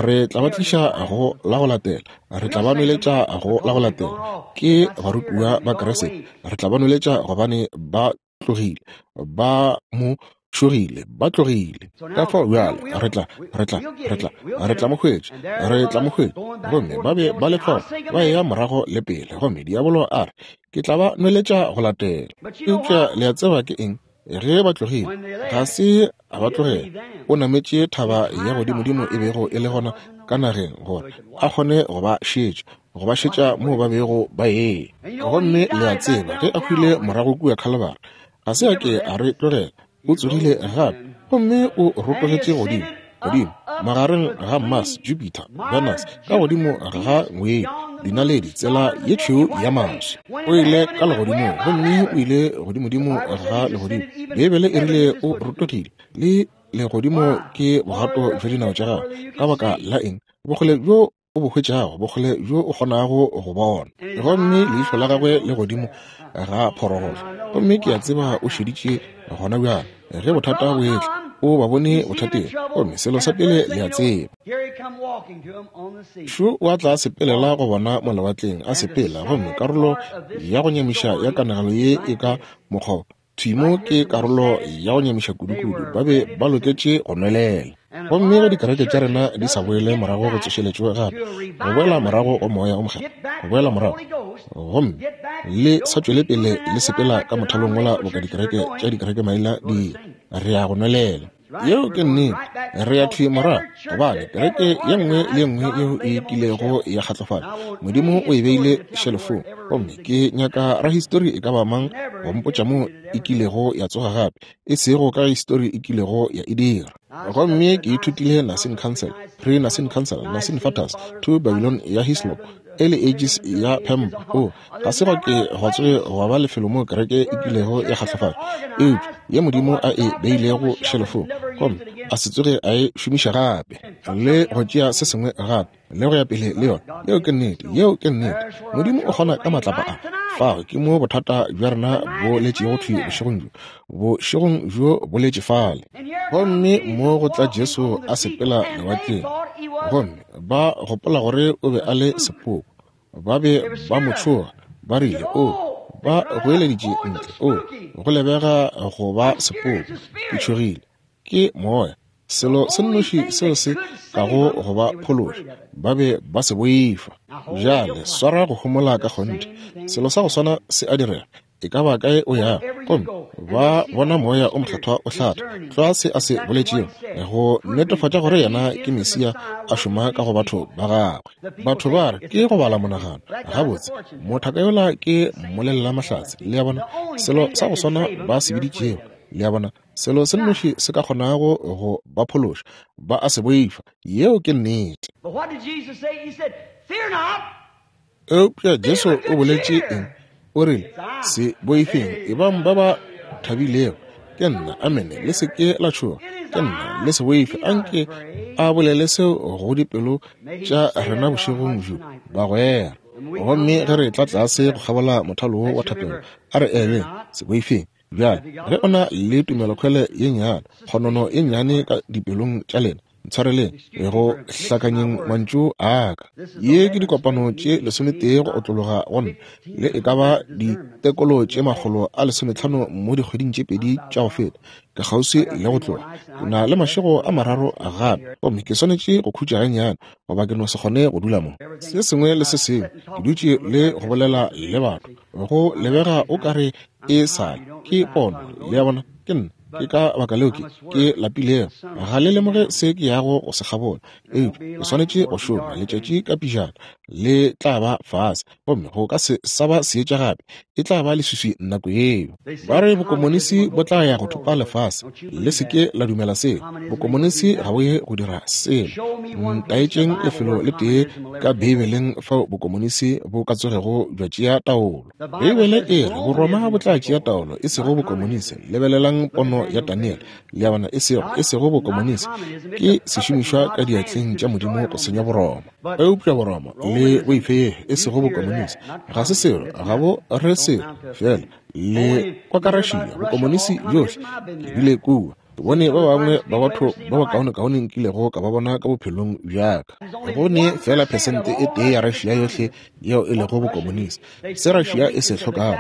re tla ba tliša go la go latela. Re tla ba nweletša go la go latela. Ke barutiwa ba Kriste. Re tla ba nweletša gobane ba tlogile, ba mo šogile, ba tlogile. Ka fao bjale re tla, re tla, re tla, re tla mo hwetša, re tla mo hwetša. Gomme ba be ba le fao, ba eya morago le pele, gomme diabolo a re, Ke tla ba nweletša go latela. Eupša le a tseba ke eng? Ge ba tlogile, ga se a ba tlogela. O nametše thaba ya godimodimo e bego e le gona ka nageng gore a kgone go ba šetša, go ba šetša moo ba bego ba eya. Gomme le a tseba, ge a hwile morago kua Khalibari, ga se a ke a re tlogela. O tsogile gape gomme o rotogetše godimo, godimo magareng ga Mars, Jupiter, Venus, ka godimo ga ngwedi, dinaledi, tsela ye tšhweu ya maswi. O ile ka legodimong gomme o ile godimodimo ga legodimo. Beibele e rile o rotogile, le legodimo ke bogato bja dinao tša gagwe. Ka baka la eng? Bokgole bjo o bo hwetšago, bokgole bjo o kgonago go bona. Gomme leihlo la gagwe le godimo ga phorogolo. Gomme ke a tseba o šeditše gona bjale. Ge bothata bo etla, o ba bone bothateng. Gomme selo sa pele le a tseba, šo o a tla a sepelela go bona mo lewatleng, a sepela. Gomme karolo ya go nyamiša ya kanegelo ye e ka mokgwa Thwi mo ke karolo ya go nyamiša kudukudu. Ba be ba loketše go nwelela. Gomme ge dikereke tša rena di sa boele morago go tsošeletšo gape, go boela morago go Moya o Mokgethwa, go boela morago, gomme le sa tšwele pele le sepela ka mothalong wola boka dikereke tša dikerekemaina di, re ya go nwelela. Yeo ke nnete. Re ya thwi morago, gobane kereke ye nngwe le ye nngwe yeo e kilego ya kgatlofala, Modimo o e beile šelofong. Gomme ke nyaka rahistori e ka ba mang go mpotša moo e kilego ya tsoga gape, e sego ka histori e kilego ya e dira. Gomme ke ithutile Nicene Council, Pre-Nicene Council, Nicene Fathers, to Babylon ya Hislop, Early Ages ya Pemba. O, ga se gwa ke gwa tsoge gwa ba lefelo moo kereke e kilego ya kgahlafala, eupša ye Modimo a e beilego šelofong, gomme a se tsoge a e šomiša gape, le go tšea se sengwe gape, le go ya pele le yona. Yeo ke nnete. Yeo ke nnete. Modimo o kgona ka matlapa a. Fao ke mo bothata bja rena bo letšego thwi bošegong bjo. Bošegong bjo bo letše fale. Gomme mo go tla Jesu a sepela lewatleng, gomme ba gopola gore o be a le sepoko. Ba be ba mo tšhoga, ba rile, O, ba goeleditše ntle, o, go lebega go ba sepoko. Ke tšhogile. Ke moya, selo se nnoši seo se kago go ba phološa. Ba be ba se boifa. Bjale swara go homola ka kgonthe. Selo sa go swana se a direga. E ka ba kae o yago, gomme ba bona Moya o Mokgethwa o hlatha tlwa se a se boletšego, go netefatša gore yena ke Mesia a šoma ka go batho ba gagwe. Batho ba re ke go bala monagano. Gabotse, mothaka yola ke mmolelelamahlatse. Le a bona? Selo sa go swana ba se biditšego. Le a bona? Selo se nnoši se ka kgonago go ba phološa, ba a se boifa. Yeo ke nnete. Eupša Jesu o boletše eng? O rile, Se boifeng, ebang ba ba thabilego. Ke nna. Amene. Le se ke la tšhoga. Ke nna. Le se boife. Anke a bolele seo go dipelo tša rena bošegong bjo, bagwera. Gomme ge re tla tlase go kgabola mothalo wo wa thapelo, a re eleng, se boifeng. Bjale, ge o na le tumelokhwele ye nnyane, kgonono ye nnyane ka dipelong tša lena, ntshwareleng go hlakanyeng mantšu a ka. Ye ke dikopano tše lesometee go otlologa go nna, le e ka ba ditekolo tše 150 mo dikgweding tše pedi tša go feta. Ke kgauswi le go tloga. Ke na le mašego a mararo gape, gomme ke swanetše go khutša gannyane, goba ke no se kgone go dula mo. Se sengwe le se sengwe, ke dutše le go bolela le batho. Go lebega o ka re e sa le ke pono, le a bona, ke nna. Ke ka baka leo ke, ke lapilego. Ga le lemoge se ke yago go se kgabola, eupša ke swanetše go šoma. Letšatši ka pejana le tla ba fase, gomme go ka se sa ba seetša gape. E tla ba leswiswi nako yeo. Ba re bokomonisi bo tla ya go thopa lefase. Le se ke la dumela seo. Bokomonisi ga bo ye go dira selo. Ntaetšeng lefelo le tee ka Beibeleng fao bokomonisi bo ka tsogego bja tšea taolo. Beibele e re Boroma bo tla tšea taolo, e sego bokomonisi. Lebelelang pono ya Daniele. Le a bona, e sego, e sego bokomonisi. Ke sešomišwa ka diatleng tša Modimo go senya Boroma. Eupša Boroma le boife e sego bokomonisi ga se selo, ga bo re selo, fela le kwa ka Russia, bokomonisi bjohle. Ke bile kua, ke bone ba bangwe ba batho ba bakaonekaone nkilego ka ba bona ka bophelong bja ka. Go ne fela phesente e tee ya Russia yohle yeo e lego bokomonisi. Se Russia e se hlokago,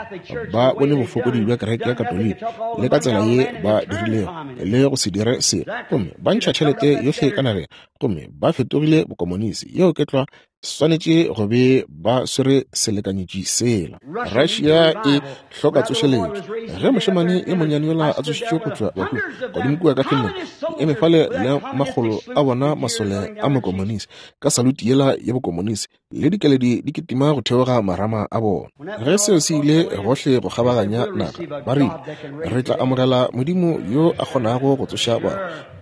ba bone bofokodi bja kereke ya Katoliki le ka tsela ye ba dirilego le go se dire selo, gomme ba ntšha tšhelete yohle ka nageng, gomme ba fetogile bokomonisi. Yeo ke tlwa, swanetše go be ba swere selekanyetši sela. Russia e hloka tsošeletšo. Ge mošemane e monnyane yola a tsošitšwe go tšwa bahung godimo kua ka Finland, ke eme fale le makgolo a bona masole a mokomonisi ka saluti yela ya bokomonisi le dikeledi di kitima go theoga marama a bona. Ge seo se ile gohle go kgabaganya naga, ba rile, Re tla amogela Modimo yo a kgonago go tsoša bahu.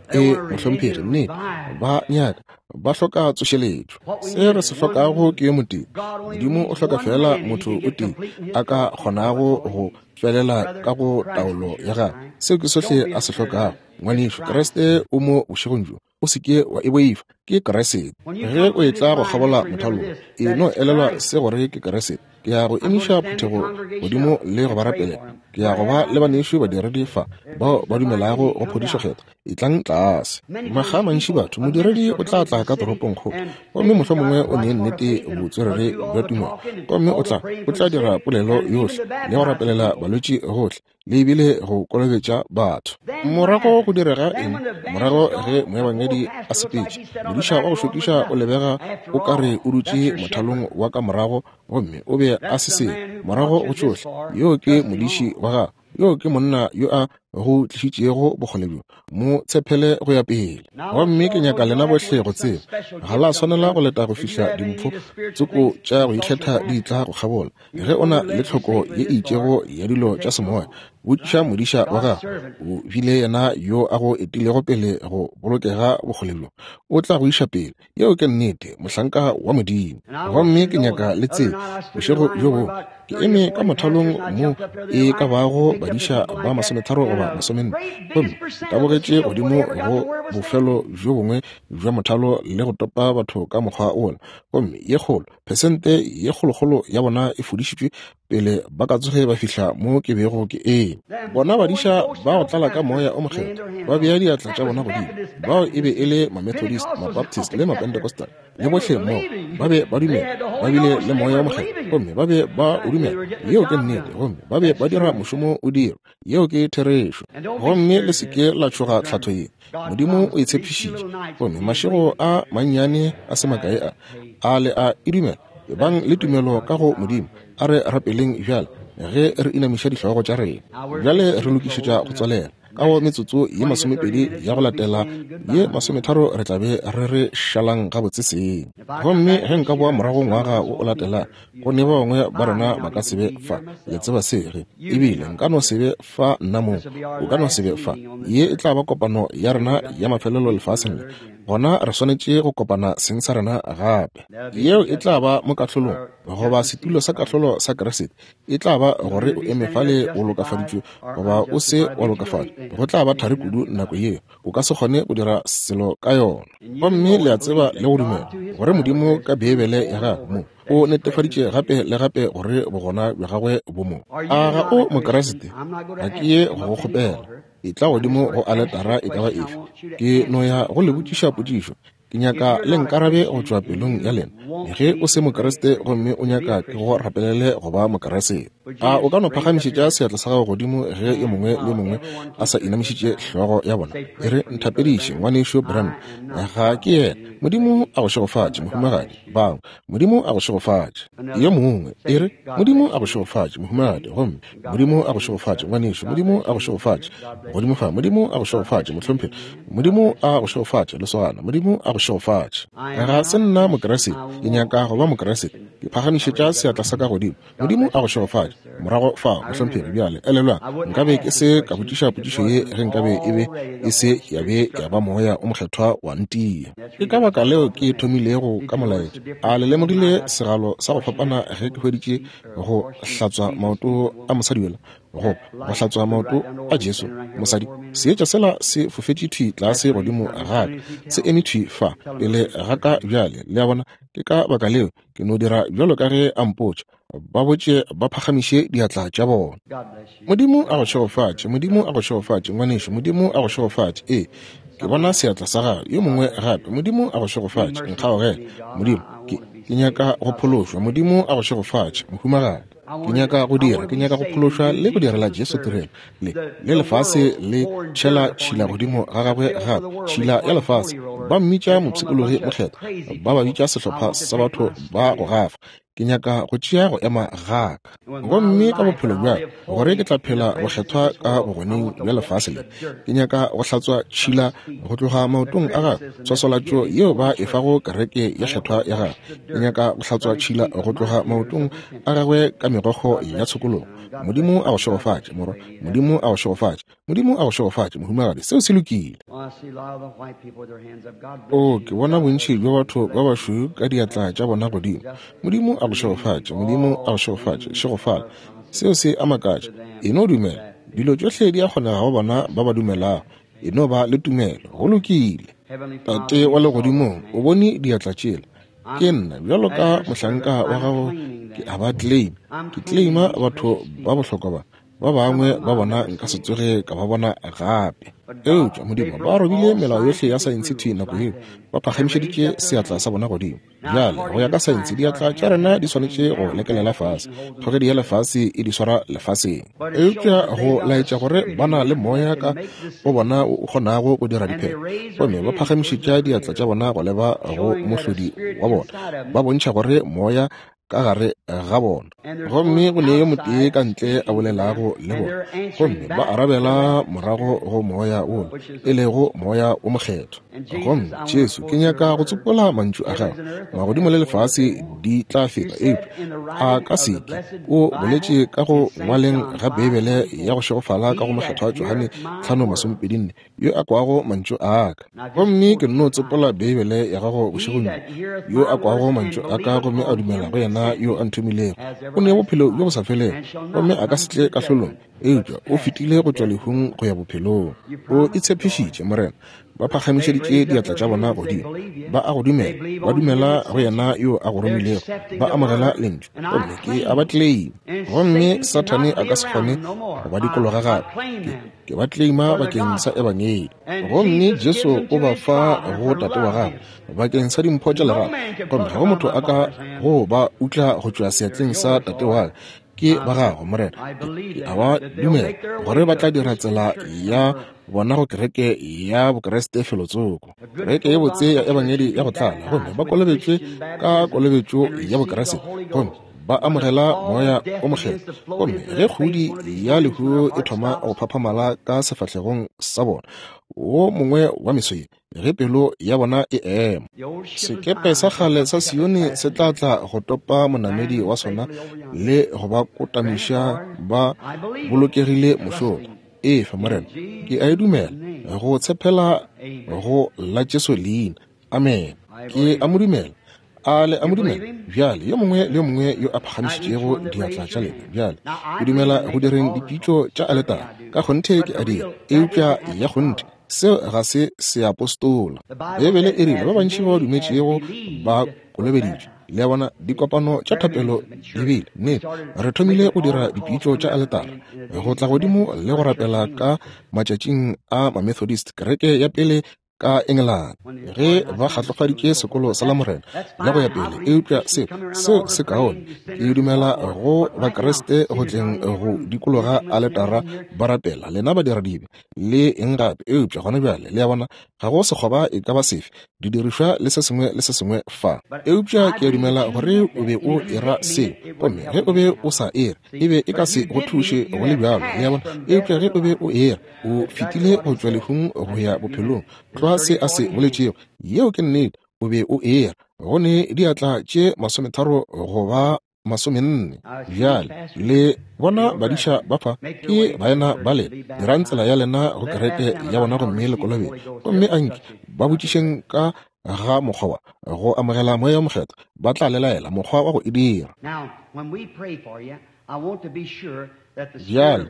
E, mohlomphegi, nnete, ba nyaka, ba hloka tsošeletšo. Se re se hlokago ke yo motee. Modimo o hloka feela motho o tee a ka kgonago go felela ka go taolo ya gagwe. Seo ke sohle a se hlokago. Ngwanešu, Kriste o mo bošegong bjo. O se ke wa e boifa. Ke Kriste. Ge o etla go kgabola mothalo, e no elelwa se gore ke Kriste. Ke ya go emiša phuthego godimo le go ba rapelela. Ke ya go ba le banešu badiredi fa bao ba dumelago go phodišo kgethwa. Etlang tlase. Makga a mantši batho, modiredi o tla tla ka toropongkgolo, gomme mohlomongwe o ne nnete botswerere bja tumelo, gomme o tla, o tla dira polelo yohle le go rapelela balwetši gohle, le ebile go kolobetša batho. Morago go direga eng? Morago ge moebangedi a sepetše, modiša wa go šokiša o lebega o ka re o dutše mothalong wa ka morago, gomme o be a se selo. Morago go tšohle, yoo ke modiši wa gago, yoo ke monna yo a go tlišitšego bokgole bjo. Mo tshepele go ya pele. Gomme ke nyaka lena bohle go tseba, ga la swanela go leta go fihla dimpho tsoko tša go ikgetha di tla go kgabola. Ge o na le tlhoko ye e itšego ya dilo tša semoya, botšiša modiša wa gago. O bile yena yo a go etilego pele go bolokega bokgole bjo. O tla go iša pele. Yeo ke nnete, mohlanka wa Modimo. Gomme ke nyaka le tsebe, bošego bjo bongwe, ke eme ka mothalong mo e ka bago badiša ba 30 goba 40, gomme ke tabogetše godimo go bofelo bjo bongwe bja mothalo le go topa batho ka mokgwa wola, gomme ye kgolo, phesente ye kgolokgolo ya bona e fodišitšwe pele ba ka tsoge ba fihla mo ke bego ke eme. Bona badiša ba go tlala ka Moya o Mokgethwa ba bea diatla tša bona godimo, bao e be e le Mamethodist, Mabaptist le Mapentecostal, le bohle mmogo, ba be ba dumela, ba bile le Moya o Mokgethwa, gomme ba be ba o dumela. Yeo ke nnete, gomme ba be ba dira mošomo o dirwa. Yeo ke therešo. Gomme le se ke la tšhoga tlhatho ye. Modimo o e tshepišitše. Gomme mašego a mannyane a se makae a, a le a e dumela? Ebang le tumelo ka go Modimo. A re rapeleng bjale ge re inamiša dihlogo tša rena. Bjale re lokišetša go tswalela. Ka go metsotso ye 20 ya go latela ye 30 re tla be re re šalang gabotse seng. Gomme ge nka boa morago ngwaga wo o latela, go ne ba bangwe ba rena ba ka se be fa. Le tseba se ge ebile nka no se be fa nna mong, o ka no se be fa. Ye e tla ba kopano ya rena ya mafelelo lefaseng le. Gona re swanetše go kopana seng sa rena gape. Yeo e tla ba mo kahlolong, goba setulo sa kahlolo sa Kriste. E tla ba gore o eme fale o lokafaditšwe goba o se wa lokafatšwa. Go tla ba thari kudu nako yeo, o ka se kgone go dira selo ka yona. Gomme le a tseba le go dumela gore Modimo ka Beibele ya gagwe mo o netefaditše gape le gape gore bogona bja gagwe bo mo. A ga o Mokriste? Ga ke ye go go kgopela. Etla godimo go aletara e ka ba efe. Ke no ya go le botšiša potšišo. Ke nyaka le nkarabe go tšwa pelong ya lena. Ge o se Mokriste gomme o nyaka ke go rapelele go ba Mokriste, a o ka no phagamišetša seatla sa gago godimo ge yo mongwe le yo mongwe a sa inamišitše hlogo ya bona? E re, Nthapediše, Ngwanešu Branham. Ga ke yena. Modimo a go šegofatše, mohumagadi. Bangwe, Modimo a go šegofatše. Yo mongwe, e re, Modimo a go šegofatše, mohumagadi. Gomme Modimo a go šegofatše, ngwanešu. Modimo a go šegofatše. Godimo fa, Modimo a go šegofatše, mohlomphegi. Modimo a go šegofatše, lesogana. Modimo a go šegofatše. Ga se nna Mokriste, ke nyaka go ba Mokriste. Ke phagamišetša seatla sa ka godimo. Modimo a go šegofatše. Morago fao, mohlomphegi. Bjale, elelwang, nkabe ke se ka botšiša potšišo ye ge nkabe e be e se ya be ya ba Moya o Mokgethwa wa ntia. Ke ka baka leo ke thomilego ka molaetša. A le lemogile segalo sa go fapana ge ke hweditše go hlatswa maoto a mosadi yola? Goba go hlatswa maoto a Jesu, mosadi, seetša sela se fofetše thwi tlase godimo ga ka, se eme thwi fa pele ga ka bjale. Le a bona? Ke ka baka leo ke no dira bjalo ka ge a mpotša. Ba botše ba phagamiše diatla tša bona. Modimo a go šegofatše. Modimo a go šegofatše, ngwanešu. Modimo a go šegofatše. Ee, ke bona seatla sa gago. Yo mongwe gape. Modimo a go šegofatše. Nkgaogele, Modimo. Ke, ke nyaka go phološwa. Modimo a go šegofatše, mohumagadi. Ke nyaka go dira, ke nyaka go phološwa le go direla Jesu tirelo. Le, le lefase le tšhela tšhila godimo ga gagwe gape, tšhila ya lefase. Ba mmitša mopshikologi mokgethwa, ba ba bitša sehlopha sa batho ba go gafa. Ke nyaka go tšea go ema ga ka. Gomme ka bophelo bja ka, gore ke tla phela bokgethwa ka bogoneng bja lefase le, ke nyaka go hlatswa tšhila go tloga maotong a gagwe, tshwaswalatšo yeo ba e fago kereke ya kgethwa ya gagwe. Ke nyaka go hlatswa tšhila go tloga maotong a gagwe ka megokgo ya tshokologo. Modimo a go šegofatše, morwa. Modimo a go šegofatše. Modimo a go šegofatše, mohumagadi. Seo se lokile. O, ke bona bontši bja batho ba bašweu ka diatla tša bona godimo. Modimo a go šegofatše. Modimo a go šegofatše. Šegofala. Seo se a makatša. E no dumela. Dilo tšohle di a kgonega go bona ba ba dumelago. E no ba le tumelo. Go lokile. Tate wa Legodimong, o bone diatla tšela. Ke nna, bjalo ka mohlanka wa gago, ke a ba claim. Ke claima batho ba bohlokwa ba. Ba bangwe ba bona nka se tsoge ka ba bona gape. Eupša, Modimo, ba robile melao yohle ya saense thwi nako yeo. Ba phagamišeditše seatla sa bona godimo. Bjale, go ya ka saense, diatla tša rena di swanetše go lekelela fase. Kgogedi ya lefase e di swara lefaseng. Eupša go laetša gore ba na le moya ka go bona o kgonago go dira diphetho, gomme ba phagamišetša diatla tša bona go leba go mohlodi wa bona, ba bontšha gore moya ka gare ga bona, gomme go ne yo motee ka ntle a bolelago le bona, gomme ba arabela morago go moya wola, e lego Moya wo Mokgethwa. Gomme Jesu, ke nyaka go tsopola mantšu a gago, magodimo le lefase di tla feta, eupša a ka se ke. O boletše ka go ngwaleng ga Beibele ya go šegofala ka go Mokgethwa Johane 5:24, yo a kwago mantšu a ka. Gomme ke nno tsopola Beibele ya gago bošegong bjo. Yo a kwago mantšu a ka gomme a dumela go yena yo a nthomilego, o ne bophelo bjo bo sa felego, gomme a ka se tle kahlolong, eupša o fetile go tšwa lehung go ya bophelong. O itshepišitše, Morena. Ba phagamišeditše diatla tša bona godimo. Ba a go dumela. Ba dumela go yena yo a go romilego. Ba amogela Lentšu. Gomme ke a ba claim. Gomme Sathane a ka se kgone go ba dikologa gape. Ke, ke ba claima bakeng sa Ebangedi. Gomme Jesu o ba fa go Tate wa gagwe bakeng sa dimpho tša lerato. Gomme ga go motho a ka go ba utla go tšwa seatleng sa Tate wa ka. Ke ba gago, Morena. Ke, ke a ba dumela gore ba tla dira tsela ya bona go kereke ya Bokriste felotsoko, kereke ye botse ya Ebangedi ya go tlala, gomme ba kolobetšwe ka kolobetšo ya Bokriste, gomme ba amogela Moya o Mokgethwa. Gomme ge kgudi ya lehu e thoma go phaphamala ka sefahlegong sa bona, wo mongwe wa meso ye, ge pelo ya bona e ema, sekepe sa kgale sa Sione se tla tla go topa monamedi wa sona le go ba kotamiša ba bolokegile mošola. Efa, Morena, ke a e dumela, go tshepela go la Jesu leina. Amene. Ke a mo dumela. A le a mo dumela? Bjale, yo mongwe le yo mongwe yo a phagamišitšego diatla tša lena, bjale, ke dumela go direng dipitšo tša aletara. Ka kgonthe ke a dira. Eupša ya kgonthe, seo ga se seapostola. Beibele e rile ba bantši ba ba dumetšego ba kolobeditšwe. Le a bona, dikopano tša thapelo di bile. Nnete, re thomile go dira dipitšo tša aletara, go tla godimo le go rapela ka matšatšing a Mamethodist, kereke ya pele ka Engelane, ge ba kgatlofaditše sekolo sa Lamorena le go ya pele. Eupša se, seo se kaone. Ke dumela go Bakriste go tleng go dikologa aletara ba rapela, lena badiradibe le eng gape. Eupša gona bjale, le a bona, ga go sekgoba e ka ba sefe, didirišwa le se sengwe le se sengwe fa. Eupša ke a dumela gore o be o era seo, gomme ge o be o sa ere, e be e ka se go thuše go le bjalo, le a bona. Eupša ge o be o era, o fetile go tšwa lehung go ya bophelong, tlwa se a se boletšego. Yeo ke nnete, o be o era. Go ne diatla tše 30 goba 40. Bjale, le bona badiša ba fa, ke baena ba lena. Dirang tsela ya lena go kereke ya bona gomme le kolobetše. Gomme anke ba botšišeng ka ga mokgwa wa go amogela Moya wo Mokgethwa, ba tla le laela mokgwa wa go e dira. Bjale,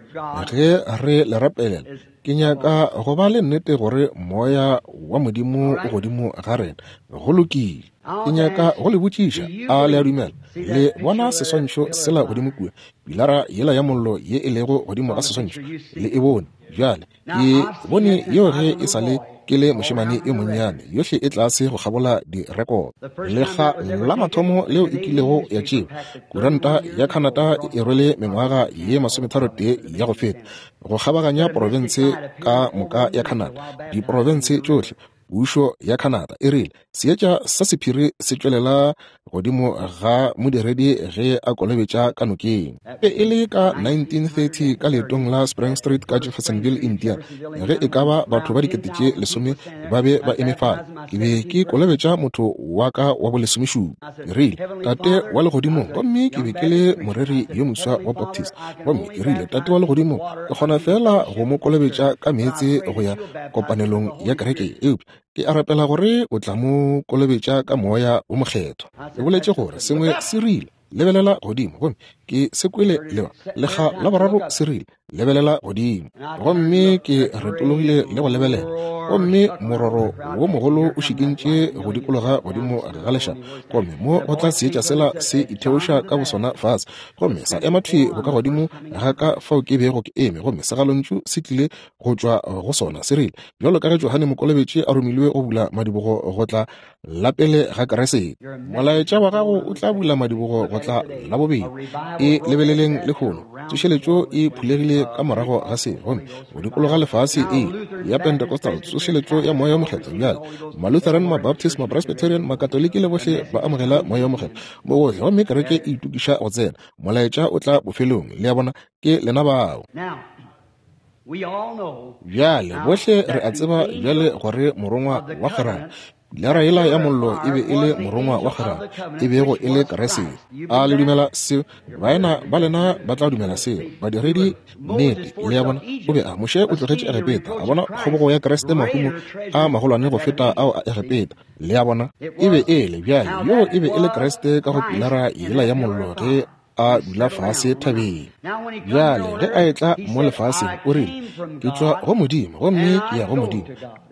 ge re le rapelela, ke nyaka go ba le nnete gore Moya wa Modimo o godimo ga rena. Go lokile. Ke nyaka go le botšiša, a le a dumela? Le bona seswantšho sela godimo kua, pilara yela ya mollo ye e lego godimo ga seswantšho? Le e bone? Bjale, ke bone yeo ge e sa le ke le mošemane yo monnyane, yohle e tlase go kgabola direkoto. Lekga la mathomo leo e kilego ya tšewa, kuranta ya Canada e rwele mengwaga ye 31 ya go feta, go kgabaganya profense ka moka ya Canada, diprofense tšohle. Pušo ya Canada e rile seetša sa sephiri se tšwelela godimo ga modiredi ge a kolobetša ka nokeng. E e le ka 1930 ka leetong la Spring Street ka Jeffersonville, Indiana, ge e ka ba batho ba 10,000 ba be ba eme fale. Ke be ke kolobetša motho wa ka wa bolesomešupa. Ke rile, Tate wa Legodimong, gomme ke be ke le moreri yo moswa wa Baptist, gomme ke rile, Tate wa Legodimong, ke kgona feela go mo kolobetša ka meetse go ya kopanelong ya kereke, eupša ke a rapela gore o tla mo kolobetša ka Moya wo Mokgethwa. Ke boletše gore sengwe se rile, Lebelela godimo, gomme ke se kwele leba lekga la boraro se rile, Lebelela godimo. Gomme ke retologile le go lebelela, gomme mororo wo mogolo o šikintše go dikologa godimo ga lešaba, gomme mo go tla seetša sela se itheoša ka bosona fase, gomme sa ema thwi bokagodimo ga ka fao ke bego ke eme, gomme segalontšu se tlile go tšwa go sona se rile, Bjalo ka ge Johane Mokolobetši a romilwe go bula madibogo go tla la pele ga Keresete, molaetša wa gago o tla bula madibogo go tla la bobedi. E lebeleleng lehono, tsošeletšo e phulegile ka morago ga se, gomme go dikologa lefase e ya Pentecostal, tsošeletšo ya Moya wo Mokgethwa. Bjale Malutheran, Mabaptist, Mapresbyterian, Makatoliki le bohle ba amogela Moya wo Mokgethwa mo gohle, gomme kereke e itokiša go tsena. Molaetša o tla bofelong. Le a bona, ke lena bao. Bjale, bohle re a tseba bjale gore morongwa wa kgwerano, pilara yela ya mollo e be e le morongwa wa kgwerano, e bego e le Keresete. A le dumela seo? Baena ba lena ba tla dumela seo. Badiredi, nnete. Le a bona? O be a, Moshe o tlogetše Egepeta, a bona kgobogo ya Kriste mahumo a magolwane go feta ao a Egepeta. Le a bona? E be e le, bjale, yoo e be e le Kriste ka go pilara yela ya mollo ge a dula fase thabeng. Bjale ge a etla mo lefaseng, o rile, Ke tšwa go Modimo, gomme ke ya go Modimo.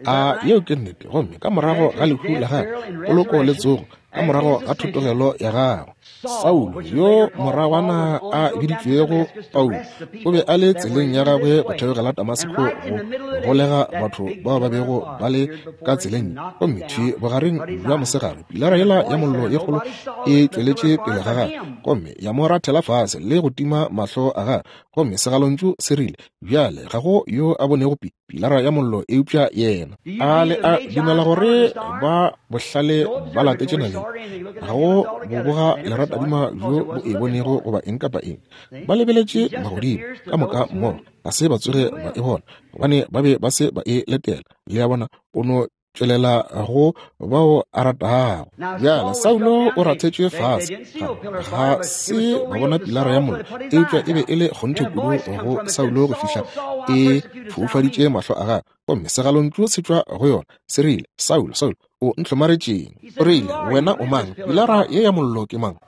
A yeo ke nnete? Gomme ka morago ga lehu la gagwe, poloko le tsogo, ka morago ga thotogelo ya gagwe, Saulo, yo moragwana a biditšwego Paulo, o be a le tseleng ya gagwe go theogela Damaseko go golega batho bao ba bego ba le ka tseleng. Gomme thwi bogareng bja mosegare, pilara yela ya mollo ye kgolo e tšweletše pele ga gagwe, gomme ya mo rathela fase le go tima mahlo a gagwe. Gomme segalontšu se rile, Bjale ga go yo a bonego pi, pilara ya mollo eupša yena. A le a dumela gore ba bohlale ba latetše naledi? Ga go boboga leratadima bjo bo e bonego goba eng kapa eng. Ba lebeletše magodimo ka moka mmogo, ga se ba tsoge ba e bona, gobane ba be ba se ba e letela. Le a bona, o no tšwelela go bao a ratago. Bjale Saulo o rathetšwe fase, ga se ba bona pilara ya mollo, eupša e be e le kgonthe kudu go Saulo go fihla e foufaditše mahlo a gagwe, gomme segalontšu se tšwa go yona se rile, Saulo, Saulo, o ntlhomaretšeng? O rile, Wena o mang? Pilara ye ya mollo ke mang?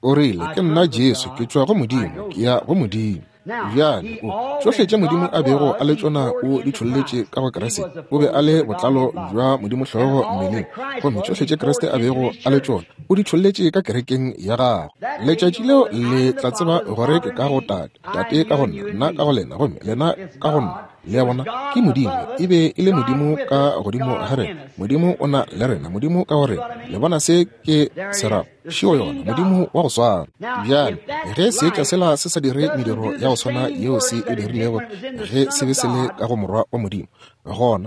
O rile, Ke nna Jesu, ke tšwa go Modimo, ke ya go Modimo. Bjale, o, tšohle tše Modimo a bego a le tšona o di tšholletše ka go Kriste. O be a le botlalo bja Modimo hlogo mmeleng. Gomme tšohle tše Kriste a bego a le tšona o di tšholletše ka kerekeng ya gagwe. Letšatši leo le tla tseba gore ke ka go Tate, Tate ka go nna, nna ka go lena, gomme lena ka go nna. Le a bona, ke Modimo, e be e le Modimo ka godimo ga rena. Modimo o na le rena, Modimo ka go rena. Le bona se ke se rago? Šeo yona, Modimo wa go swana. Bjale, ge seetša sela se sa dire mediro ya go swana yeo se e dirilego ge se be se le ka go Morwa wa Modimo, gona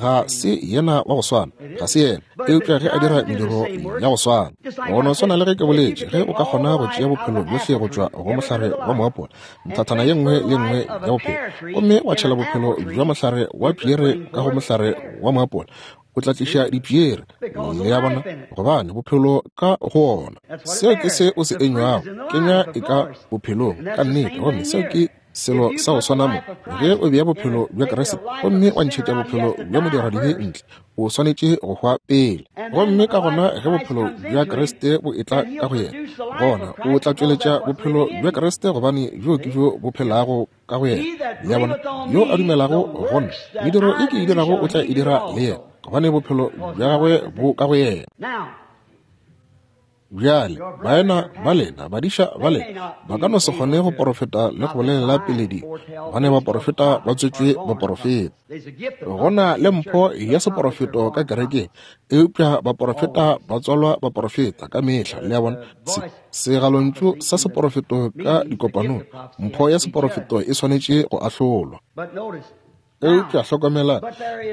ga se yena wa go swana, ga se yena. Eupša ge a dira mediro ya go swana, go no swana le ge ke boletše, ge o ka kgona go tšea bophelo bjohle go tšwa go mohlare wa moapola, nthathana ye nngwe le nngwe ya bophelo, gomme wa tšhela bophelo bja mohlare wa piere ka go mohlare wa moapola, O tla tliša dipiere, le a bona, gobane bophelo ka go ona. Seo ke se o se enywago, kenywa e ka bophelong, ka nnete. Gomme seo ke selo sa go swana mo. Ge o bea bophelo bja Kriste gomme wa ntšhetša bophelo bja modiradibe ntle, o swanetše go hwa pele. Gomme ka gona ge bophelo bja Kriste bo etla ka go yena, gona o tla tšweletša bophelo bja Kriste, gobane bjo ke bjo bo phelago ka go yena. Le a bona? Yo a dumelago go nna, mediro e ke e dirago o tla e dira le yena, gobane bophelo bja gagwe bo ka go yena. Bjale, baena ba lena, badiša ba lena, ba ka no se kgone go porofeta le go bolelela pele dilo, gobane baporofeta ba tswetšwe baporofeta. Go na le mpho ya seporofeto ka kerekeng, eupša baporofeta ba tswalwa baporofeta ka mehla. Le a bona? Se, segalontšu sa seporofeto ka dikopanong, mpho ya seporofeto e swanetše go ahlolwa. Eupša hlokomela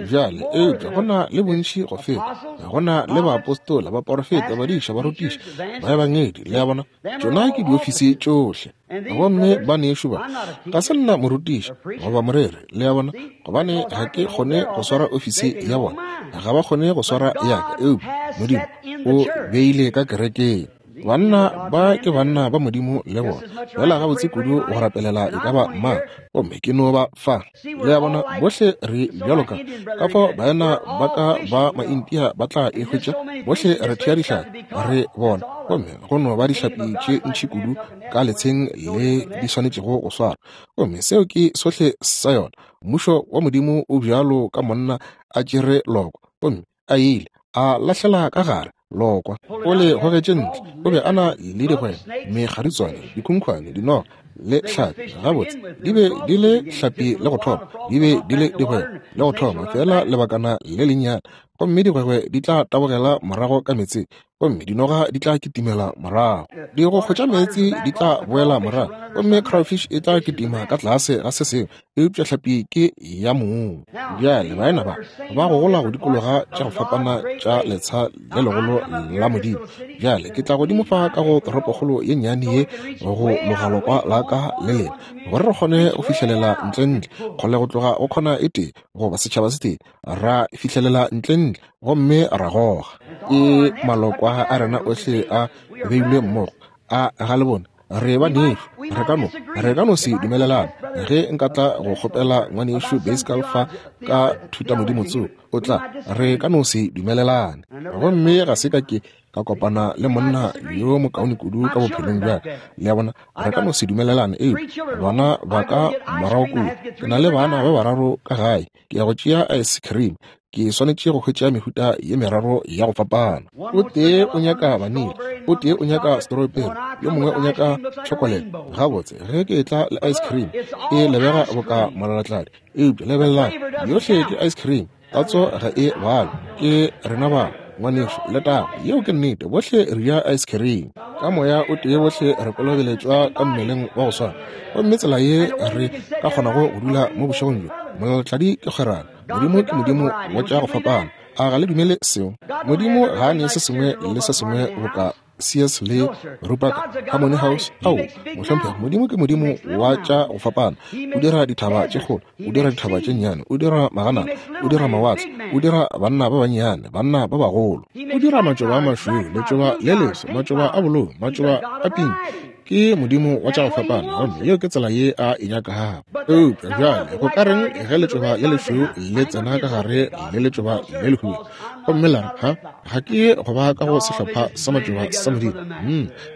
bjale, eupša go na le bontši go feta. Go na le baapostola, baporofeta, badiša, barutiši, baebangedi, le a bona, tšona ke diofisi tšohle. Gomme banešu ba, ga se nna morutiši goba moreri, le a bona, gobane ga ke kgone go swara ofisi ya bona, ga ba kgone go swara ya ka, eupša Modimo o beile ka kerekeng. Banna ba ke banna ba Modimo le bona, fela gabotse kudu go rapelela e ka ba mang, gomme ke no ba fa. Le a bona, bohle re bjalo ka ka fao baena ba ka ba Maindia ba tla e hwetša, bohle re thea dihlapi, re bona, gomme go no ba dihlapi tše ntši kudu ka letsheng le di swanetšego go swarwa. Gomme seo ke sohle sa yona. Mmušo wa Modimo o bjalo ka monna a tšere lokwa, gomme a ile a lahlela ka gare lokwa, o le gogetše ntle. O be a na le digwebe, mekgaditswane, dikhunkhwane, dinoga le hlapi. Gabotse, di be di le hlapi le go thoma, di be di le digwebe le go thoma, feela lebakana le lennyane, gomme digwegwe di tla tabogela morago ka meetseng, gomme dinoga di tla kitimela morago. Digokgo tša meetse di tla boela morago, gomme crayfish e tla kitima ka tlase ga se sengwe, eupša hlapi ke ya mong. Bjale baena ba ba gogola go dikologa tša go fapana tša letsha le legolo la Modimo. Bjale ke tla godimo fa ka go toropokgolo ye nnyane ye go logalokwa la ka le lena, gore re kgone go fihlelela ntlentle kgole go tloga go khona e tee goba setšhaba se tee, ra fihlelela ntlentle gomme ra goga. Ke malokwa a rena ohle a beilwe mmogo, a ga le bone? Re ba nešu, re ka no, re ka no se dumelelane. Ge nka tla go kgopela ngwanešu Bascal fa ka thutamodimo tsoko, o tla, re ka no se dumelelane. Gomme ga se ka ke ka kopana le monna yo mokaone kudu ka bophelong bja ka. Le a bona, re ka no se dumelelane, eupša bana ba ka morago kua, ke na le bana ba bararo ka gae, ke ya go tšea ice cream, ke swanetše go hwetša mehuta ye meraro ya go fapana. O tee o nyaka vanilla, o tee o nyaka strawberry, yo mongwe o nyaka chocolate. Gabotse, ge ke etla le ice cream e lebega boka molalatladi, eupša lebelelang, yohle ke ice cream, tatso ga e balwe. Ke rena ba, ngwanešu, letago, yeo ke nnete, bohle re ja ice cream. Ka moya o tee bohle re kolobeletšwa ka mmeleng wa go swana. Gomme tsela ye re ka kgonago go dula mo bošegong bjo, molalatladi ke kgwerano. Modimo ke Modimo wa tša go fapana. A ga le dumele seo? Modimo ga a nee se sengwe le se sengwe boka Sears le Rupert Harmony House. Ao, mohlomphegi, Modimo ke Modimo wa tša go fapana. O dira dithaba tše kgolo, o dira dithaba tše nnyane, o dira maganana, o dira mawatle, o dira banna ba bannyane, banna ba bagolo. O dira matšoba a mašweu, letšoba le leso, matšoba a bolou, matšoba a pinki. Ke Modimo wa tša go fapana, gomme yeo ke tsela ye a e nyakago. Eupša bjale go ka reng ge letšoba le lešweu le tsena ka gare le letšoba le lehubedu, gomme la re, Ha, ga ke ye go ba ka go sehlopha sa matšoba sa Modimo?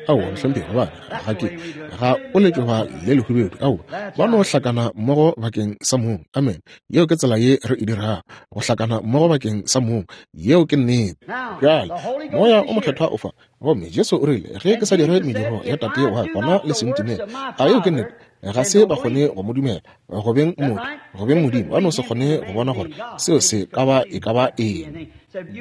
Aowa, mohlomphegi, gobane ga ke, ga o letšoba le lehubedu. Aowa, ba no hlakana mmogo bakeng sa mong. Amen. Yeo ke tsela ye re e dirago, go hlakana mmogo bakeng sa mong. Yeo ke nnete. Bjale, Moya o Mokgethwa o fa. Gomme Jesu o rile, Ge ke sa dire mediro ya Tate wa ka, gona le se ntumele. A yeo ke nnete? Ga se ba kgone go mo dumela go beng motho, go beng Modimo. Ba no se kgone go bona gore seo se ka ba e ka ba eng.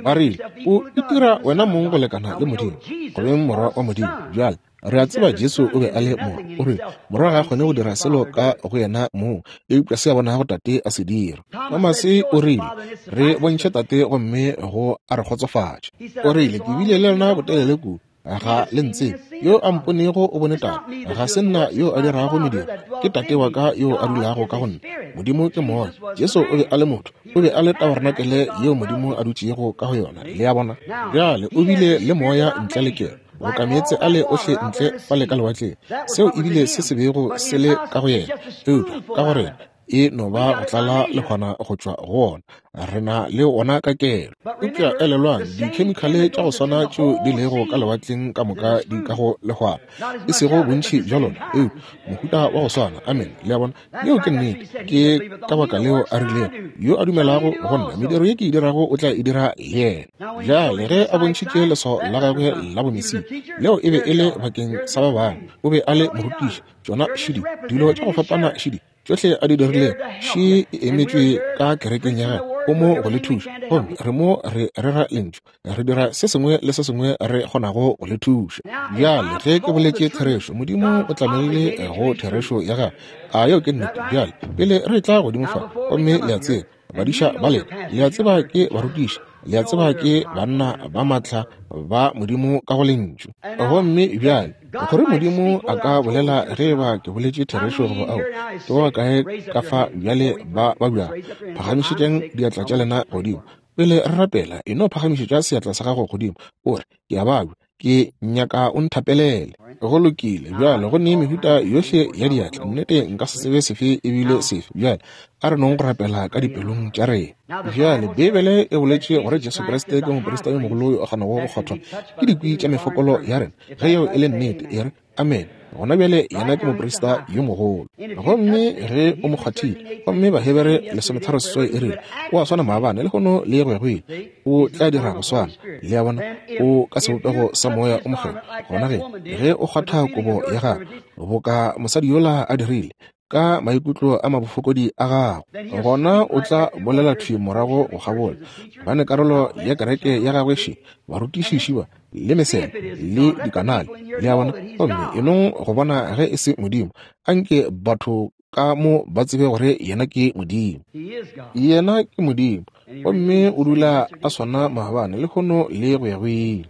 Ba rile, O itira wena mong go lekana le Modimo, go beng morwa wa Modimo. Bjale, re a tseba Jesu o be a le morwa. O rile, Morwa ga a kgone go dira selo ka go yena mong, eupša se a bonago Tate a se dira. Tomase o rile, Re bontšhe Tate gomme go a re kgotsofatša. O rile, Ke bile le lena botelele kudu. Ga le ntsebe. Yo a mponego o bone Tate. Ga se nna yo a dirago mediro, ke Tate wa ka yo a dulago ka go nna. Modimo ke Moya. Jesu o be a le motho. O be a le tabarenakele yeo Modimo a dutšego ka go yona. Le a bona? Bjale, o bile le Moya ntle le kelo, boka meetse ale ohle ntle fale ka lewatleng. Seo e bile se se bego se le ka go yena. Eupša ka go rena, e no ba go tlala lehwana go tšwa go wona. Re na le wona ka kelo. Eupša elelwang, dikhemikhale tša go swana tšeo di lego ka lewatleng ka moka di ka go lehwana. E sego bontši bja lona, eupša mohuta wa go swana. Amene. Le a bona? Yeo ke nnete. Ke ka baka leo a rilego, Yo a dumelago go nna, mediro ye ke e dirago o tla e dira le yena. Bjale ge a bontšhitše leswao la gagwe la bomesia, leo e be e le bakeng sa ba bangwe. O be a le morutiši. Tšona šidi, dilo tša go fapana šidi, tšohle a di dirilego, še e emetšwe ka kerekeng ya gagwe. O mo go le thuša. Gomme re mo re rera Lentšu. Re dira se sengwe le se sengwe re kgonago go le thuša. Bjale, ge ke boletše therešo, Modimo o tlamegile go therešo ya gagwe. A yeo ke nnete? Bjale, pele re tla godimo fa, gomme le a tseba, badiša ba lena, le a tseba ke barutiši, le a tseba ke banna ba maatla ba Modimo ka go Lentšu. Gomme bjale, gore Modimo a ka bolela ge eba ke boletše therešo goba ao, ke ba bakae ka fa bjale ba babjago? Phagamišetšang diatla tša lena godimo. Pele re rapela, e no phagamišetša seatla sa gago godimo, o re, Ke a babja. Ke nyaka o nthapelele. Go lokile. Bjale, go ne mehuta yohle ya diatla. Nnete, nka se tsebe sefe ebile sefe. Bjale, a re nong go rapela ka dipelong tša rena. Bjale, Beibele e boletše gore Jesu Kriste ke moprista yo mogolo yo a kgonago go kgwathwa ke dikwi tša mefokolo ya rena. Ge yeo e le nnete, e re, Amene. Gona bjale yena ke moprista yo mogolo. Gomme ge o mo kgwathile, gomme Bahebere 13 e rile, o a swana maabane, lehono le go ya go ile. O tla dira go swana. Le a bona? O ka sebopego sa Moya o Mokgethwa. Gona ge, ge o kgwatha kobo ya gagwe, boka mosadi yola a dirile, ka maikutlo a mabofokodi a gago, gona o tla bolela thwi morago go kgabola, gobane karolo ya kereke ya gagwe še, barutiši ba, le mesebe, le dikanale, le a bona, gomme e nong go bona ge e se Modimo. Anke batho ka mo ba tsebe gore Yena ke Modimo. Yena ke Modimo, gomme o dula a swana maabane, lehono, le go ya go ile.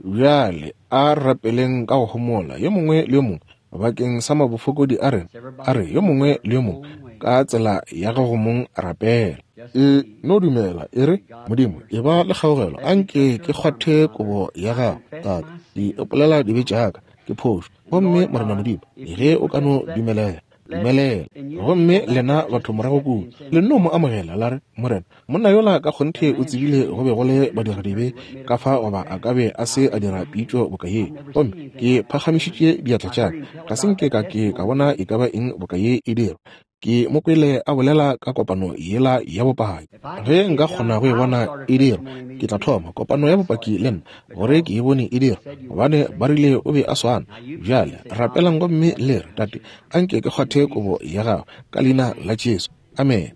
Bjale a re rapeleng ka go homola, yo mongwe le yo mongwe, bakeng sa mabofokodi a rena. A re yo mongwe le yo mongwe ka tsela ya gago mong rapela. E no dumela, e re, Modimo, e ba le kgaogelo, a nke ke kgwathe kobo ya gago. Tate, ke ipolela dibe tša ka, ke phošo. Gomme Morena Modimo, ge o ka no dumelela, dumelela. Gomme lena batho morago kua, le nno mo amogela, la re, Morena, monna yola ka kgonthe o tsebile go be go le badiradibe ka fa, goba a ka be a se a dira pitšo boka ye. Gomme ke phagamišitše diatla tša ka, ga se nke ka ke ka bona e ka ba eng boka ye e dirwa. Ke mo kwele a bolela ka kopano yela ya bopaki. Ge nka kgona go e bona e dirwa, ke tla thoma kopano ya bopaki le nna, gore ke e bone e dirwa, gobane ba rile o be a swana. Bjale rapelang gomme le re, Tate, anke ke kgwathe kobo ya gago, ka Leina la Jesu. Amene.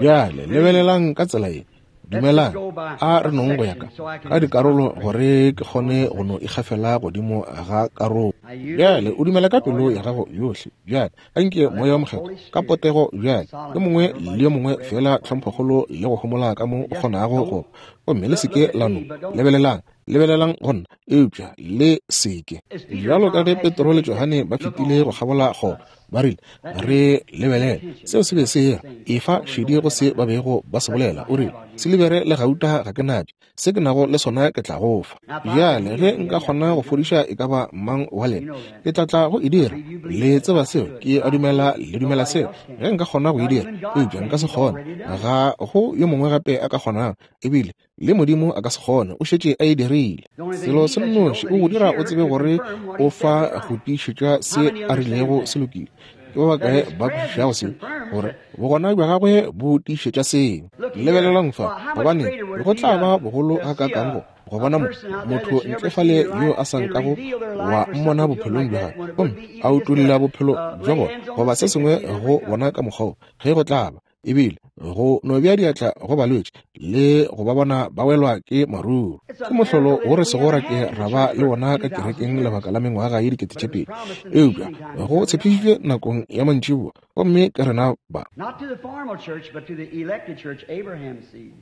Bjale lebelelang ka tsela ye. Dumelang, a re nong go ya ka ka dikarolo gore ke kgone go no ikgafela godimo ga karolo. Bjale o dumela ka pelo ya gago yohle. Bjale anke Moya wo Mokgethwa ka potego bjale, yo mongwe le yo mongwe feela tlhomphokgolo le go homola ka mo o kgonago go ba. Gomme le se ke la no lebelelang, lebelelang go nna, eupša le se ke. Bjalo ka ge Petro le Johane ba fetile go kgabola kgoro, Ba rile, Re lebelele. Seo se be se era. Efa šedi go se ba bego ba se bolela. O rile, Silibere le gauta ga ke natše. Se ke nago le sona ke tla go fa. Bjale, ge nka kgona go fodiša e ka ba mang wa lena, ke tla tla go e dira. Le tseba seo. Ke a dumela le dumela seo. Ge nka kgona go e dira, eupša nka se kgone. Ga go yo mongwe gape a ka kgonago. Ebile Le Modimo a ka se kgone, o šetše a e dirile. Selo se nnoši o go dira o tsebe gore o fa go tiišetša se a rilego se lokile. Ke ba bakae ba kwešišago seo, gore bogona bja gagwe bo tiišetša seo? Lebelelang fa, gobane go tla ba bogolo gakaakang go go bona mo, motho ntle fale yo a sa nkago wa mmona bophelong bja gagwe, gomme a utolla bophelo bja bona goba se sengwe go bona ka mokgwa wo, ge go tla ba. Ebile go no bea diatla go balwetši le go ba bona ba welwa ke maruru. Ke mohlolo wo re sego ra ke ra ba le wona ka kerekeng lebaka la mengwaga ye 2000, eupša go tshepišitšwe nakong ya mantšiboa, gomme ke rena ba. Not to the formal church, but to the elected church, Abraham's seed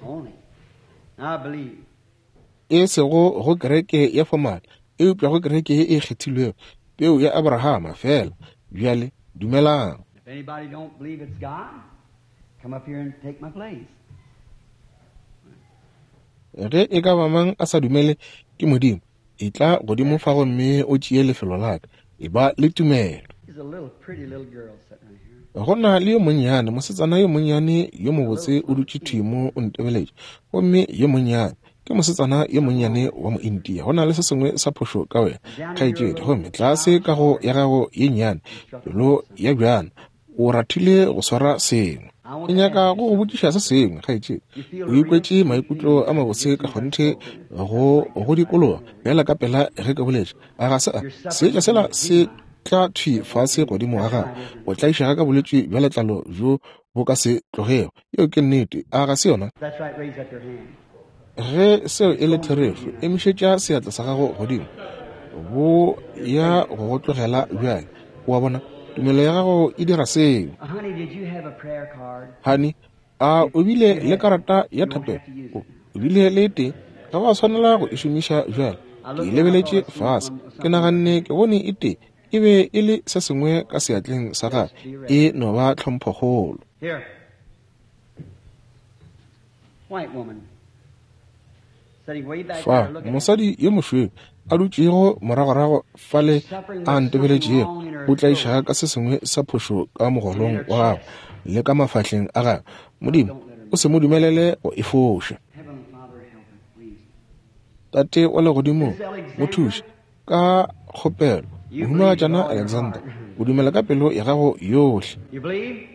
only. Now I believe. E sego go kereke ya fomale, eupša go kereke ye e kgethilwego, peu ya Abrahama feela. Bjale dumelang. If anybody don't believe it's God, come up here and take my place. Ge e ka ba mang a sa dumele ke Modimo, etla godimo fa gomme o tšee lefelo la ka. Eba le tumelo. There's a little pretty little girl sitting right here. Go na le yo monnyane, mosetsana yo monnyane yo mobotse o dutše thwi mo o ntebeletše. Gomme yo monnyane, ke mosetsana yo monnyane wa Mointia. Go na le se sengwe sa phošo ka wena, kgaetšedi. Gomme tlase ka go ya gago ye nnyane, pelo ya bjana, o rathile go swara sengwe. Ke nyaka go go botšiša se sengwe, kgaetšedi. O ikwetše maikutlo a mabotse ka kgonthe go go dikologa bjala ka pela ge ke boletše. A ga se a? Seetša sela se tla thwi fase godimo ga gago. O tlaišega ka bolwetši bja letlalo bjo bo ka se tlogego. Yeo ke nnete. A ga se yona? That's right, raise up your hand. Ge seo e le therešo, emišetša seatla sa gago godimo. Bo ya go go tlogela bjale. O a bona? Tumelo ya gago e dira seo. Honey, did you have a prayer card? Honey, a o bile le karata ya thapelo? O o bile le e tee. Ga wa swanela go e šomiša bjale. Ke e lebeletše fase. Ke naganne ke bone e tee. E be e le se sengwe ka seatleng sa gagwe. E no ba tlhomphokgolo. Here. White woman. Sitting way back Fa, there looking at me. mosadi yo mošweu a dutšego moragorago fale Suffering a with something ntebeletšego, wrong in her o tlaišega throat ka se sengwe sa phošo ka and in mogolong her wa gagwe chest. le ka mafahleng a gagwe. Modimo, Don't let her o se mo dumelele go e foša. Heavenly Father, help her, please. Tate wa legodimong, Miss mo Alexandra, thuše ka kgopelo. you believe with Mohumagatšana all your Alexander, heart. o dumela ka pelo ya gago yohle. You believe?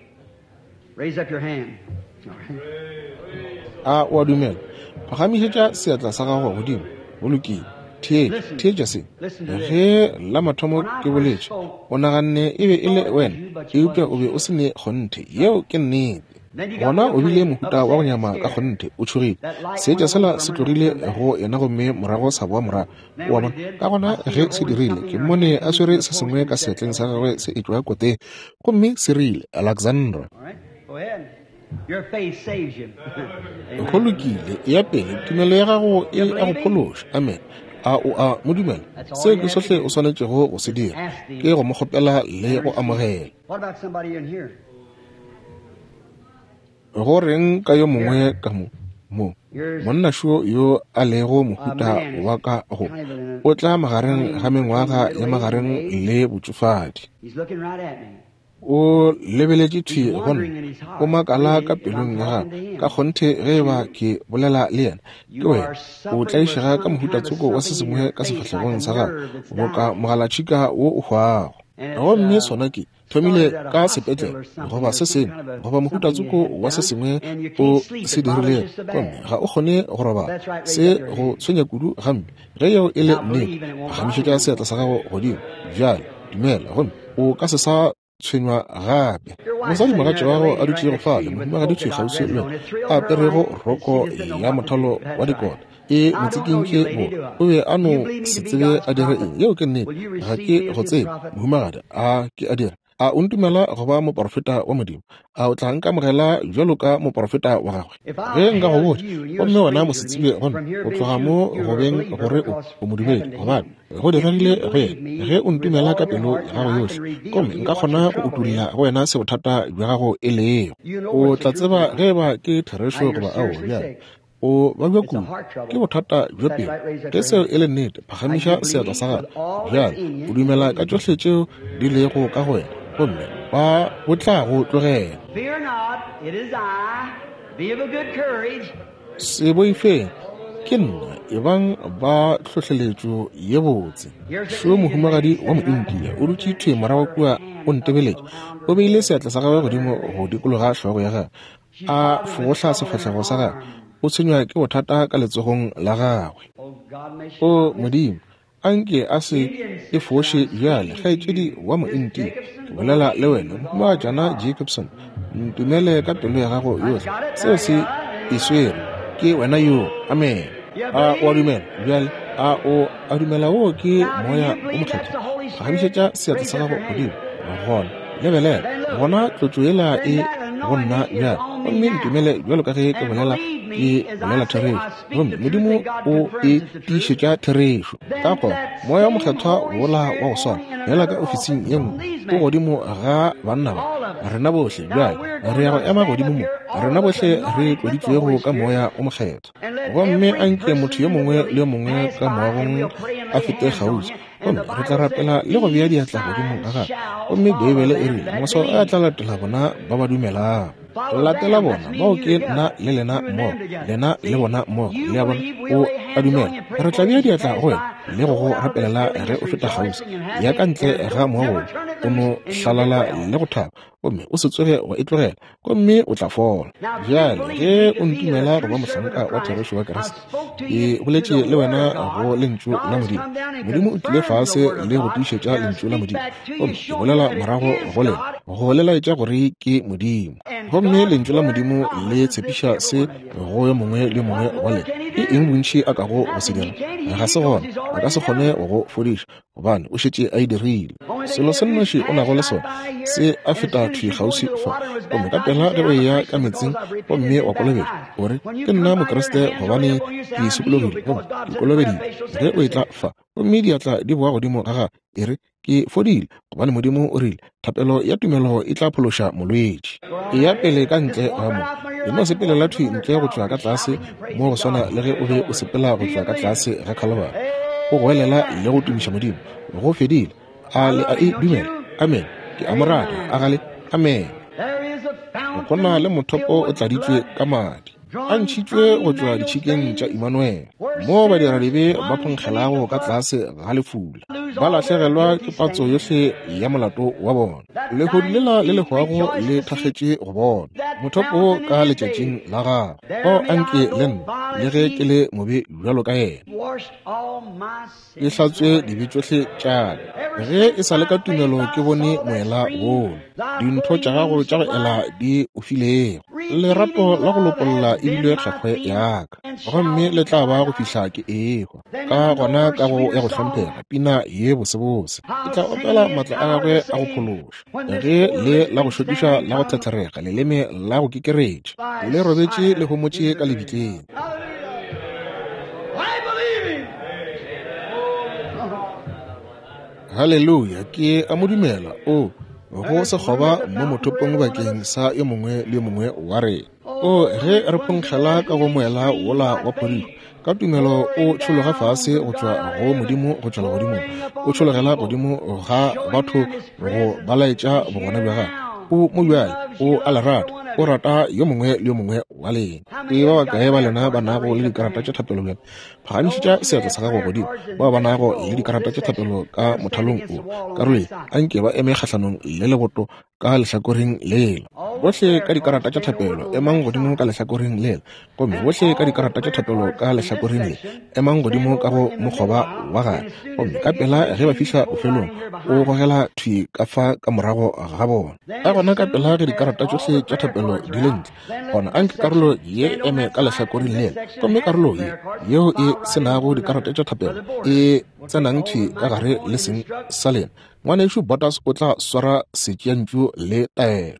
Raise up your hand. All right. A o a dumela? Phagamišetša seatla sa gago godimo. Go lokile. Theetša, Listen. theetša se. Listen to this. Ge la mathomo When I ke first boletše, spoke, o naganne e be you e le thought it was wena, you, but you eupša wasn't o be o sure. se ne kgonthe. Yeo ke nnete. Then you got Gona real o bile kind of mohuta wa go upset and nyama ka scared. kgonthe, o tšhogile. That light Seetša went away sela from se her and tlogile come back. go yena gomme morago sa boa morago. Then O a when bona? it did, Ka I gona seen ge her se holding dirile, something ke in her mmone hand a coming swere from the se post sengwe and ka it said seatleng sa Alexander. gagwe se etšwa koteng, gomme se rile, Alexandra. All right, go ahead. Your faith saves you. Go Amen. lokile, eya pele, tumelo ya gago e You a go believe him? phološa. Amen. A o a mo dumela? That's all Seo you ke have to sohle o do. swanetšego go se Just dira, ask ke him go mo kgopela le and go receive. amogela. What about somebody in here? Go reng ka yo mongwe Here, ka mo? Mo, here's monna šo yo a lego a mohuta man wa is ka go, kind of in o a tla magareng ga between mengwaga middle ya age and magareng age. le botšofadi. He's looking right at me. O lebeletše He's thwi go nna, wondering in his o heart, makala really, ka if I'm pelong ya talking gagwe. to Ka him. kgonthe ge It's e ba you. ke bolela le yena, ke You wena. are O suffering with tlaišega ka some mohuta kind of tsoko wa se something in sengwe your ka face, like a sefahlegong sa gagwe, nerve that's boka dying. mogalatšhika wo o hwago. And it's Gomme sona ke thomile started at a ka hospital sepetlele or something, goba or se some sengwe kind of a goba mohuta something you tsoko had wa se done, sengwe and you o can't sleep. se It bothers dirilego, you so gomme bad. ga o kgone go robala. That's right, raise Se up your go hand. tshwenya kudu gampe. Ge yeo e le Now nnete, believe and it won't bother phagamišetša you no seatla more. sa gago godimo. Bjale dumela, gomme o ka se sa tshwenywa gape. Your wife Mosadi sitting mogatša there, wa the gago a lady right dutšego next to fale, you with the mohumagadi polka thwi dot kgauswi dress le on, wena, it thrilled a her aperego life, and she roko just didn't know ya what to do. mothalo wa That's right. dikota e I don't know you, motsikintše lady, bo, do I? o be a You no believe me se to be tsebe God's a dire prophet? eng. Yeo ke nnete. Will you Ga receive ke me as go his tsebe, prophet? mohumagadi, a ke a dira. A o ntumela go ba moporofeta wa Modimo? A o tla nkamogela bjalo ka moporofeta wa gagwe? If I'll Ge nka go tell botša, you, and you're a gomme wena stranger to me, mosetsebje go nna, from here o being tloga you, mo you're go a beng believer gore o because o modumedi, happened to gobane him. go If you diregile go believe yena. me Ge o with ntumela all ka your pelo heart, ya then gago I yohle, can reveal gomme to you nka what kgona your go trouble is. utolla go wena se bothata bja gago e lego. You know O what's the tla truth tseba or not. ge e ba ke Now therešo you're goba aowa. seriously Bjale sick. o babja It's a kudu, heart ke trouble. bothata bja That's pelo. right, raise up Ge your seo hand. e le nnete, Now you phagamiša seatla believe sa gago. with all that's Bjale in o you and dumela ka believe. tšohle tšeo di lego ka go wena, gomme ba bo tla go tlogela. Fear not, it is I. Be of a good courage. Se boifeng, ke nna, ebang ba tlhohleletšo ye botse. Here's the Šo Indian lady mohumagadi wa sitting right Moindia there o dutše with thwi morago her kua hand o up ntebeletše. around O beile her seatla sa gagwe godimo go dikologa hlogo ya gagwe, She's a bothered with fogohla trouble in her sefahlego sa gagwe. arm. O tshwenywa ke bothata ka letsogong la gagwe. Oh God, may she O not miss it. Modimo, Anke a se e foše bjale, kgaetšedi wa Mointia. Ke bolela le wena, Mohumagajana Jacobson. Ntumele ka pelo ya gago yohle. Seo se e swere. Ke wena yoo. Amene. A o a dumela bjale? A o a dumela woo ke Moya wo Mokgethwa? Phagamišetša seatla sa gago godimo. Gona, lebelela. Gona tlotšo yela e go nna bjale. Gomme ntumele bjalo ka ge ke bolela, ke bolela therešo. Gomme Modimo o e tiišetša therešo. Ka gona, Moya wo Mokgethwa wola wa go swana, bjala ka ofising ye nngwe, o godimo ga banna ba, rena bohle. Bjale re ya go ema godimo mo, rena bohle re tloditšwego ka Moya wo Mokgethwa. Gomme a nke motho yo mongwe le yo mongwe ka moagong a fete kgauswi, gomme re tla rapela le go bea diatla godimo ga gagwe. Gomme Beibele e rile, Maswao a tla latela bona ba ba dumelago. Latela bona, bao ke nna le lena mmogo, lena le bona mmogo. Le a bona? O a dumela. Re tla bea diatla go wena le go go rapelela ge o feta kgauswi. Ya ka ntle ga moago wo, o no hlalala le go thaba, gomme o se tsoge wa e tlogela, gomme o tla fola. Bjale, ge o ntumela go ba mohlanka wa therešo wa Kriste, ke boletše le wena go Lentšu la Modimo. Modimo o tlile fase le go tiišetša Lentšu la Modimo, gomme ke bolela morago go lena, go le laetša gore ke Modimo. Gomme Lentšu la Modimo le tshepiša se go yo mongwe le yo mongwe wa lena. Ke eng bontši a kago go se dira? Ga se gona. A ka se kgone go go fodiša, gobane o šetše a e dirile. Selo se nnoši o nago le sona se a feta thwi kgauswi fa, gomme ka pela ge o eya ka metsing gomme wa kolobetšwa, o re, Ke nna Mokriste gobane ke sokologile gomme ke kolobeditšwe. Ge o etla fa gomme diatla di boa godimo ga gago, e re, Ke fodile, gobane Modimo o rile, Thapelo ya tumelo e tla phološa molwetši. Eya pele ka ntle ga mo. E no sepelela thwi ntle go tšwa ka tlase mo go swana le ge o be o sepela go tšwa ka tlase ga Khalabara, o goelela le go tumiša Modimo. Go fedile. A le a e dumela? Amene. Ke a mo rata. A ga le? Amene. Go na le mothopo o tladitšwe ka madi, a ntšhitšwe go tšwa ditšhikeng tša Imanuele, moo badiradibe ba phonkgelago ka tlase ga lefula, ba lahlegelwa ke patso yohle ya molato wa bona. Lehodu lela le le hwago le thakgetše go bona mothopo ka letšatšing la gagwe. Fao a nke le nna, le ge ke le mobe bjalo ka yena, ke hlatswe dibe tšohle tša ka. Ge e sa le ka tumelo ke bone moela wola, dintho tša gago tša go ela di o filego. Lerato la go lopolla e bile kgakgwe ya ka, gomme le tla ba go fihla ke ehwa. Ka gona kago ya go hlomphega, pina ye bosebose, ke tla opela matla a gagwe a go phološa. Ge le la go šokiša la go thetherega, leleme la go kekeretša, le robetše le homotše ka lebitleng. Haleluya, ke a mo dumela. O go sekgoba mo mothopong bakeng sa yo mongwe le yo mongwe wa rena. O ge re phonkgela ka go moela wola wa phodišo, ka tumelo o tšhologa fase go tšwa go Modimo go tšwa legodimong, o tšhologela godimo ga batho go ba laetša bogona bja gagwe. O mo bjale, o a le rata, o rata yo mongwe le yo mongwe wa lena. Ke ba bakae ba lena ba nago le dikarata tša thapelo bjale? Phagamišetša seatla sa gago godimo. Bao ba nago le dikarata tša thapelo ka mothalong o, karolo ye, anke ba eme kgahlanong le leboto ka lehlakoreng lela. Bohle ka dikarata tša thapelo, emang godimo ka lehlakoreng lela. Gomme bohle ka dikarata tša thapelo ka lehlakoreng le, emang godimo ka go mokgoba wa gare. Gomme ka pela ge ba fihla bofelong, o gogela thwi ka fa ka morago ga bona. Ka gona ka pela ge dikarata tšohle tša thapelo di le ntle, gona anke karolo ye e eme ka lehlakoreng lela, gomme karolo ye yeo e se nago dikarata tša thapelo e tsenang thwi ka gare le seng sa lena. Ngwanešu Borders o tla swara setšeantšu le taelo.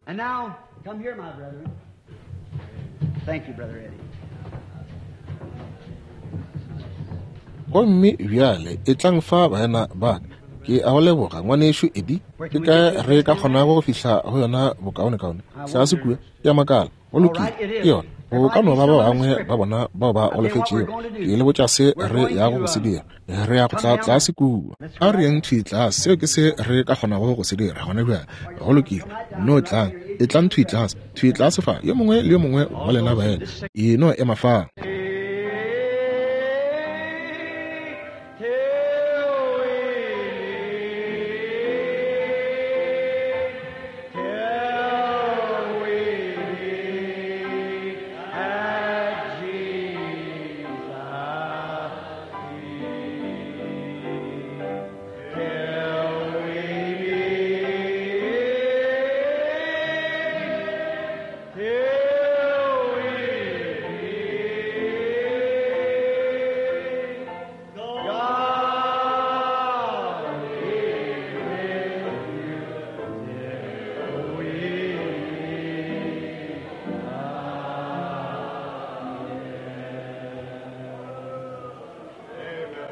Gomme bjale etlang fa, baena ba ka. Ke a go leboga, Ngwanešu Eddie. Ke kae re ka kgonago go fihla go yona bokaonekaone? Tlase kua, ke a makala. Go lokile, ke yona. Go ka no ba ba bangwe ba bona bao ba golofetšego. Ke le botša se re yago go se dira. Re ya go tla tlase kua. A re yeng thwi tlase. Seo ke se re ka kgonago go se dira gona bjale. Go lokile. No tlang. Etlang thwi tlase. Thwi tlase fa. Yo mongwe le yo mongwe wa lena baena, e no ema fa.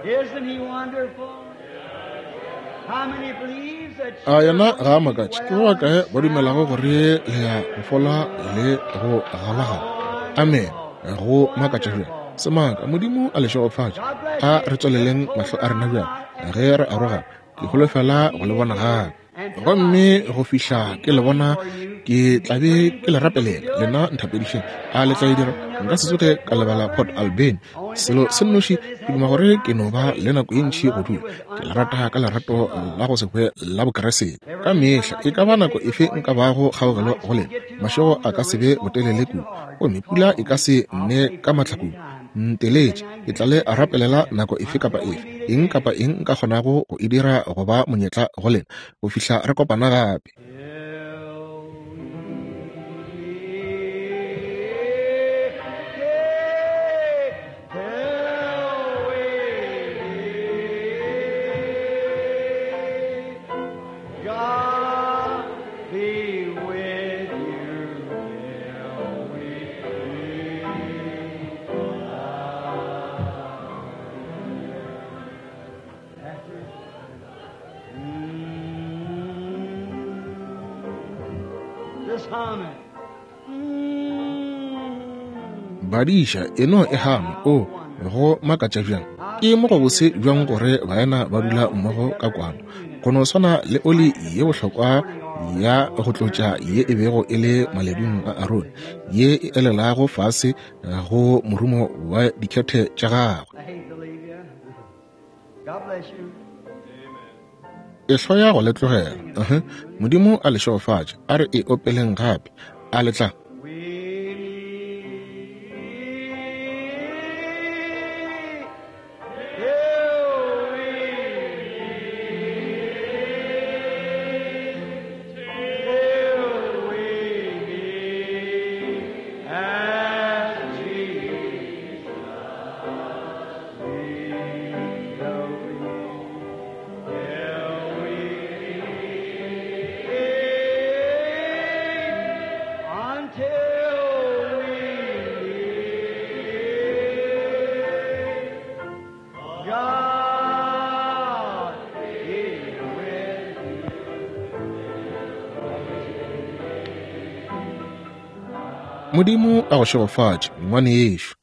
Isn't he wonderful? How many believes that A yena ga a makatše? Ke ba bakae ba dumelago gore le ya go fola le go galagala? Amen. Go makatša bjang! Semaka, Modimo a le šegofatše. A re tswaleleng mahlo a rena bjang ge re arogana. Ke holofela go le bona gape. Gomme go fihla ke le bona, ke tla be ke le rapelela. Lena nthapedišeng. A le tla e dira? Nka se tsoge ka lebala Port Alberni. Selo se nnoši, ke duma gore ke no ba le nako ye ntši go dula. Ke le rata ka lerato la go se hwe la Bokriste. Ka mehla, e ka ba nako efe nka bago kgaogelo go lena, mašego a ka se be botelele kudu, gomme pula e ka se ne ka matla kudu. Nteletše, ke tla le rapelela nako efe kapa efe, eng kapa eng nka kgonago go e dira go ba monyetla go lena, go fihla re kopana gape. God be with you till we meet again. Just hum it. Mm. Badiša e no e hama, o go makatša bjang. Ke mo gobose bjang gore baena ba dula mmogo ka kwano. Go no swana le oli ye bohlokwa ya go tlotša ye e bego e le maledung a Arone, ye e elelago fase go morumo wa dikhethe tša gagwe. I hate to leave you. God bless you. E hloya go le tlogela. Uh-huh. Modimo a le šegofatše. A re e opeleng gape. A le tla? We meet till we meet, till we meet as Jesus leads the way. Till we meet, until we meet, God be with you. Modimo a go šegofatše, ngwanešu.